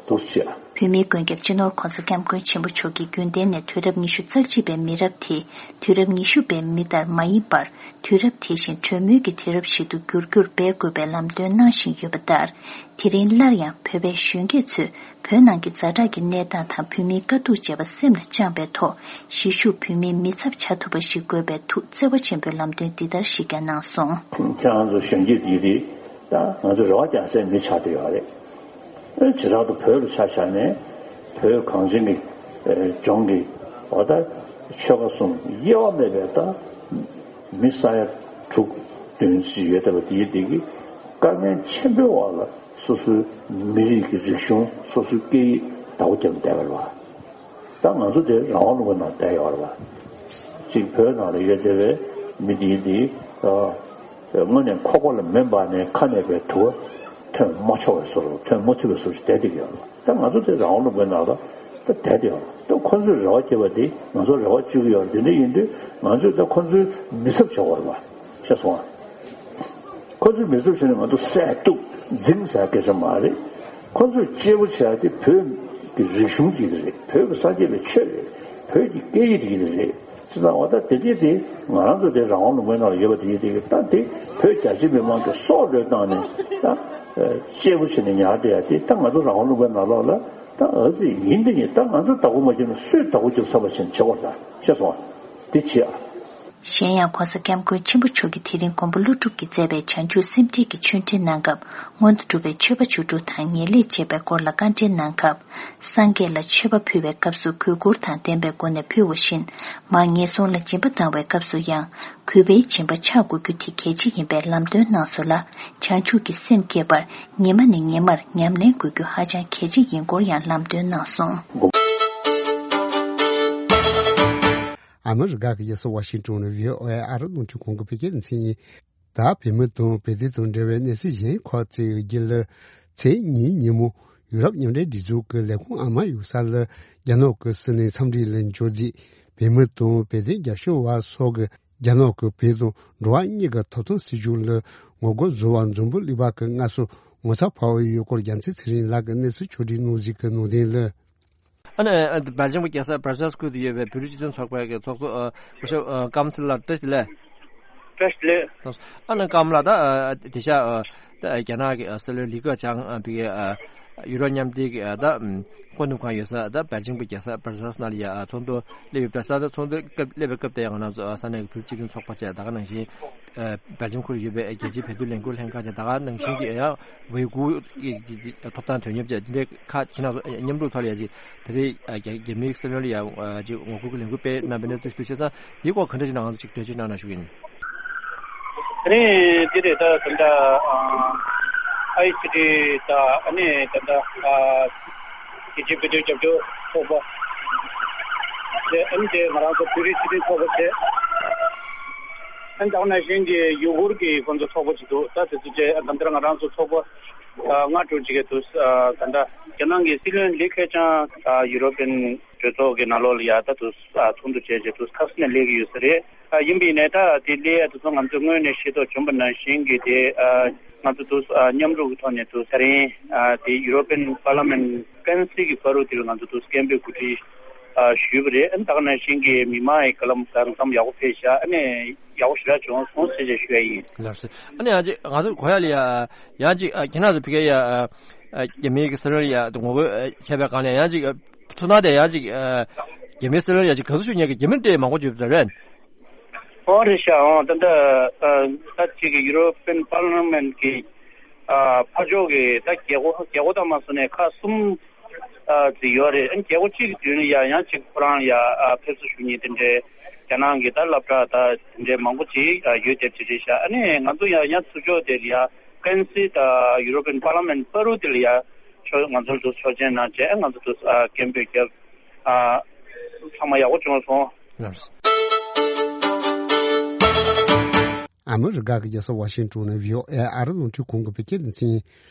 འདུག་སེ་བྱེད་ཨ། བོད་མིའི་མགོན་སྐྱབས་སྤྱི་ནོར་༸གོང་ས་༸སྐྱབས་མགོན་ཆེན་པོ་མཆོག་གིས་རྒྱུན་གཏན་ནས་དུས་རབས་ཉི་ཤུ་རྩ་གཅིག་པའི་མི་རབས་དེ་དུས་རབས་ཉི་ཤུ་པའི་མི་ལྟར་མ་ཡིན་པར། དུས་རབས་དེ་བཞིན་གྲོས་མོལ་གྱི་དུས་རབས་ཤིག་ཏུ་འགྱུར་རྒྱུར་འབད་དགོས་པའི་ལམ་སྟོན་གནང་བཞིན་ཡོད་པ་ལྟར། དེ་རིང་སླར་ཡང་བོད་པའི་གཞོན་སྐྱེས་ཚོས་བོད་ནང་གི་ཛ་དྲག་གི་གནས་སྟངས་དང་བོད་མིའི་དཀའ་སྡུག་བཅས་པ་སེམས་ལ་བཅངས་པའི་ཐོག་གཞིས་བཞུགས་བོད་མིའི་མི་ཚབ་བྱ་ཐུབ་པ་ཞིག་དགོས་པའི་ཐུགས་བརྩེ་བ་ཆེན་པོས་ལམ་སྟོན་འདི་ལྟར་ཞིག་ཀྱང་གནང་སོང་། ཁྱེད་རང་ཚོ་གཞོན་སྐྱེས་འདི་རེད། ད་ང་ཚོ་རེ་བ་རྒྱག་སའི་མི་ཆགས་བསྡད་ཡོད་རེད། བྱེ་བྲག་ཏུ་བོད་ལ་ཆ་བཞག་ནས་བོད་གངས་ཅན་གྱི་ ལྗོངས་ཀྱི་འོ་ད་ཆོལ་ཁ་གསུམ་དབྱེ་བ་མེད་པའི་ད་མི་ས་ཡ་དྲུག་བདུན་ཅིག་ཡོད་བསྡད་པ་དེའི་དེ་གི་དཀའ་ངལ་ཆེན་པོའི་འོག་ལ་སོ་སོའི་མི་རིགས་ཀྱི་རིག་གཞུང་སོ་སོའི་སྐད་ཡིག་བདག་པོ་རྒྱབ་བསྡད་པ་རེད་བ། ད་ང་ཚོ་དེ་རང་དབང་ལུང་པའི་ནང་བསྡད་ཡོད་རེད་བ། གཅིག་བོད་ནང་ལ་ཡོད་བསྡད་པའི་མི་དེའི་དེ་དངོས་གནས་ཁོག་པ་ལ་མེ་འབར་ནས་ཁ་ནས་པའི་དུ་བ་ཐོན་མ་ཆོག་པའི་བཟོ་འདྲ་ཐོན་མ་ཐུབ་པའི་བཟོ་འདྲ་བསྡད་བསྡད་ཡོད་རེད་བ། ད་ང་ཚོ་དེ་རང་དབང་ལུང་པའི་ནང་ལ་ད་བསྡད་དེ་ཡོད་རེད། ད་ཁོ་ཚོས་རེ་བ་བྱེད་པ་དེ་ང་ཚོ་རེ་བ་བཅོལ་གྱི་ཡོད་རེད། དེ་འདྲ་ཡིན་དུས་ང་ཚོས་ད་ཁོ་ཚོའི་མི་ཚབ་བྱེད་དགོས་རེད་བ། ཤེས་སོང་ཨ། ཁོ་ཚོའི་མི་ཚབ་བྱས་ནས་ང་ཚོ་བསད་གཏུབ་འཛིང་ཟེར་སྐད་ཆ་མ་རེད། ཁོ་ཚོས་གཅེས་པོ་བྱས་ཏེ་བོད་ཀྱི་རིག་གཞུང་གཅིག་རེད། བོད་ཀྱི་སངས་རྒྱས་པའི་ཆོས་རེད། བོད་ཀྱི་སྐད་ཡིག་གཅིག་རེད། ཅེས་ཙང་འོ་ད་དེ་དེ་དེ་ང་རང་ཚོ་དེ་རང་དབང་ལུང་པའི་ནང་ལ་ཡོད་པ་དེ་དེ་ད་དེ་བོད་རྒྱ་ཆེ་མི་མང་གི་སྲོག་བློས་བཏང་ནས་ད་གཅེས་པོ་བྱས་ནས་ཉར་བསྡད་ཡ་དེ་ད་ང་ཚོ་རང་དབང་ལུང་པའི་ནང་ལོགས་ལ་ད་ཨ་ཙི་ཡིན་དེ་ཡིན། ད་ང་ཚོ་བདག་པོ་མ་བརྒྱབ་ན་སུས་བདག་པོ་རྒྱབ་ཚར་བ་བྱས་ནས་བྱེད་དགོས་ད་ཤེས་སོང་ཨ། དེ་བྱེད་ཨ། གཞན་ཡང་༸གོང་ས་༸སྐྱབས་མགོན་ཆེན་པོ་མཆོག་གིས་དེ་རིང་མགོན་པོ་ཀླུ་སྒྲུབ་ཀྱིས་མཛད་པའི་བྱང་ཆུབ་སེམས་འགྲེལ་གྱི་ཆོས་འབྲེལ་གནང་སྐབས། སྔོན་དུ་སྒྲུབ་པའི་མཆོད་པ་བཅུ་དྲུག་དང་ངེས་ལེགས་བཅས་པའི་སྐོར་ལ་བཀའ་འགྲེལ་གནང་སྐབས། སངས་རྒྱས་ལ་མཆོད་པ་ཕུལ་བའི་སྐབས་སུ་གུས་བཀུར་དང་ལྡན་པའི་སྒོ་ནས་ཕུལ་བ་བཞིན། མར་ངན་སོང་ལ་སྦྱིན་པ་བཏང་བའི་སྐབས་སུ་ཡང་། གུས་པས་སྦྱིན་པ་འཆང་དགོས་རྒྱུ་དེ་གལ་ཆེ་ཡིན་པའི་ལམ་སྟོན་གནང་སོང་ལ། བྱང་ཆུབ་ཀྱི་སེམས་བསྐྱེད་པར་ཉི་མ་ནས་ཉི་མར་ཉམས་ལེན་དགོས་རྒྱུ་ཧ་ཅང་གལ་ཆེ་ཡིན་སྐོར་ཡང་ལམ་སྟོན་གནང་སོང་། ཨ་མི་རི་ཀ་གི་རྒྱལ་ས་ཝ་ཤིང་ཏོན་ནས་བྷི་ཨོ་ཨེ་ཨ་རི་རླུང་འཕྲིན་ཁང་གི་བོད་སྐད་སྡེ་ཚན་ཡིན། ད་བོད་མི་དང་བོད་དོན་དང་འབྲེལ་བའི་གནས་ཚུལ་གཞན་ཁག་ཅིག་བརྒྱུད་ལ། ཚེས་གཉིས་ཉིན་མོ་ཡུ་རོབ་མཉམ་འབྲེལ་སྒྲིག་འཛུགས་ཀྱི་ལས་ཁུངས་ཨ་མ་ཡོད་ས་ལ་རྒྱ་ནག་གི་སྲིད་བློན་འཚམས་འདྲི་ལ་འབྱོར་རྗེས། བོད་མི་དང་བོད་དོན་རྒྱབ་སྐྱོར་བ་སོགས་ཀྱིས་རྒྱ་ནག་གི་བོད་དང་འགྲོ་བ་གཉིས་ཀྱི་ཐོབ་ཐང་སྲིད་བྱུས་ལ་ངོ་རྒོལ་བཟོ་བར་འཛམ་བུ་གླིང་པ་གི་སྔ་སོར་ངོ་ཚ་བབས་ཡོད་སྐོར་རྒྱལ་མཚན་ཚེ་རིང་ལགས་ཀྱིས་གནས་ཚུལ་ཕྱོགས་སྒྲིག་གནང་གཟིགས་ཀྱི་ནང་དོན་ལ། ཨ་ནི་ཨ་སྦེལ་ཇམ་གྱི་རྒྱལ་ས་བྷར་སེལ་སི་ཁུལ་དུ་ཡོད་པའི་བོད་རིགས་སྤྱི་མཐུན་ཚོགས་པའི་གི་ཚོགས་གཙོ་ཨ་སྐུ་ཞབས་ཨ་ཀམ་སི་ལགས་བཀྲ་ཤིས་བདེ་ལེགས། བཀྲ་ཤིས་བདེ་ལེགས། ཨ་ནི་ཀམ་ལགས་ད་ཨ་དེ་ཤ་ཨ་ད་རྒྱ་ནག་གི་ཨ་སྲིད་བློན་ལི་ཁེ་ཆང་ཨ་ཕ་གི་ཨ་ཡུ་རོབ་མཉམ་འབྲེལ་གྱི་ཨ་ད་ཨམ་སྐུ་འདེམས་ཁང་ཡོད་ས་ད་སྦེལ་ཇམ་གྱི་རྒྱལ་ས་བྷར་སེལ་སི་ནང་ལ་ཡ་ཨ་ཚོགས་འདུ་སླེབས་ཡོད་པ། ས་ད་ཚོགས་འདུ་སྐབས་སླེབས་པའི་སྐབས་དེ་ཡང་ང་རང་ཚོ་ཨ་ས་གནས་ཀྱི་བོད་རིགས་སྤྱི་མཐུན་ཚོགས་པ་བཅས་ད་ག་ནང་བཞིན། ཨ་སྦེལ་ཇམ་ཁུལ་ཡོད་པའི་རྒྱལ་སྤྱིའི་བོད་དོན་ལས་འགུལ་ལྷན་ཁང་དང་ད་ག་ནང་བཞིན་གྱི་ཡང་ཝེ་གུ་གི་ཐོབ་ཐང་དོན་གཉེར་བཅས་འདི་འདྲའི་ཁག་ཁྱེད་རང་ཚོ་མཉམ་རུབ་ཐོག་ལ་ཡ་ཅིག་ད་རེས་ཨ་རྒྱ་རྒྱ་མིའི་སྲིད་བློན་ལ་ཡ་ཨ་ཅིག་ངོ་རྒོལ་གྱི་ལས་འགུལ་སྤེལ་གནང་བའི་གནས་ཚུལ་ཞུ་བྱས་ཙང་འདིའི་སྐོར་ག་འདྲ་ཞིག་ནང་ཅིག་འགྲེལ་བརྗོད་གནང་ན་ཞུ་གི་ཡིན། དེ་རིང་འདི་རེད། ད་ད་ལྟ་ཨ་ཨའི་སི་ཊི་དང་ཨ་ནི་ད་ལྟ་ཨ་རྒྱལ་སྤྱིའི་བོད་དོན་རྒྱབ་སྐྱོར་ཚོགས་པ་དེ་ཨ་ནི་དེ་ང་རང་ཚོ་བོད་རིགས་སྤྱི་མཐུན་ཚོགས་པ་བྱས། ཨ་ནི་ད་ག་ནང་བཞིན་གྱི་ཡུ་གུར་གྱི་ཁོང་ཚོ་ཚོགས་པ་ཅིག་འདུག་ད་དེ་ཚོ་བཅས་ད་ལྟ་ང་རང་ཚོ་ཚོགས་པ་ཨ་ལྔ་དྲུག་ཅིག་གི་འདུག་ཨ་ད་ལྟ་རྒྱ་ནག་གི་སྲིད་བློན་ལི་ཁེ་ཆང་ཨ་ཡུ་རོ་པན་གྲོས་ཚོགས་ཀྱི་ནང་ལོགས་ལ་ཡ་ད་འདུག་ཨ་ཚོགས་འདུ་བྱས་བྱས་འདུག་ཁ་སང་ནས་སླེབས་ཀྱི་ཡོད་ས་རེད། ཨ་ཡིན་པའི་ནས་ད་དེ་སླེབས་ཡ་དེ་ཚོ་ང་ཚོས་སྔོན་ནས་ཤེས་རྟོགས་བྱུང་བ་ནང་བཞིན་གྱི་དེ་ཨ་ང་ཚོ་འདུག་ཨ་མཉམ་རུབ་ཀྱི་ཐོག་ནས་འདུག་ད་རིང་ཨ་དེ་ཡུ་རོ་པན་པར་ལ་མེན་ཀན་སི་གི་བར་དུ་དེ་ལ་ང་ཚོ་འདུག་སྐད་འབོད་གོ་སྒྲིག་ཨ་ཞུས་པ་རེད། ཨ་ནི་ད་ག་ནང་བཞིན་གྱི་མི་མང་ཡི་བརྒྱུད་ལམ་གང་འཚམ་ཡག་པོ་ཕེབས་ཤག་ཨ་ནི་ཡག་པོ་ཞེ་དྲག་བྱུང་སོང་ཞེས་བཤད་ཞུ་ཡ་ཡིན། ལགས་སོ། ཨ་ནི་ཡང་ཅིག་ང་ཚོ་གོ་ཡ་ལ་ཡ་ཡང་ཅིག་ཨ་ཁྱེད་རང་ཚོ་ཕ་གི་ཡ་ཨ་རྒྱ་མིའི་གི་སྲིད་བློན་ལ་ཡ་ངོ་རྒོལ་ཨ་བྱས་པའི་སྒང་ལ་ཡང་ཅིག་ཨ་ཚོར་སྣང་དེ་ཡང་ཅིག་ཨ་རྒྱ་མིའི་སྲིད་བློན་ཡང་ཅིག་དགའ་བསུ་ཞུ་མཁན་གྱི་རྒྱ་མི་དེ་མང་པོ་ཡོད་པ་རེད། ཨོ་རེད་ཤག་ཨོ་ད་ལྟ་ཨ་ད་ཅིག་གི་ཡུ་རོ་པན་པར་ལ་མེན་གི་ཨ་ཕར་ཕྱོགས་ཀྱི་ད་རྒྱལ་སྒོ་རྒྱལ་སྒོ་དང་མ་སོང་ནས་ཁག་གསུམ་ཨ་ཅིག་ཡོད་རེད། ཨ་རྒྱལ་སྒོ་གཅིག་གི་མདུན་ལ་ཡ་ཡང་ཅིག་ཁོ་རང་ཡ་ཨ་ཕེབས་བསུ་ཞུ་མཁན་དེ་འདྲའི་རྒྱ་ནག་གི་ད་སློབ་གྲྭ་ད་དེ་འདྲའི་མང་པོ་ཅིག་ཨ་ཡོད་བསྡད་པ་ཅིག་རེད་ཤག་ཨ་ནི་ང་ཚོ་ཡ་ཡང་ཚུར་ཕྱོགས་དེ་ལ་ཡ་ཀན་སི་ད་ཡུ་རོ་པན་པར་ལ་མེན་བར་དུ་དེ་ལ་ཡ་ཕྱོགས་ང་ཚོར་དུ་ཆོག་མཆན་གནང་བྱས་ང་ཚོ་དུ་ཨ་སྐད་འབོད་བརྒྱབ། ཨ་ཚང་མ་ཡག་པོ་བྱུང་སོང་། ལགས་སོ། ཨ་མི་རི་ཀ་གི་རྒྱལ་ས་ཝ་ཤིང་ཏོན་ནས་བྷི་ཨོ་ཨེ་ཨ་རི་རླུང་འཕྲིན་ཁང་གི་བོད་སྐད་སྡེ་ཚན།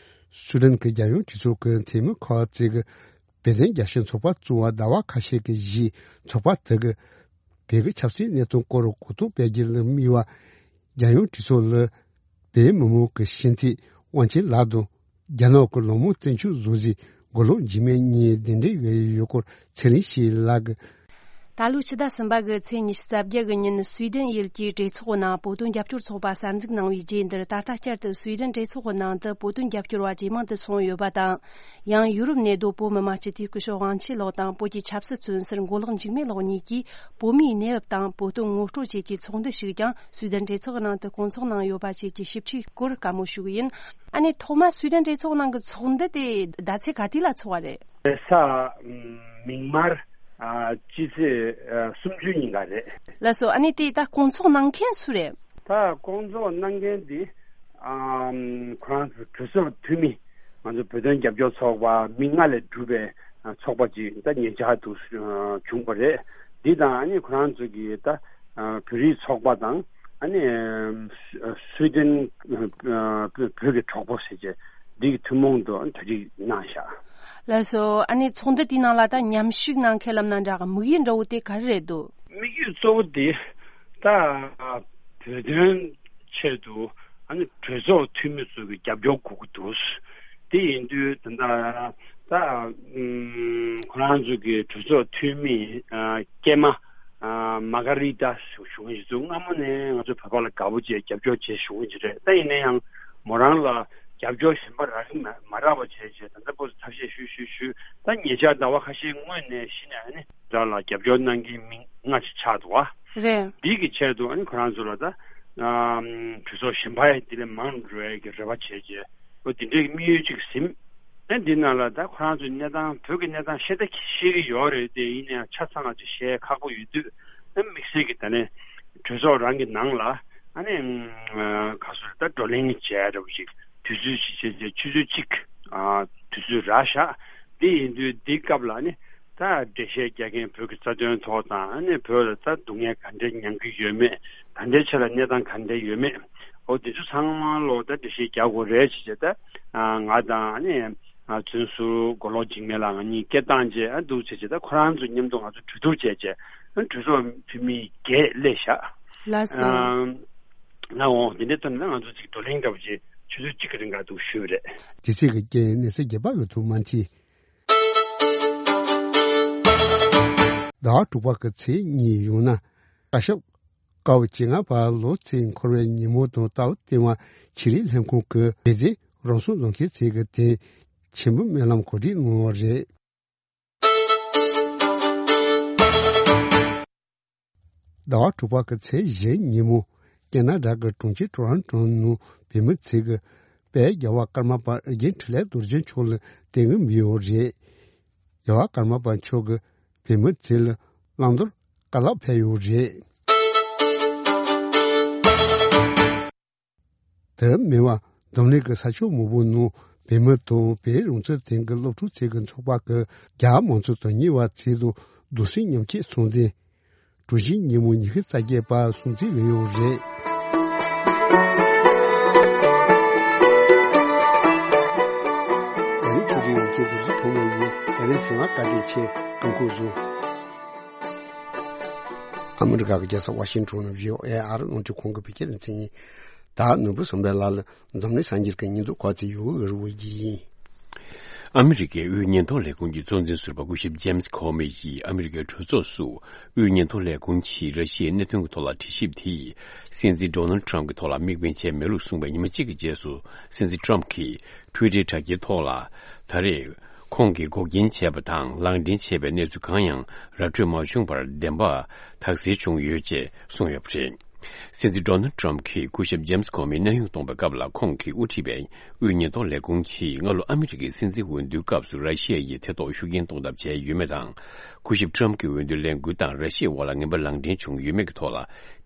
སུའེ་ཏེན་གྱི་རྒྱལ་ཡོངས་གྲོས་ཚོགས་ཀྱི་འཐུས་མི་ཁག་ཅིག་གིས་བོད་དོན་རྒྱབ་སྐྱོར་ཚོགས་པ་བཙུགས་པ་ཟླ་བ་ཁ་ཤས་ཀྱི་རྗེས་ཚོགས་པ་དེ་གིས་བོད་ཀྱི་ཆབ་སྲིད་གནས་སྟངས་སྐོར་གོ་རྟོགས་སྤེལ་རྒྱུ་ལ་དམིགས་པ། རྒྱལ་ཡོངས་གྲོས་ཚོགས་ལ་བོད་མི་མང་གི་སྤྱི་འཐུས་དབང་ཆེན་ལགས་དང་། རྒྱ་ནག་གི་ལོ་མང་བཙན་བྱོལ་བཟོ་རྩིས་མགོ་ལོག་འཇིགས་མེད་གཉིས་གདན་འདྲེན་ཡོད་ཡོད་སྐོར་ཚེ་རིང་སྐྱིད་ལགས་ཀྱིས། ད་ལོའི་ཕྱི་ཟླ་གསུམ་པ་གི་ཚེས་ཉི་ཤུ་རྩ་བརྒྱད་གི་ཉིན་སུའེ་ཏེན་ཡུལ་གྱི་གྲོས་ཚོགས་ནང་བོད་དོན་རྒྱབ་སྐྱོར་ཚོགས་པ་གསར་འཛུགས་གནང་བའི་རྗེས་འདིར་ད་ལྟ་བསྐྱར་དུ་སུའེ་ཏེན་གྲོས་ཚོགས་ནང་དུ་བོད་དོན་རྒྱབ་སྐྱོར་བ་ཇེ་མང་དུ་སོང་ཡོད་པ་དང་། ཡང་ཡུ་རོབ་གནས་སྡོད་བོད་མི་མང་སྤྱི་འཐུས་སྐུ་ཞབས་དབང་ཆེན་ལགས་དང་བོད་ཀྱི་ཆབ་སྲིད་བཙོན་ཟུར་མགོ་ལོག་འཇིགས་མེད་ལགས་གཉིས་ཀྱིས་བོད་མིའི་གནས་བབ་དང་བོད་དོན་ངོ་སྤྲོད་བཅས་ཀྱི་ཚོགས་འདུ་ཞིག་ཀྱང་སུའེ་ཏེན་གྲོས་ཚོགས་ནང་དུ་བསྐོང་ཚོགས་གནང་ཡོད་པ་བཅས་ཀྱི་ཞིབ་ཕྲའི་སྐོར་བཀའ་མོལ་ཞུ་གི་ཡིན། ཨ་ནི་ཐོག་མར་སུའེ་ཏེན་གྲོས་ཚོགས་ནང་གི་ཚོགས་འདུ་དེ་ཟླ་ཚེས་ག་དུས་ལ་ཚོགས་པ་རེད། རེས་གཟའ་མིག་དམར་ ཨ་ཕྱི་ཚེས་ཨ་སུམ་ཅུ་ཉིན་ཀ་རེད། ལགས་སོ། ཨ་ནི་དེ་ད་སྐོང་ཚོགས་གནང་མཁན་སུ་རེད། ད་སྐོང་ཚོགས་གནང་མཁན་དེ་ཨམ་ཁོ་རང་ཚོ་གྲོས་ཚོགས་འཐུས་མི། ང་ཚོ་བོད་དོན་རྒྱབ་སྐྱོར་ཚོགས་པ་མི་ལྔ་ལས་གྲུབ་པའི་ཨ་ཚོགས་པ་ཅིག་ད་ཉེ་ཆར་དུ་ཨ་བྱུང་བ་རེད། འདི་དང་ཨ་ནི་ཁོ་རང་ཚོ་གི་ད་ཨ་བོད་རིགས་ཚོགས་པ་དང་ཨ་ནི་ཨ་སུའི་ཏན་ཨ་བོད་ཀྱི་གྲོགས་པོ་ཟེར་བྱས་འདི་གི་ཐུན་མོང་དུ་གྲ་སྒྲིག་གནང་བཞག། ལགས་སོ། ཨ་ནི་ཚོགས་འདུ་དེའི་ནང་ལ་ད་མཉམ་ཞུགས་གནང་མཁན་ལབ་ན་འདྲ་གི་དམིགས་ཡུལ་འདྲ་བོ་དེ་ག་རེ་རེད་འདུག། དམིགས་ཡུལ་གཙོ་བོ་དེ་ད་བོད་དོན་ཆེད་དུ་ཨ་ནི་གྲོས་ཚོགས་འཐུས་མི་ཚོ་གི་རྒྱབ་སྐྱོར་དགོས་ཀྱི་འདུག། དེ་ཡིན་དུས་ད་ལྟ་ད་ཨུམ་ཁོ་རང་ཚོ་གི་གྲོས་ཚོགས་འཐུས་མི་ཨ་སྐྱེས་མ་ཨ་མ་ག་རི་ཏཱ་ཞུ་ཞུ་མཁན་ཞིག་ཚོ་སྔ་མོ་ནས་ང་ཚོ་བོད་པ་ལ་དགའ་པོ་བྱས་རྒྱབ་སྐྱོར་བྱས་ཞུ་མཁན་ཞིག་རེད། ད་ཡིན་ན་ཡང་མོ་རང་ལ་རྒྱབ་སྐྱོར་གཞན་པ་རག་གི་མ་མ་རག་པ་བྱས་བྱས་ད་ལྟ་བར་དུ་ཐབས་ཤེས་ཞུས་ཞུས་ཞུས། ད་ཉེ་ཆར་ཟླ་བ་ཁ་ཤས་སྔོན་ནས་གཞི་ནས་ཨ་ནི་རང་ལ་རྒྱབ་སྐྱོར་གནང་མཁན་མི་ལྔ་ཞིག་ཆགས་འདུག་བ། རེད། འདི་གི་ཆེད་དུ་ཨ་ནི་ཁོ་རང་ཚོ་ལ་ད་ཨམ་གྲོས་ཚོགས་གཞན་པ་ཡང་འདི་ལས་མང་འགྲོ་ཡ་གི་རེ་བ་བྱས་རྗེས་ཨོ་འདི་འདྲའི་དམིགས་ཡུལ་ཅིག་ཟིན། ཨ་འདི་ནང་ལ་ད་ཁོ་རང་ཚོའི་གནས་སྟངས་བོད་ཀྱི་གནས་སྟངས་ཤེས་ད་ཤེས་ཀྱི་ཡོད་རེད་དེ་ཡིན་ནའང་ཆ་ཚང་ཅིག་བཤད་ཁག་པོ་ཡོད་དུས་ཨ་དམིགས་བསལ་གྱི་ད་ནས་གྲོས་ཚོགས་རང་གི་ནང་ལ་ཨ་ནི་ག་སོ་ད་བགྲོ་གླེང་བྱས་འདྲ་པོ་ཅིག་དུས་ཚོད་ཅིག་བྱས་རྗེས་ཆུ་ཚོད་གཅིག་ཨ་དུས་ཚོད་རག་བཞག། འདི་ཡིན་དུས་འདི་སྐབས་ལ་ནི། ད་འགྲེལ་བཤད་རྒྱག་མཁན་བོད་ཀྱི་རྩ་དོན་ཐོག་དང་ཨ་ནི་བོད་ལ་ད་སྡུག་བསྔལ་ག་འདྲ་མྱང་གི་ཡོད་མེད་ད་ལྟའི་ཆ་ལ་གནས་སྟངས་ག་འདྲ་ཡོད་མེད་འོ་དེ་ཚོ་ཚང་མ་ལོ་ད་འགྲེལ་བཤད་རྒྱག་དགོས་རེད་ཅེས་བྱས་ད་ང་དང་ཨ་ནི་བཙོན་ཟུར་མགོ་ལོག་འཇིགས་མེད་ལགས་ང་གཉིས་སྐད་བཏང་རྗེས་ཨ་འདུག་བྱས་བྱས་ད་ཁོ་རང་ཚོ་མཉམ་དུ་ང་ཚོ་གྲོས་བསྡུར་བྱས་རྗེས་ཨ་གྲོས་ཚོགས་འཐུས་མི་བརྒྱད་སླེབས་བཞག། ལགས་སོ། ང་འོང་དེ་འདྲའི་ཐོག་ནས་ང་ཚོ་ཅིག་བགྲོ་གླེང་འདྲ་པོ་ཅིག་ཆུ་ཚོད་གཅིག་གི་རིང་ག་འདུག་ཞུས་པ་རེད། དེ་ཚིག་གི་རྐྱེན་གནས་ཚུལ་རྒྱས་པ་ཡོད་དུ་མ་མཐིལ། ཟླ་བ་དྲུག་པ་གི་ཚེས་གཉིས་ཡོང་ན། བཀའ་ཤག་སྐབས་བཅོ་ལྔ་པ་ལོ་ཚིགས་འཁོར་བའི་ཉིན་མོ་དང་རྟའུ་ལྟེ་བ་ཆི་ལི་ལྷན་ཁང་གི་རེ་རེ་རང་སྲུང་རྫོང་ཁྱིམ་ཚེས་ཀྱི་དེ་ཆེན་པོ་སྨོན་ལམ་གོ་སྒྲིག་གནང་བ་རེད། ཟླ་བ་དྲུག་པ་གི་ཚེས་བཞིའི་ཉིན་མོ། ཀེ་ན་ཌ་གི་གྲོང་ཁྱེར་ཊོ་རོན་ཊོ་ནང་བོད་མི་ཚོས་ཀྱི་དཔལ་རྒྱལ་བ་ཀརྨ་པ་ཨེ་རྒྱན་འཕྲིན་ལས་རྡོ་རྗེ་མཆོག་ལ་བརྟེན་གྱི་ཡོད་རེད། རྒྱལ་བ་ཀརྨ་པ་མཆོག་གིས་བོད་མི་ཚོ་ལ་བླང་དོར་བཀའ་སློབ་ཕེབས་ཡོད་རེད། དེ་མིན་པ་འཛམ་གླིང་གི་ས་ཕྱོགས་མང་པོའི་ནང་བོད་མི་དང་བོད་རང་བཙན་དོན་གྱི་སློབ་ཕྲུག་ཚོའི་གི་ཚོགས་པ་གི་རྒྱ་མང་གཙོ་དོན་གཉེར་བ་ཚོའི་ཐོག་གདུང་སེམས་མཉམ་སྐྱེད་གསུང་འཕྲིན། གྲོ་བཞིན་ཉིན་མོ་ཉི་ཤུ་རྩ་བརྒྱད་པ་སྲུང་བརྩི་ལས་ཡོད་རེད། ཨ་རིའི་ཆོས་རིག་ཡོངས་ཀྱི་གཟུགས་གཟུགས་ཐོག་མའི་ཡིན། ཨ་རིའི་གཟིགས་མ་བཀའ་དྲིན་ཆེ་ཀུན་ཁུག་བཟུང་། ཨ་མི་རི་ཀ་གི་རྒྱལ་ས་ཝ་ཤིང་ཊོན་ནས་བྷི་ཨོ་ཨེ་ཨ་རི་རླུང་འཕྲིན་ཁང་གི་བོད་སྐད་སྡེ་ཚན་ཡིན། ད་ནོར་བུ་བསམ་འཕེལ་ལགས་ལ་འཛམ་གླིང་གསར་འགྱུར་གྱི་སྙིང་སྡུག་གོ་ཚེ་ཡོད་འུར་བོ་ཡིན། ཨ་མི་རི་ཀའི་དབུས་ཉེན་རྟོག་ལས་ཁུངས་ཀྱི་གཙོ་འཛིན་ཟུར་པ་སྐུ་ཞབས་ཇེམ་སི་ཁོ་མི་ཡིས་ཨ་མི་རི་ཀའི་གྲོས་ཚོགས་སུ་དབུས་ཉེན་རྟོག་ལས་ཁུངས་ཀྱིས་ར་ཤི་ཡའི་གནད་དོན་གྱི་ཐོག་ལ་དྲི་ཞིབ་དེ་སྲིད་འཛིན་ཌོ་ནལ་ཌི་ཊརམ་ཕི་གྱི་ཐོག་ལ་དམིགས་འབེན་བྱས་མེད་ལུགས་གསུངས་པའི་ཉི་མ་གཅིག་གི་རྗེས་སུ་སྲིད་འཛིན་ཊརམ་ཕི་གིས་ཊུའི་ཊར་དྲ་རྒྱའི་ཐོག་ལ་ད་རེས། ཁོང་གིས་འགོག་རྐྱེན་བྱས་པ་དང་ལག་འདྲེན་བྱས་པའི་གནས་ཚུལ་གང་ཡང་ར་འཕྲོད་མ་བྱུང་བར་བདེན་པ་དག་སེལ་བྱུང་ཡོད་ཅེས་གསུངས་ཡོད་པ་རེད། སྲིད་འཛིན་ཌོ་ནལ་ཌི་ཊརམ་ཕི་གིས་སྐུ་ཞབས་ཇེམ་སི་ཁོ་མིའི་གནས་དབྱུང་གཏོང་བའི་སྐབས་ལ་ཁོང་གིས་དབུ་ཁྲིད་པའི་དབུས་ཉེན་རྟོག་ལས་ཁུངས་ཀྱིས་སྔ་ལོ་ཨ་མི་རི་ཀའི་སྲིད་འཛིན་འོས་བསྡུའི་སྐབས་སུ་ར་ཤི་ཡ་ཡིས་ཐེ་གཏོགས་ཤུགས་རྐྱེན་གཏོང་ཐབས་བྱས་ཡོད་མེད་དང་། སྐུ་ཞབས་ཊརམ་ཕི་གི་འོས་བསྡུ་ལས་འགུལ་དང་ར་ཤི་ཡའི་དབར་ལ་ངན་པ་ལག་འདྲེན་བྱུང་ཡོད་མེད་ཀྱི་ཐོག་ལ་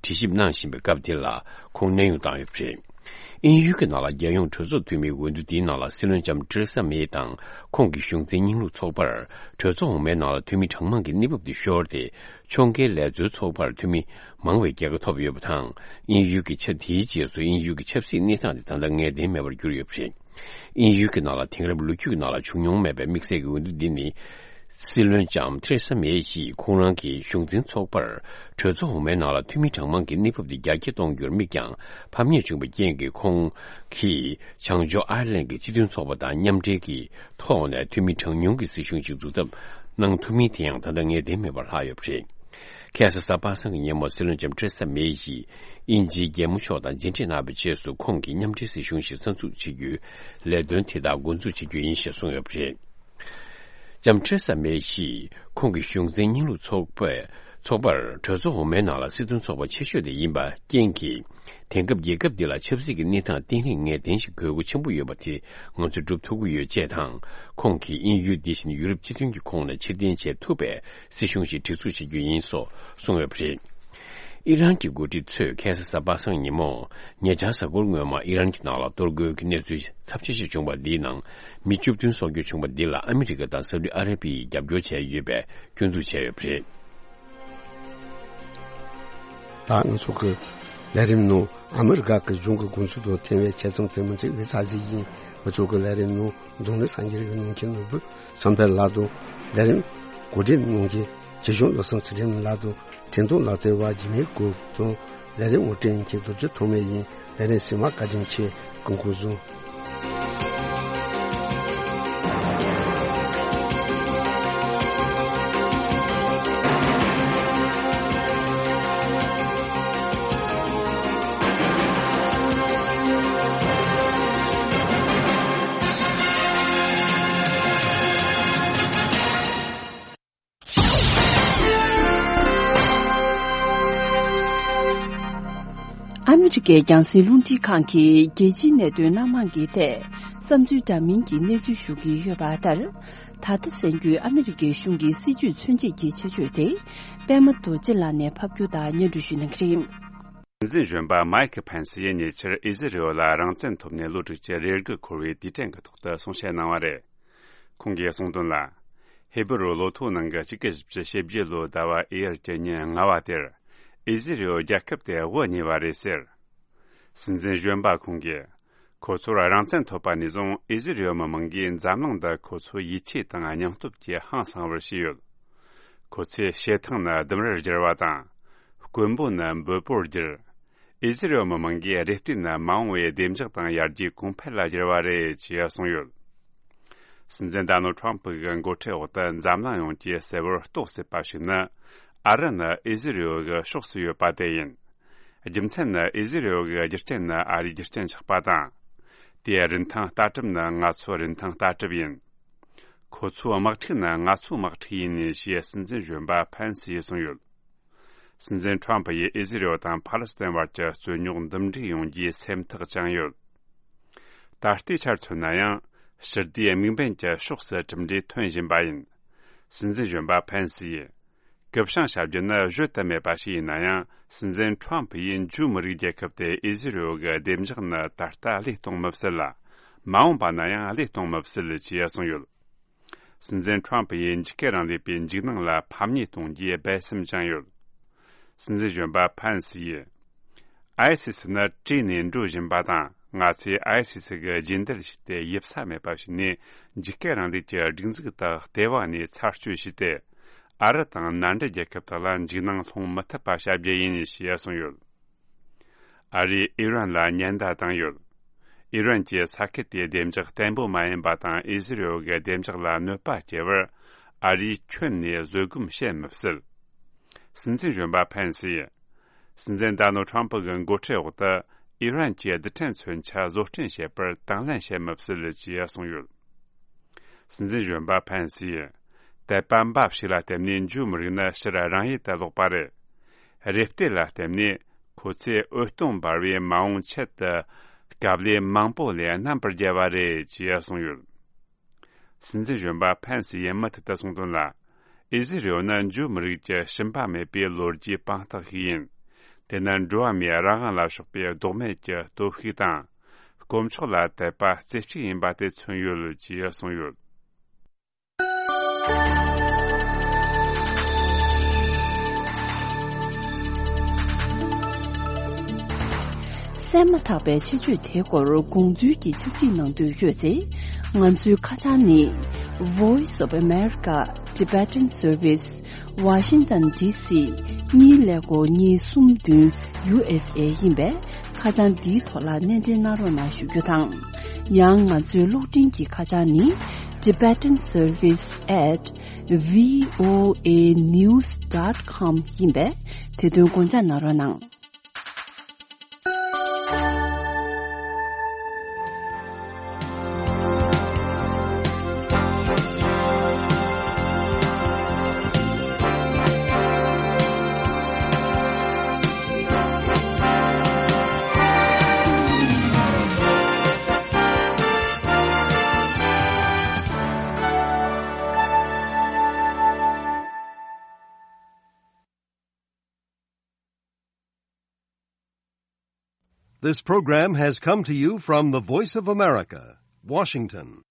དྲི་ཞིབ་གནང་བཞིན་པའི་སྐབས་དེ་ལ་ཁོང་གནས་དབྱུང་བཏང་ཡོད་པ་རེད། དབྱིན་ཡུལ་གྱི་ནང་ལ་རྒྱལ་ཡོངས་གྲོས་ཚོགས་འཐུས་མིའི་འོས་བསྡུ་འདིའི་ནང་ལ་སྲིད་བློན་ལྕམ་ཏེ་རེ་ས་མེ་དང་ཁོང་གི་གཞུང་འཛིན་རྙིང་ལུགས་ཚོགས་པར་གྲོས་ཚོགས་འོག་མའི་ནང་ལ་འཐུས་མི་གྲངས་མང་གི་གནས་བབ་དེ་ཤོར་ཏེ། ཕྱོགས་འགལ་ལས་འཛོལ་ཚོགས་པར་འཐུས་མི་མང་བའི་རྒྱལ་ཁ་ཐོབ་ཡོད་པ་དང་། དབྱིན་ཡུལ་གྱི་ཆ་དེའི་རྗེས་སུ་དབྱིན་ཡུལ་གྱི་ཆབ་སྲིད་གནས་སྟངས་དེ་ད་ལྟ་ངེས་གཏན་མེད་པར་གྱུར་ཡོད་པ་རེད། དབྱིན་ཡུལ་གྱི་ནང་ལ་དེང་རབས་ལོ་རྒྱུས་ཀྱི་ནང་ལ་བྱུང་མྱོང་མེད་པའི་དམིགས་བསལ་གྱི་འོས་བསྡུ་འདི་ནི། སྲིད་བློན་ལྕམ་ཐེ་རེ་ས་མེ་ཡིས་ཁོང་རང་གི་གཞུང་འཛིན་ཚོགས་པར་གྲོས་ཚོགས་འོག་མའི་ནང་ལ་འཐུས་མི་གྲངས་མང་གི་གནས་བབ་དེ་རྒྱ་སྐྱེད་གཏོང་རྒྱུར་དམིགས་ཀྱང་ཕམ་ཉེས་བྱུང་བའི་རྐྱེན་གྱིས་ཁོང་གིས་བྱང་ཕྱོགས་ཨར་ལན་གྱི་སྤྱི་མཐུན་ཚོགས་པ་དང་མཉམ་འབྲེལ་གྱི་ཐོག་ནས་འཐུས་མི་གྲངས་ཉུང་གི་སྲིད་གཞུང་ཞིག་འཛུགས་ཐབས་གནང་ཐུབ་མིན་དེ་ཡང་ད་ leiག་ངེས་གཏན་མེད་པར་ལྷག་ཡོད་པ་རེད། ཁ་སང་གཟའ་པ་སངས་ཀྱི་ཉིན་མོ་སྲིད་བློན་ལྕམ་ཐེ་རེ་ས་མེ་ཡིས་དབྱིན་ཇིའི་རྒྱལ་མོ་མཆོག་དང་མཇལ་འཕྲད་གནང་བའི་རྗེས་སུ་ཁོང་གིས་མཉམ་འབྲེལ་སྲིད་གཞུང་ཞིག་གསར་འཛུགས་བྱེད་རྒྱུའི་ལས་དོན་དེ་དག་འགོ་འཛུགས་བྱེད་རྒྱུ་ཡིན་ཞེས་གསུངས་ཡོད་པ་རེད། ལྕམ་ཐེ་རེ་ས་མེ་ཡིས་ཁོང་གི་གཞུང་འཛིན་རྙིང་ལུགས་ཚོགས་པས་ཚོགས་པར་གྲོས་ཚོགས་འོག་མའི་ནང་ལ་སྲིད་དོན་ཚོགས་པ་ཆེ་ཤོས་དེ་ཡིན་པ་རྐྱེན་གྱིས། དེང་སྐབས་རྒྱལ་ཁབ་འདི་ལ་ཆབ་སྲིད་ཀྱི་གནས་སྟངས་བརྟན་ལྷིང་ངེས་གཏན་ཞིག་དགོས་མཁོ་ཆེན་པོ་ཡོད་པ་དེ་ང་ཚོས་སྒྲུབ་ཐུབ་ཀྱི་ཡོད་ཅེས་དང་། ཁོང་གིས་དབྱིན་ཡུལ་འདི་བཞིན་ཡུ་རོབ་སྤྱི་མཐུན་གྱི་ཁོངས་ནས་ཕྱིར་འཐེན་བྱེད་ཐུབ་པའི་སྲིད་གཞུང་ཞིག་སྒྲིག་འཛུགས་བྱེད་རྒྱུ་ཡིན་སོགས་གསུངས་ཡོད་པ་རེད། ཨི་རན་གྱི་འགོ་ཁྲིད་ཚོས་ཁ་སང་གཟའ་པ་སངས་ཉིན་མོ། ཉེ་ཆར་གཟའ་འཁོར་སྔོན་མ་ཨི་རན་གྱི་ནང་ལ་གཏོར་རྒོལ་གྱི་གནས་ཚུལ་ཚབས་ཆེ་ཞིག་བྱུང་བ་འདིའི་ནང་། མི་བཅུ་བདུན་སྲོག་སྐྱོན་བྱུང་བ་འདི་ལ་ཨ་མི་རི་ཀ་དང་སའུ་ཏི་ཨ་ར་པི་ཡིས་རྒྱབ་སྐྱོར་བྱས་ཡོད་པའི་སྐྱོན་འཛུགས་བྱས་ཡོད་པ་རེད། ད་ང་ཚོ་གི་ལས་རིམ་ནང་ཨ་མི་རི་ཀ་གི་གཞུང་གི་དགོངས་ཚུལ་དང་མཐུན་པའི་ཆེད་རྩོམ་དེ་མི་ཚེ་འོད་ས་གཟིགས་ཡིན། ང་ཚོ་གི་ལས་རིམ་ནང་འཛམ་གླིང་སངས་རྒྱས་རིག་གནས་མཁན་ནོར་བུ་བསམ་འཕེལ་ལགས་དང་ལས་རིམ་གོ་སྒྲིག་གནང་མཁན་ཆོས་སྐྱོང་བློ་བཟང་ཚུལ་ཁྲིམས་ལགས་དང་། འཕྲིན་གཏོང་ལག་རྩལ་བ་འཇིགས་མེད་ཀུན་དང་། ལས་རིམ་དབུ་འབྱེད་མཁན་རྡོ་རྗེ་ཐོགས་མེད་ཡིན། ལས་རིམ་ཟིན་མ་བཀའ་དྲིན་ཆེ། སྐུ་ཁམས་བཟང་། ཨ་མི་རི་ཀའི་རྒྱང་སྲིང་རླུང་འཕྲིན་ཁང་གིས་རྒྱལ་སྤྱིའི་གནད་དོན་སྣ་མང་གི་ཐད་བསམ་ཚུལ་འདྲ་མིན་གྱི་གནས་ཚུལ་ཞུ་གི་ཡོད་པ་ལྟར། ད་ལྟ་གསན་རྒྱུའི་ཨ་མི་རི་ཀའི་གཞུང་གི་སྲིད་བྱུས་མཚོན་བྱེད་ཀྱི་ཆེད་བརྗོད་དེ། པད་མ་རྡོ་རྗེ་ལགས་ནས་ཕབ་སྒྱུར་དང་སྙན་སྒྲོན་ཞུ་གནང་གི་རེད། སྲིད་འཛིན་གཞོན་པ་མའི་ཁི་ཕན་སི་ཡིས་ཉེ་ཆར་ཨི་ཟི་རི་ཨོ་ལ་རང་བཙན་ཐོབ་ནས་ལོ་དྲུག་ཅུ་རེ་དགུ་འཁོར་བའི་དུས་དྲན་གྱི་ཐོག་ཏུ་གསུང་བཤད་གནང་བ་རེད། ཁོང་གིས་གསུངས་དོན་ལ། ཧེ་བུ་རུ་ལོ་ཐོ་ནང་གི་གཅིག་དགུ་བཞི་བཅུ་ཞེ་བརྒྱད་ལོའི་ཟླ་བ་ཨེ་ཡར་གྱི་ཉིན་ལྔ་བ་དེར། ཨི་ཟི་རི་ཨོ་རྒྱལ་ཁབ་དེ་དབུ་བརྙེས་པ་རེད་ཟེར། སྲིད་འཛིན་གཞོན་པ་ཁོང་གིས། ཁོ་ཚོར་རང་བཙན་ཐོབ་པ་ནས་བཟུང་ཨི་ཟི་རི་ཨོ་མི་མང་གིས་འཛམ་གླིང་འདི་ཁོ་ཚོའི་ཡིད་ཆེས་དང་སྙིང་སྟོབས་ཀྱིས་ཧང་སངས་པར་བྱས་ཡོད། ཁོ་ཚོས་བྱེ་ཐང་ནི་ལྡུམ་རར་བསྒྱུར་བ་དང་། དཀོན་པོ་ནི་འབོད་པོར་བསྒྱུར། ཨི་ཟི་རི་ཨོ་མི་མང་གིས་རེ་ལྟོས་ནི་མ་འོངས་པའི་བདེ་འཇགས་དང་ཡར་རྒྱས་གོང་འཕེལ་ལ་བསྒྱུར་བ་རེད་ཅེས་གསུངས་ཡོད། སྲིད་འཛིན་ཌོ་ནལ་ཌི་ཊརམ་ཕི་གི་འགོ་ཁྲིད་འོག་ཏུ་འཛམ་གླིང་ཡོངས་ཀྱིས་གསལ་བོར་རྟོགས་སྲིད་པ་ཞིག་ནི། ཨ་རི་ནི་ཨི་ཟི་རི་ཨོ་གི་ཕྱོགས་སུ་ཡོད་པ་དེ་ཡིན། རྒྱུ་མཚན་ནི་ཨི་ཟི་རི་ཨོ་གི་རྒྱུ་རྐྱེན་ནི་ཨ་རིའི་རྒྱུ་རྐྱེན་ཆགས་པ་དང་། དེའི་རིན་ཐང་ལྟ་གྲུབ་ནི་ང་ཚོའི་རིན་ཐང་ལྟ་གྲུབ་ཡིན། ཁོ་ཚོའི་དམག་འཁྲུག་ནི་ང་ཚོའི་དམག་འཁྲུག་ཡིན་ཞེས་སྲིད་འཛིན་གཞོན་པ་ཕན་སི་ཡིས་གསུངས་ཡོད། སྲིད་འཛིན་ཁྲོམ་ཕུ་ཡིས་ཨི་ཟི་རི་ཨོ་དང་ཕཱ་ལེ་སི་ཐན་བར་གྱི་རྩོད་རྙོག་འདུམ་འགྲིག་ཡོང་རྒྱུའི་སེམས་ཐག་བཅངས་ཡོད། ད་ལྟའི་ཆར་མཚོན་ན་ཡང་། ཞི་བདེའི་དམིགས་འབེན་གྱི་ཕྱོགས་སུ་གྲུབ་འབྲས་ཐོན་བཞིན་པ་ཡིན། སྲིད་འཛིན་གཞོན་པ་ཕན་སི་ཡིས། གུ་བྱང་བྱ་རྒྱུ་ནི་བརྗོད་དུ་མེད་པ་ཞིག་ཡིན་ན་ཡང་། སྲིད་འཛིན་ཁྲོམ་ཕུ་ཡིས་འཇུའུ་མི་རིགས་རྒྱལ་ཁབ་དེ་ཨི་ཟི་རི་ཨོ་གི་བདེ་འཇགས་ནི་ད་ལྟ་བློས་གཏོང་མི་སྲིད་ལ། མ་འོངས་པ་ན་ཡང་བློས་གཏོང་མི་སྲིད་ཅེས་གསུངས་ཡོད། སྲིད་འཛིན་ཁྲོམ་ཕུ་ཡིས་འཇིགས་སྐུལ་རིང་ལུགས་པའི་འཇིགས་སྣང་ལ་ཕམ་ཉེས་གཏོང་རྒྱུའི་སྦས་སེམས་བཅངས་ཡོད། སྲིད་འཛིན་གཞོན་པ་ཕན་སི་ཡིས། ཨའི་སི་སི་ནི་བྲོས་ནས་འགྲོ་བཞིན་པ་དང་། ང་ཚོས་ཨའི་སི་སི་གི་རྗེས་འདེད་བྱས་ཏེ་ཡིབ་ས་མེད་པ་ཞིག་ནས་འཇིགས་སྐུལ་རིང་ལུགས་ཀྱི་སྒྲིག་འཛུགས་དག་ལྟེ་བ་ནས་ཚར་གཅོད་བྱས་ཏེ། ཨ་རི་དང་མནའ་འབྲེལ་རྒྱལ་ཁབ་དག་ལ་འཇིགས་སྣང་སློང་མི་ཐུབ་པ་བྱ་རྒྱུ་ཡིན་ཞེས་གསུངས་ཡོད། ཨ་རིས་ཨི་རན་ལ་ཉེན་བརྡ་བཏང་ཡོད། ཨི་རན་གྱིས་ས་ཁུལ་དེའི་བདེ་འཇགས་བརྟན་པོ་མ་ཡིན་པ་དང་ཨི་ཟི་རི་ཨོ་གི་བདེ་འཇགས་ལ་གནོད་པ་སྐྱེལ་བར་ཨ་རིས་ཁྱོན་ནས་བཟོད་སྒོམ་བྱེད་མི་སྲིད། སྲིད་འཛིན་གཞོན་པ་ཕན་སི་ཡིས། སྲིད་འཛིན་ཌོ་ནལ་ཌི་ཊརམ་ཕུ་གི་འགོ་ཁྲིད་འོག་ཏུ་ཨི་རན་གྱི་རྡུལ་ཕྲན་མཚོན་ཆ་བཟོ་སྐྲུན་བྱེད་པར་དང་ལེན་བྱེད་མི་སྲིད་ཅེས་གསུངས་ཡོད། སྲིད་འཛིན་གཞོན་པ་ཕན་སི་ཡིས། དད་པ་འབའ་ཞིག་ལ་བརྟེན་ནས་འཇུའུ་མི་རིགས་ནི་ཕྱིར་རང་ཡུལ་དུ་ལོག་པ་རེད། རེ་ལྟོས་ལ་བརྟེན་ནས་ཁོ་ཚོས་འོད་སྟོང་འབར་བའི་མ་འོངས་ཆེད་དུ་དཀའ་ལས་མང་པོ་ལས་རྣམ་པར་རྒྱལ་བ་རེད་ཅེས་གསུངས་ཡོད། སྲིད་འཛིན་གཞོན་པ་ཕན་སི་ཡིས་མུ་མཐུད་དུ་གསུངས་དོན་ལ། ཨི་ཟི་རི་ཨོ་ནི་འཇུའུ་མི་རིགས་ཀྱི་ཞུམ་པ་མེད་པའི་ལོ་རྒྱུས་དཔང་རྟགས་ཤིག་ཡིན། དེ་ནི་འགྲོ་བ་མིའི་རང་དབང་ལ་སོགས་པའི་ལྡོག་མེད་ཀྱི་སྟོབས་ཤུགས་དང་། དཀོན་མཆོག་ལ་དད་པ་རྩེ་གཅིག་ཡིན་པ་དེ་མཚོན་ཡོད་ཅེས་གསུངས་ཡོད། གསན་མ་ཐག་པའི་ཆེད་བརྗོད་དེའི་སྐོར་དགོངས་ཚུལ་གྱི་ཕྱག་བྲིས་གནང་འདོད་ཡོད་ཚེ། ང་ཚོའི་ཁ་བྱང་ནི། Voice of America Tibetan Service Washington D C གཉིས་ཀླད་ཀོར་གཉིས་གསུམ་བདུན་U S A ཡིན་པས། ཁ་བྱང་འདིའི་ཐོག་ལ་སྣེ་འདྲེན་གནང་རོགས་གནང་ཞུ་རྒྱུ་དང་། ཡང་ང་ཚོའི་གློག་འཕྲིན་གྱི་ཁ་བྱང་ནི། Tibetan Service at V O A news dot com ཡིན་པས། དེ་དོན་དགོངས་འཇགས་གནང་རོགས་གནང་། This program has come to you from the Voice of America, Washington.